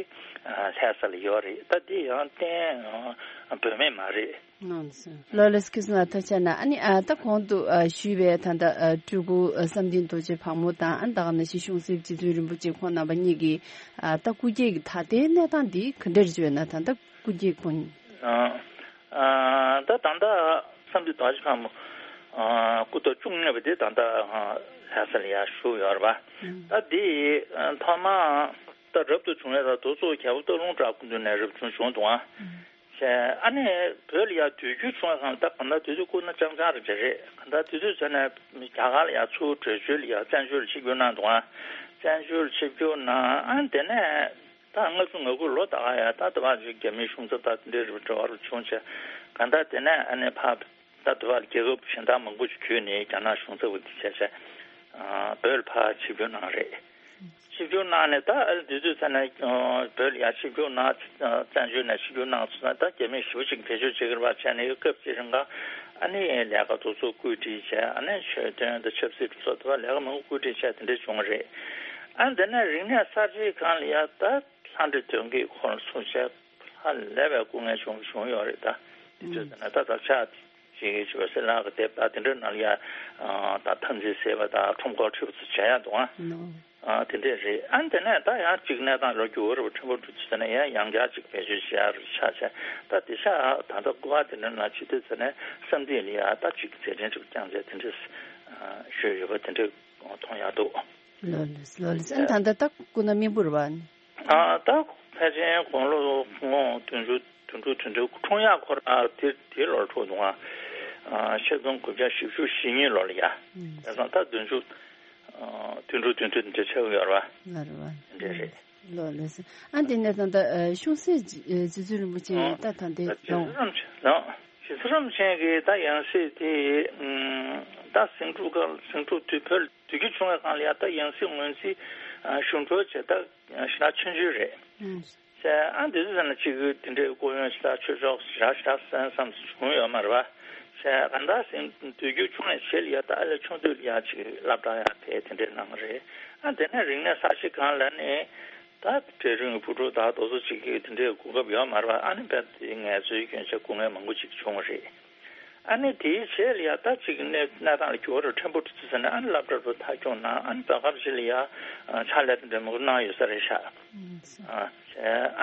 ལྷ་ས་ལ་ཡོད་རེད། ད་དེ་ཡང་གཏན་དབེ་མེད་མ་རེད། ལགས་སོ། ལགས་ལགས་སོ། ཁྱེད་ཚོ་ལ་ཐུགས་རྗེ་གནང་། ཨ་ནི་ཨ་ད་གོང་དུ་ཨ་ཞུས་པའི་ད་ལྟ་ཨ་སྤྲུལ་སྐུ་ཨ་བསམ་གཏན་རྡོ་རྗེ་ཕག་མོ་དང་། ཨ་ནི་ད་ག་ནང་བཞིན་གཤོང་གསེབ་རྗེ་བཙུན་རིན་པོ་ཆེ་ཁོང་རྣམ་པ་གཉིས་ཀྱི་ཨ་ད་སྐུ་སྐྱེ་གི་ད་ལྟའི་གནས་སྟངས་འདི་ག་འདྲ་རེད་ཅེ་ན། ད་ལྟ་སྐུ་སྐྱེ་ཁོང་ཨ་ཨ་ད་ད་ལྟ་བསམ་གཏན་རྡོ་རྗེ་ཕག་མོ་ཨ་སྐུ་ཐོག་བཅུ་གཉིས་པ་དེ་ད་ལྟ་ཨ་ལྷ་ས་ལ་ཡར་བཞུགས་ཡོད་རེད་པ། ད་འདི་ཨ་ཐོག་མ་ད་རབ་ཏུ་བྱུང་བའི་ད་རྡོ་བཙུགས་རྒྱལ་པོ་སྟག་ལུང་བྲག་སྐུ་མདུན་ནས་རབ་བྱུང་བྱུང་འདུག་ཨ། བྱས། ཨ་ནི་བོད་ལ་ཡ་དུས་འགྱུར་བྱུང་བའི་སྒང་ལ་ད་གང་ལྟར་དུས་ཚོད་སྐུ་ན་ཅང་ཅང་རེ་བྱས་རེད། གང་ལྟར་དུས་ཚོད་ཚོད་ནས་རྒྱ་གར་ལ་ཡ་ཚུར་བྲོས་བྱོལ་ལ་ཡ་བཙན་བྱོལ་ལ་ཆིབས་བསྒྱུར་གནང་འདུག་ཨ། བཙན་བྱོལ་ལ་ཆིབས་བསྒྱུར་གནང་། ཨ་ནི་དེ་ནས་ད་ལྔ་བཅུ་ང་དགུ་ལོ་ད་ག་ཡ་ད་དེ་བ་ཅིག་རྒྱ་མིའི་གཞུང་ཚབ་ད་དེ་འདྲའི་རེ་བ་འབྲེལ་བ་རུ་བྱུང་བྱས། གང་ལྟར་དེ་ནས་ཨ་ནི་ཕ་ད་དེ་བ་ལ་རྒྱལ་ཁབ་གཞན་དག་མང་པོ་ཞིག་བརྒྱུད་ནས་རྒྱ་ནག་གཞུང་ཚབ་འོས་འདེམས་བྱས་བྱས། ཨ་བོད་ལ་ཕར་ཆིབས་བསྒྱུར་གནང་རེད། ཆིབས་བསྒྱུར་གནང་ནས་ད་ཨ་ནི་དུས་ཚོད་ཚར་ནས་ཨ་བོད་ལ་ཡར་ཆིབས་བསྒྱུར་གནང་། བཙན་བྱོལ་ནས་ཆིབས་བསྒྱུར་གནང་སོང་ན་ད་རྒྱ་མི་ཞེ་པོ་ཅིག་བེད་སྤྱོད་བྱེད་ཀྱི་རེད་པ། བྱས་ནས་སྐབས་ཅིག་རིང་ག་ཨ་ནི་ལས་ཀ་དེ་ཚོ་བཀོད་སྒྲིག་བྱས། ཨ་ནི་ཆོས་དོན་དང་ཆབ་སྲིད་སོགས་དེ་བ་ལས་ཀ་མང་པོ་བཀོད་སྒྲིག་བྱས་དེ་འདྲ་བྱུང་བ་རེད། ཨ་ནི་དེ་ནས་རིག་གནས་གསར་བརྗེའི་སྒང་ལ་ཡ་ད་ལྷ་འདྲེ་གདོན་བགེགས་ཁོ་རང་ཚུན་ཆད་ཧ་ལས་པའི་སྐུ་ངལ་བྱུང་བྱུང་ཡོད་རེད། ད་དེ་ཚོ་ད་ན་ད་ད་ཆ་ཅིག་ཆོས་སེ་ལག་གི་དེབ་ད་དེ་འདྲ་ནང་ལ་ཡ་ད་ཐམས་ཅད་ཟད་པ་དང་ཁྲོམ་སྐོར་ཁྲིད་པ་ཚོ་བྱ་ཡ་འདུག་ཨ། ཨ་དེ་འདྲས་རེད། ཨ་དེ་ནས་ད་ཡང་གཅིག་གནས་སྟངས་ལོ་རྒྱུས་འོ་རེ་བ་ཕྲན་བུ་འགྲོ་ཚུལ་དེ་ནས་ཡང་ཡང་བསྐྱར་གཅིག་བེད་སྤྱོད་བྱེད་ཡ་རུ་ཆགས་བྱས། ད་དེ་ཤ་ད་ལྟ་སྐུ་པར་དེ་འདྲ་ནང་ཆེ་དུས་དེ་ནས་བསམ་གཏན་ལ་ཡ་ད་གཅིག་མཛད་འཕྲིན་གཅིག་བསྐྱངས་བྱས་དེ་འདྲས་ཞུས་ཡོད་པ་དེ་འདྲས་མཐོང་ཡ་འདུག་ལོ་ལོ་ལོ་ལོ་ཨ་ད་ལྟ་ད་སྐུ་ན་མི་བུར་བ། ཨ་ད་ཕལ་ཆེར་དགུང་ལོ་ངོ་བདུན་ཅུ་བདུན་ཅུ་དོན་དྲུག་འཁྲུངས་ཡག་ཁོ་རང་དེ་དེ་ལོར་འཁྲུངས་འདུག་ཨ། ཆིག་སྟོང་དགུ་བརྒྱ་བཞི་བཅུ་ཞེ་གཉིས་ལོ་ལ་ཡ། ཨུམ། དེང་སང་ད་བདུན་ཅུ་བདུན་དྲུག་བདུན་བདུན་དེ་ཆགས་ཀྱི་ཡོད་རེད་པ། ཡོད་རེད་པ། འདྲ་རེད། ལོ་ལོ་སོ། ཨ་དེ་ནས་ད་ལྟ་གཤོང་སེ་རྗེ་བཙུན་རིན་པོ་ཆེ་ད་ད་ལྟའི་རྗེ་བཙུན་རིན་པོ་ཆེ་ལགས། རྗེ་བཙུན་རིན་པོ་ཆེ་གི་ད་ཡང་སྲིད་དེ་ད་ཟིང་འཁྲུག་སྐབས་ཟིང་འཁྲུག་དུས་བོད་དུས་འགྱུར་བྱུང་བའི་སྒང་ལ་ཡ་ད་ཡང་སྲིད་ངོས་འཛིན་ཞུ་འགྲོ་བྱས་ད་ཞེ་དྲག་ཆུང་ཆུང་རེད། ཨུམ། ཟེར་ཨ་འདི་ཚོ་ཟེར་ན་གཅིག་གི་དེ་འདྲའི་སྐུ་ཡོན་ཞེ་དྲག་ཆོས་ཕྱོགས་ཞེ་དྲག་ཞེ་དྲག་གསན་བསམ་བྱུང་ཡོད་མ་རེད་པ། ཟེར་གང་ལྟར་ཟིན་དུས་འགྱུར་བྱུང་བའི་རྗེས་ལ་ཡ་ད་ཨ་ལས་ཆུང་དུས་ལ་ཡ་གཅིག་སློབ་གྲྭ་ཡ་ཕེབས་དེ་འདྲའི་གནང་བ་རེད། ཨ་དེ་ནས་རིག་གནས་གསར་བརྗེ་སྒང་ལ་ནི་ད་གྲལ་རིམ་གྱི་བུ་ཕྲུག་དག་དེ་ཚོ་གཅིག་གི་དེ་འདྲའི་གོ་སྐབས་ཡོད་མ་རེད་པ། ཨ་ནི་བས་དེ་ངལ་རྩོལ་སྐྱོན་ཆ་སྐུ་ངལ་མང་པོ་གཅིག་བྱུང་བ་རེད། ཨ་ནི་དེའི་རྗེས་ལ་ཡ་ད་ཅིག་གནས་གནས་སྟངས་ལ་འགྱུར་བ་རུ་ཕྲན་བུ་འགྲོ་ཚུལ་ཟེར་ནས་ཨ་ནི་སློབ་གྲྭ་རུ་མཐར་སྐྱོང་གནང་། ཨ་ནི་བོད་ཁམས་ཅིག་ལ་ཡ་ཕྱག་ལས་དེ་འདྲ་མང་པོ་གནང་ཡོད་ས་རེད་ཤག་ཨ་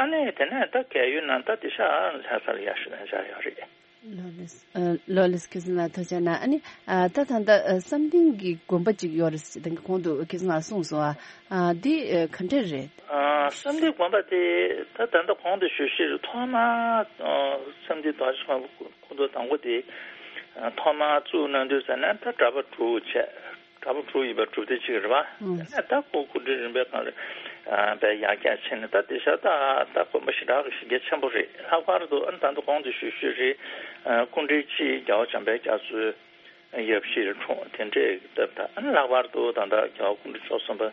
ཨ་ནི་དེ་ནས་ད་རྒས་ཡོལ་གནང་ད་དེ་ཤག་ལྷ་ས་ལ་ཡ་ཞུ་ལན་བཞག་ཡོད་རེད། ལོ་ལེགས་ཨ་ལོ་ལེགས་ཁྱེད་ཚོ་ལ་ཐུགས་རྗེ་གནང་། ཨ་ནི་ཨ་ད་ད་ལྟ་ཨ་བསམ་གཏན་གྱི་དགོན་པ་ཅིག་ཡོད་རེད་ཟེར་ད་གོང་དུ་ཁྱེད་ཚོ་ལ་གསུངས་སོང་ཨ། ཨ་འདི་ཨ་ག་འདྲ་རེད། ཨ་བསམ་གཏན་དགོན་པ་དེ་ད་ད་ལྟ་གོང་དུ་ཞུས་ཞུས་ཐོག་མ་ཨ་བསམ་གཏན་རྡོ་རྗེ་ཁོང་ཁོང་ཚོ་དང་པོ་དེ་ཨ་ཐོག་མ་བཙུགས་གནང་དུས་ཙམ་ནས་ད་གྲྭ་པ་དྲུག་བྱས། གྲྭ་པ་དྲུག་ཡིན་པའི་གྲུབ་སྡེ་གཅིག་རེད་པ། ཨང་། དེ་ནས་ད་ཁོ་སྐུ་ཕྲེང་རིམ་པའི་སྒང་ལ་ཨ་དཔེ་ཡར་རྒྱས་ཕྱིན་ནས་ད་དེ་ཤ་ད་ད་དགོན་པ་ཞེ་དྲག་གི་གཞི་རྒྱ་ཆེན་པོ་རེད། ལྷག་པར་དུ་ཨ་ནི་ད་ལྟ་གོང་དུ་ཞུས་ཞུས་རེད། ཨ་སྐུ་ཕྲེང་གཅིག་རྒྱལ་བ་འཇམ་དཔལ་རྒྱ་མཚོའི་ཡབ་གཞིས་ལ་འཁྲུངས་དེ་འདྲའི་སྟབས་ད་ཨ་ནི་ལྷག་པར་དུ་ད་ལྟ་རྒྱལ་བ་སྐུ་ཕྲེང་བཅུ་གསུམ་པ་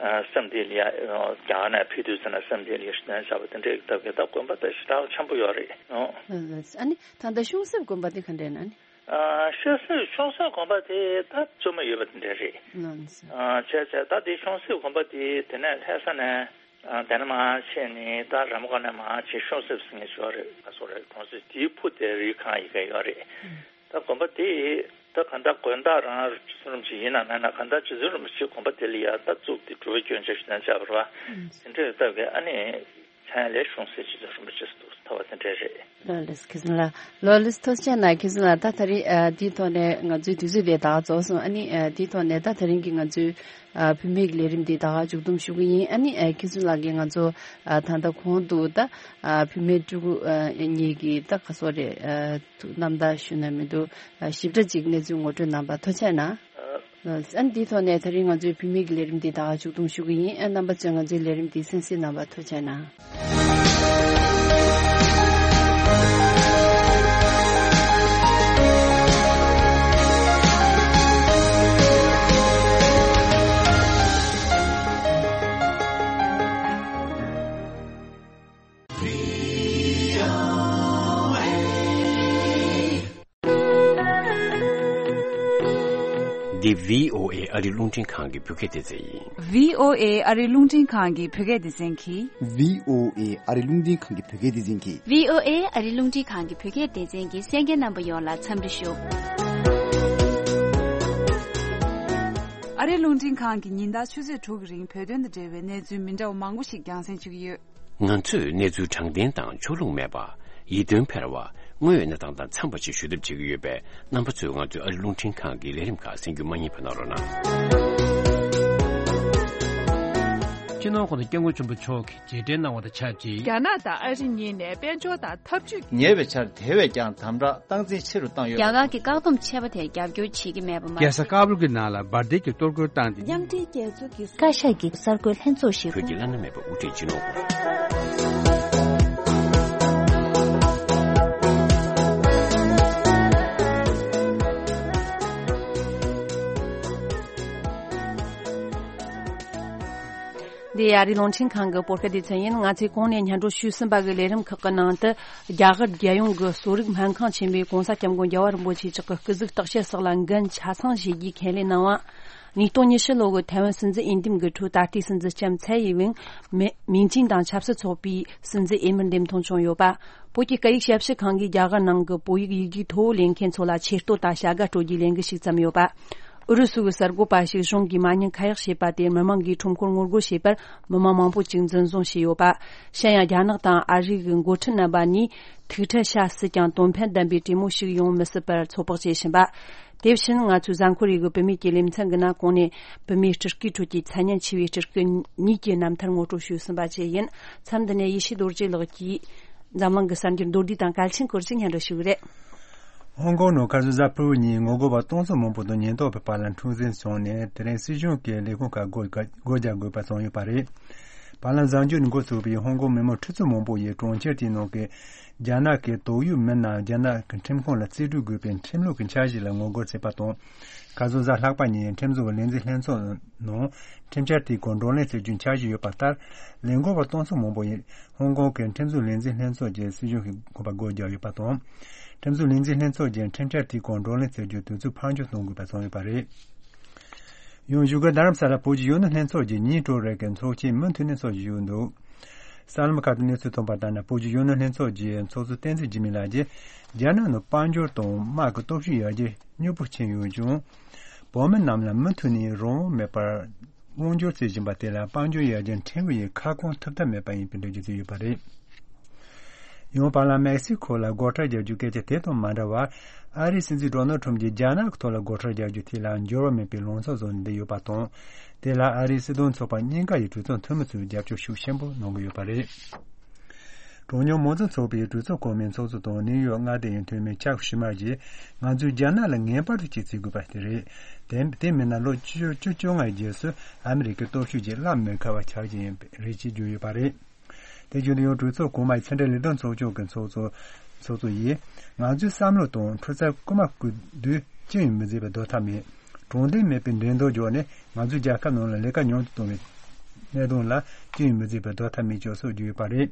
ཨ་བསམ་གཏན་ལ་ཡ་རྒྱ་གར་ནས་ཕེབས་དུས་ཙམ་ན་བསམ་གཏན་ལ་ཡ་ཞུ་ལན་བཞག་པ་དེ་འདྲའི་སྟབས་ཀྱིས་ད་དགོན་པ་ད་ཞེ་དྲག་ཆེན་པོ་ཡོད་རེད། ཨོ། ཨ་ནི་ད་ལྟ་གཤོང་གསེབ་དགོན་པ་དེ་ག་འདྲ་ཡིན་ན་ནི། ཨ་གཤོང་གསེབ་གཤོང་གསེབ་དགོན་པ་དེ་ད་བཙུན་མ་ཡོད་པ་དེ་འདྲ་རེད། ལགས་སོ། ཨ་བྱས་བྱས་ད་དེ་གཤོང་གསེབ་དགོན་པ་དེ་དེ་ནས་ལྷ་ས་ནས་ཨ་དེ་ནས་མར་ཕྱིན་ནས་ད་ར་མ་ཀ་ནས་མར་ཕྱིན་གཤོང་གསེབ་ཟེར་མཁན་ཞིག་ཡོད་རེད། ག་སོ་རེད། གྲོང་གསེབ་དེའི་ཕུ་དེ་རི་སྒང་ཡི་གེ་ཡོད་རེད། ད་དགོན་པ་དེ་ད་ག་འདྲ་དགོན་བདག་རང་རྗེ་བཙུན་རིན་པོ་ཆེ་ཡིན་ན་མེད་ན་ག་འདྲ་རྗེ་བཙུན་རིན་པོ་ཆེ་དགོན་པ་དེ་ལ་ཡ་ད་བཙུགས་ཏེ་སྒྲུབ་པའི་སྐྱོན་ཆ་ཞིག་ན་བྱ་བར་བ་དེ་འདྲའི་སྟབས་ཀྱིས་ཨ་ནི། ཧན་ལས་ཤོང་ཟེར་ཅི་ཟེར་རིན་པོ་ཆེ་སུ་ཐོ་བ་དེ་འདྲ་རེད། ལོ་ལེགས་ཁེ་ཟིན་ལ། ལོ་ལེགས་ཐུགས་རྗེ་ཆེ་གནང་། ཁེ་ཟིན་ལ། ད་ད་རེས་ཨ་འདིའི་ཐོག་ནས་ང་ཚོའི་དུས་ཚོད་དེ་ད་རྫོགས་སོང་། ཨ་ནི་ཨ་འདིའི་ཐོག་ནས་ད་ད་རིང་གི་ང་ཚོའི་ཨ་བུད་མེད་ཀྱི་ལས་རིམ་འདི་ད་ག་མཇུག་བསྡོམས་ཞུ་གི་ཡིན། ཨ་ནི་ཨ་ཁེ་ཟིན་ལགས་ཀྱིས་ང་ཚོ་ཨ་ད་ལྟ་གོང་དུ་ད་ཨ་བུད་མེད་ཕྲུ་གུ་ཨ་གཉིས་ཀྱི་ད་ག་སོ་རེད་ཨ་རྣམ་ཐར་ཞུ་ན་མི་འདུག་ཨ་ཞིབ་ཕྲ་ཅིག་གནས་ཚུལ་ངོ་སྤྲོད་གནང་བར་ཐུགས་རྗེ་ཆེ་གནང་། ཨ་འདིའི་ཐོག་ནས་ད་རིང་ང་ཚོའི་བུད་མེད་ཀྱི་ལས་རིམ་འདི་ད་ག་མཇུག་བསྡོམས་ཞུ་གི་ཡིན། ཨ་རྣམ་པ་ཚོས་ང་ཚོའི་ལས་རིམ་འདི་གསན་གཟིགས་གནང་བར་ཐུགས་རྗེ་ཆེ་གནང་། འདི་བྷི་ཨོ་ཨེ་ཨ་རི་རླུང་འཕྲིན་ཁང་གི་བོད་སྐད་སྡེ་ཚན་ཡིན། བྷི་ཨོ་ཨེ་ཨ་རི་རླུང་འཕྲིན་ཁང་གི་བོད་སྐད་སྡེ་ཚན་གྱིས། བྷི་ཨོ་ཨེ་ཨ་རི་རླུང་འཕྲིན་ཁང་གི་བོད་སྐད་སྡེ་ཚན་གྱིས། བྷི་ཨོ་ཨེ་ཨ་རི་རླུང་འཕྲིན་ཁང་གི་བོད་སྐད་སྡེ་ཚན་གྱི་གསན་མཁན་རྣམ་པ་ཡོངས་ལ་འཚམས་འདྲི་ཞུ། ཨ་རི་རླུང་འཕྲིན་ཁང་གིས་ཉིན་ལྟར་ཆུ་ཚོད་དྲུག་གི་རིང་བོད་དོན་དང་འབྲེལ་བའི་གནས་ཚུལ་མི་འདྲ་བ་མང་པོ་ཞིག་རྒྱང་སྲིང་ཞུ་གི་ཡོད། ང་ཚོས་གནས་ཚུལ་དྲང་བདེན་དང་ཕྱོགས་ལྷུང་མེད་པ། ཡིད་རྟོན་འཕེར་བ། དངོས་ཡོད་གནས་སྟངས་དང་འཚམས་པ་ཞིག་ཞུ་ཐབས་བྱེད་ཀྱི་ཡོད་པས། རྣམ་པ་ཚོས་ང་ཚོའི་ཨ་རི་རླུང་འཕྲིན་ཁང་གི་ལས་རིམ་ཁག་གསན་རྒྱུ་མ་བསྙེལ་བ་གནང་རོགས་གནང་། སྤྱི་ནོར་༸གོང་ས་༸སྐྱབས་མགོན་ཆེན་པོ་མཆོག་གིས་རྗེས་དྲན་གནང་བ་དང་ཆབས་ཅིག་རྒྱ་ནག་དང་ཨ་རི་གཉིས་ནས་དཔལ་འབྱོར་དང་འཐབ་ཇུས། ཉེ་བའི་ཆར་དེ་བས་ཀྱང་དམ་དྲག་སྟངས་འཛིན་ཆེ་རུ་བཏང་ཡོད། རྒྱ་གར་གྱི་བཀག་སྡོམ་ཆེ་བ་དེར་རྒྱབ་སྐྱོར་བྱེད་ཀྱི་མེད་པ་མ་རྒྱལ་ས་ཀ་བུལ་གྱི་ནང་ལ་འབར་མདེལ་གྱི་གཏོར་རྒོལ་བཏང་སྟེ། མཉམ་འབྲེལ་རྒྱལ་ཚོགས་ཀྱི་བཀའ་ཤག་གི་གསར་འགོད་ལྷན་ཚོགས་ཤིག་བོད་ཀྱི་བླ་ན་མེད་པའི་དབུ་ཁྲིད་སྤྱི་ནོར་འདི་ཨ་རིའི་རླུང་འཕྲིན་ཁང་གི་བོད་སྐད་སྡེ་ཚན་ཡིན། ང་ཚོས་གོང་ནས་སྙན་སྒྲོན་ཞུས་ཟིན་པ་གི་ལས་རིམ་ཁག་གི་ནང་དུ། རྒྱ་གར་རྒྱལ་ཡོངས་ཀྱི་གསོ་རིག་སྨན་ཁང་ཆེན་པོས་༸གོང་ས་༸སྐྱབས་མགོན་རྒྱལ་བ་རིན་པོ་ཆེ་མཆོག་གི་སྐུ་གཟུགས་བརྟག་དཔྱད་སོགས་ལ་འགན་ཆ་ཚང་བཞེས་རྒྱུའི་ཁས་ལེན་གནང་བ། ཉིས་སྟོང་ཉི་ཤུ་ལོ་གི་ཐའེ་ཝན་སྲིད་འཛིན་འོས་འདེམས་ཀྱི་ཁྲོད་ད་ལྟའི་སྲིད་འཛིན་ལྕམ་ཚའེ་ཡིན་ཝིང་མེ་མིང་ཅིང་དང་ཆབ་སྲིད་ཚོགས་པའི་སྲིད་འཛིན་འོས་མིར་འདེམས་ཐོན་བྱུང་ཡོད་པ། བོད་ཀྱི་སྐད་ཡིག་ཞབས་ཞུ་ཁང་གིས་རྒྱ་གར་ནང་གི་བོད་ཡིག་ཡིག་རྒྱུགས་མཐོ་བོ་ལེན་མཁན་ཚོ་ལ་ཆེ་བསྟོད་དང་བྱ་དགའ་སྤྲོད་རྒྱུའི་ལས་འགུལ་ཞིག་བརྩམས་ཡོད་པ། ཨུ་རུ་སུ་གི་གསར་འགོད་པ་ཞིག་གཞུང་གིས་མ་ཉེས་ཁ་ཡག་བྱས་པ་དེར་མི་མང་གིས་ཁྲོམ་སྐོར་ངོ་རྒོལ་བྱས་པར་མི་མང་མང་པོ་ཅིག་འཛིན་བཟུང་བྱས་ཡོད་པ། གཞན་ཡང་རྒྱ་ནག་དང་ཨ་རི་གི་འགོ་ཁྲིད་རྣམ་པ་གཉིས་ཐུག་འཕྲད་བྱ་སྲིད་ཀྱང་དོན་ཕན་ལྡན་པའི་གྲོས་མོལ་ཞིག་ཡོང་མི་སྲིད་པར་ཚོད་དཔག་བྱེད་བཞིན་པ། དེ་བཞིན་ང་ཚོའི་གཟའ་འཁོར་རེའི་གི་བུད་མེད་ཀྱི་ལེ་ཚན་གྱི་ནང་གོང་ནས་བུད་མེད་སྤྲུལ་སྐུའི་ཁྲོད་ཀྱི་མཚན་སྙན་ཆེ་བའི་སྤྲུལ་སྐུ་གཉིས་ཀྱི་རྣམ་ཐར་ངོ་སྤྲོད་ཞུས་ཟིན་པ་བཅས་ཡིན། མཚམས་འདི་ནས་ཡེ་ཤེས་རྡོ་རྗེ་ལགས་ཀྱིས་འཛམ་གླིང་གི་གསར་འགྱུར་མདོར་བསྡུས་དང་གལ་ཆེན་སྐོར་ཞིག་སྙན་སྒྲོན་ཞུ་གི་རེད། ཧོང་ཀོང་ནང་ཁ་སང་གཟའ་ཕུར་བུ་ཉིན་ངོ་རྒོལ་བ་སྟོང་ཚོ་མང་པོ་དང་ཉེན་རྟོག་པའི་བར་ལ་འཁྲུག་འཛིང་བྱུང་ནས། དེ་རིང་སྲིད་གཞུང་གིས་ལས་ཁུངས་ཁག་སྒོ་སྒོ་རྒྱག་དགོས་པ་བྱུང་ཡོད་པ་རེད། བར་ལམ་གཟའ་མཇུག་ནས་འགོ་ཚུགས་པའི་ཧོང་ཀོང་མི་མང་ཁྲི་ཚོ་མང་པོ་ཡིས་གྲོང་ཁྱེར་དེའི་ནང་གི་རྒྱ་ནག་གི་དོགས་ཡོད་མི་རྣམས་རྒྱ་ནག་གི་ཁྲིམས་ཁང་ལ་རྩིས་སྤྲོད་དགོས་པའི་ཁྲིམས་ལུགས་ཀྱི་འཆར་གཞི་ལ་ངོ་རྒོལ་བྱས་པ་དང་། ཁ་སང་གཟའ་ལྷག་པ་ཉིན་ཁྲིམས་བཟོ་བའི་ལས་འཛིན་ལྷན་ཚོགས་ནང་ཁྲིམས་འཆར་དེའི་སྐོར་བགྲོ་གླེང་བྱ་རྒྱུའི་འཆར་གཞི་ཡོད་པ་ལྟར། ལས་འགུལ་བ་སྟོང་ཚོ་མང་པོ་ཡིས་ཧོང་ཀོང་གི་ཁྲིམས་བཟོ་ལས་འཛིན་ལྷན་ཚོགས་ཀྱི་སྲིད་གཞུང་གི་དགོངས་པ་སྒོ་བརྒྱབ་ཡོད་པ་དང་། ཁྲིམས་བཟོ་ལས་འཛིན་ལྷན་ཚོགས་ཀྱིས་ཁྲིམས་འཆར་དེའི་སྐོར་བགྲོ་གླེང་བྱ་རྒྱུའི་དུས་ཚོད་ཕར་འགྱངས་གཏོང་དགོས་པ་བྱུང་ཡོད་པ་རེད། ཡང་བཞུགས་སྒར་རྡ་རམ་ས་ལར་བོད་ཀྱི་གཞོན་ནུ་ལྷན་ཚོགས་ཀྱི་ཉིན་དྲུག་རེ་གི་ཚོགས་ཆེན་མུ་མཐུད་ནས་འཚོགས་བཞིན་ཡོད་འདུག་གསར་ལམ་ཁག་ཏུ་གནས་ཚུལ་ཐོན་པ་ལྟར་ན། བོད་ཀྱི་གཞོན་ནུ་ལྷན་ཚོགས་ཀྱི་ཚོགས་གཙོ་བསྟན་འཛིན་འཇིགས་མེད་ལགས་ཀྱིས། རྒྱ་ནག་ནང་དཔལ་འབྱོར་དང་དམག་གི་སྟོབས་ཤུགས་ཡར་རྒྱས་མྱུར་པོ་ཕྱིན་ཡོད་ཀྱང་། བོད་མི་རྣམས་ལ་མུ་མཐུད་ནས་རང་དབང་མེད་པར་དབང་སྒྱུར་བྱེད་བཞིན་པ་དེ་ལ་དཔལ་འབྱོར་ཡར་རྒྱས་ཕྲན་བུ་ཡིས་ཁ་སྐོང་ཐུབ་ཐབས་མེད་པ་ཡིན་པའི་འགྲེལ་བརྗོད་བྱས་ཡོད་པ་རེད། ཡང་བར་ལམ་མེག་སི་ཁོ་ལ་སྒོ་ཁྲལ་རྒྱག་རྒྱུའི་སྐད་ཆ་དེ་དང་མ་འདྲ་བར། ཨ་རིའི་སྲིད་འཛིན་ཌོ་ནལ་ཁྲམ་གྱིས་རྒྱ་ནག་གི་ཐོག་ལ་སྒོ་ཁྲལ་རྒྱག་རྒྱུ་དེ་ལ་འགྱུར་བ་མེད་པའི་ལངས་ཕྱོགས་བཟུང་ནས་བསྡད་ཡོད་པ་དང་། དེ་ལ་ཨ་རིའི་སྲིད་དོན་ཚོགས་པ་གཉིས་ཀ་ཡི་གྲོས་ཚོགས་འཐུས་མི་ཚོས་རྒྱབ་སྐྱོར་ཤུགས་ཆེན་པོ་གནང་གི་ཡོད་པ་རེད། གྲངས་ཉུང་མང་གཙོ་ཚོགས་པའི་གྲོས་ཚོགས་གོང་མའི་ཚོགས་གཙོ་དང་ནིའུ་ཡོག་མངའ་སྡེ་ཡི་འཐུས་མི་ཅག་ཤི་མར་གྱིས། ང་ཚོས་རྒྱ་ནག་ལ་ངེས་པར་དུ་གཅེས་འཛིན་དགོས་པ་དེ་རེད། དེ་དེ་མིན་ན་ལོ་བཅུ་བཅུ་བཅོ་ལྔའི་རྗེས་སུ་ཨ་མི་རི་ཀའི་སྟོབས་ཤུགས་ཀྱིས་བརླག་མི་ཁ་བ་ཆགས་ཀྱི་ཡིན་པ་རེད་ཅེས་བརྗོད་ཡོད་པ་རེད། དེ་བརྒྱུད་ནས་ཡང་གྲོས་ཚོགས་གོང་མའི་ཕྱི་འབྲེལ་ལས་དོན་ཚོགས་ཆུང་གི་ཚོགས་གཙོ་ཚོགས་གཙོ་ཡིས། ང་ཚོའི་བསམ་བློ་དང་འཕྲུལ་རྩལ་རྐུ་མ་རྐུ་དུས་ཅི་ཡང་མི་བྱེད་པའི་སྡོད་ཐབས་མེད། དྲང་བདེན་མེད་པའི་འགྲན་བསྡུར་བརྒྱབ་ནས་ང་ཚོའི་རྒྱལ་ཁབ་ནང་ལ་ལས་ཀ་ཉུང་དུ་གཏོང་བའི་གནད་དོན་ལ་ཅི་ཡང་མི་བྱེད་པའི་སྡོད་ཐབས་མེད་ཅེས་སོགས་བརྗོད་ཡོད་པ་རེད།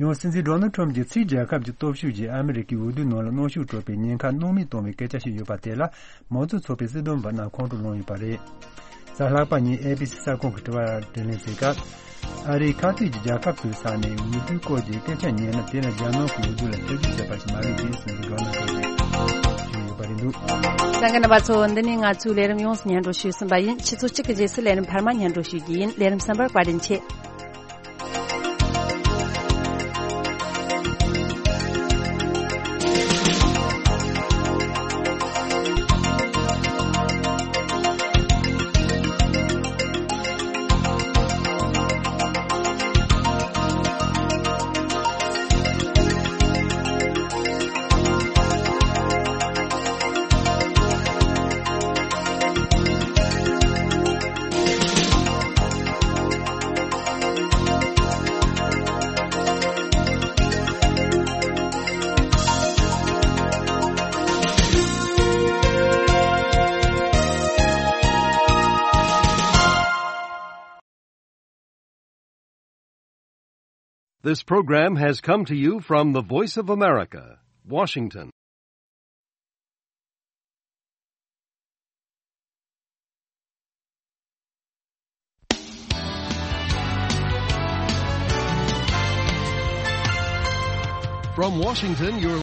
ཡང་སྲིད་འཛིན་ཌོ་ནལ་ཁྲམ་གྱིས་ཕྱིའི་རྒྱལ་ཁབ་ཀྱི་སྟོབས་ཤུགས་ཀྱིས་ཨ་མི་རི་ཀའི་འོས་བསྡུའི་ནང་ལ་གནོན་ཤུགས་སྤྲོད་པའི་ཉེན་ཁ་སྣང་མེད་གཏོང་བའི་སྐད་ཆ་ཞིག་ཡོད་པ་དེ་ལ། མང་གཙོ་ཚོགས་པའི་སྲིད་དོན་པ་རྣམས་ཁོང་ཁྲོ་ལངས་ཡོད་པ་རེད། གཟའ་ལྷག་པ་ཉིན་ཨེ་བི་སི་གསར་ཁང་གི་དྲི་བར་དྲིས་ལན་བྱེད་སྐབས། ཨ་རིའི་ཁ་གཏད་ཀྱི་རྒྱལ་ཁབ་ཚོའི་ས་ནས་འོས་བསྡུའི་སྐོར་གྱི་སྐད་ཆ་ཉན་ན། དེ་ལ་རྒྱ་ནག་གི་འོས་བསྡུ་ལ་ཐེ་ཇུས་བྱེད་པ་ཞིག་མ་རེད་ཅེས་སྲིད་འཛིན་ཌོ་ནལ་ཁྲམ་གྱིས་བརྗོད་ཡོད་པ་རེད་འདུག་གསན་མཁན་རྣམ་པ་ཚོ། འདི་ནི་ང་ཚོའི་ལས་རིམ་ཡོངས་སུ་སྙན་སྒྲོན་ཞུས་ཟིན་པ་ཡིན། ཆུ་ཚོད་གཅིག་གི་རྗེས་སུ་ལས་རིམ་འཕར་མ་སྙན་སྒྲོན་ཞུ་རྒྱུ་ཡིན། ལས་རིམ་གསན་པར་བཀའ་དྲིན་ཆེ། This program has come to you from the Voice of America, Washington. From Washington, you're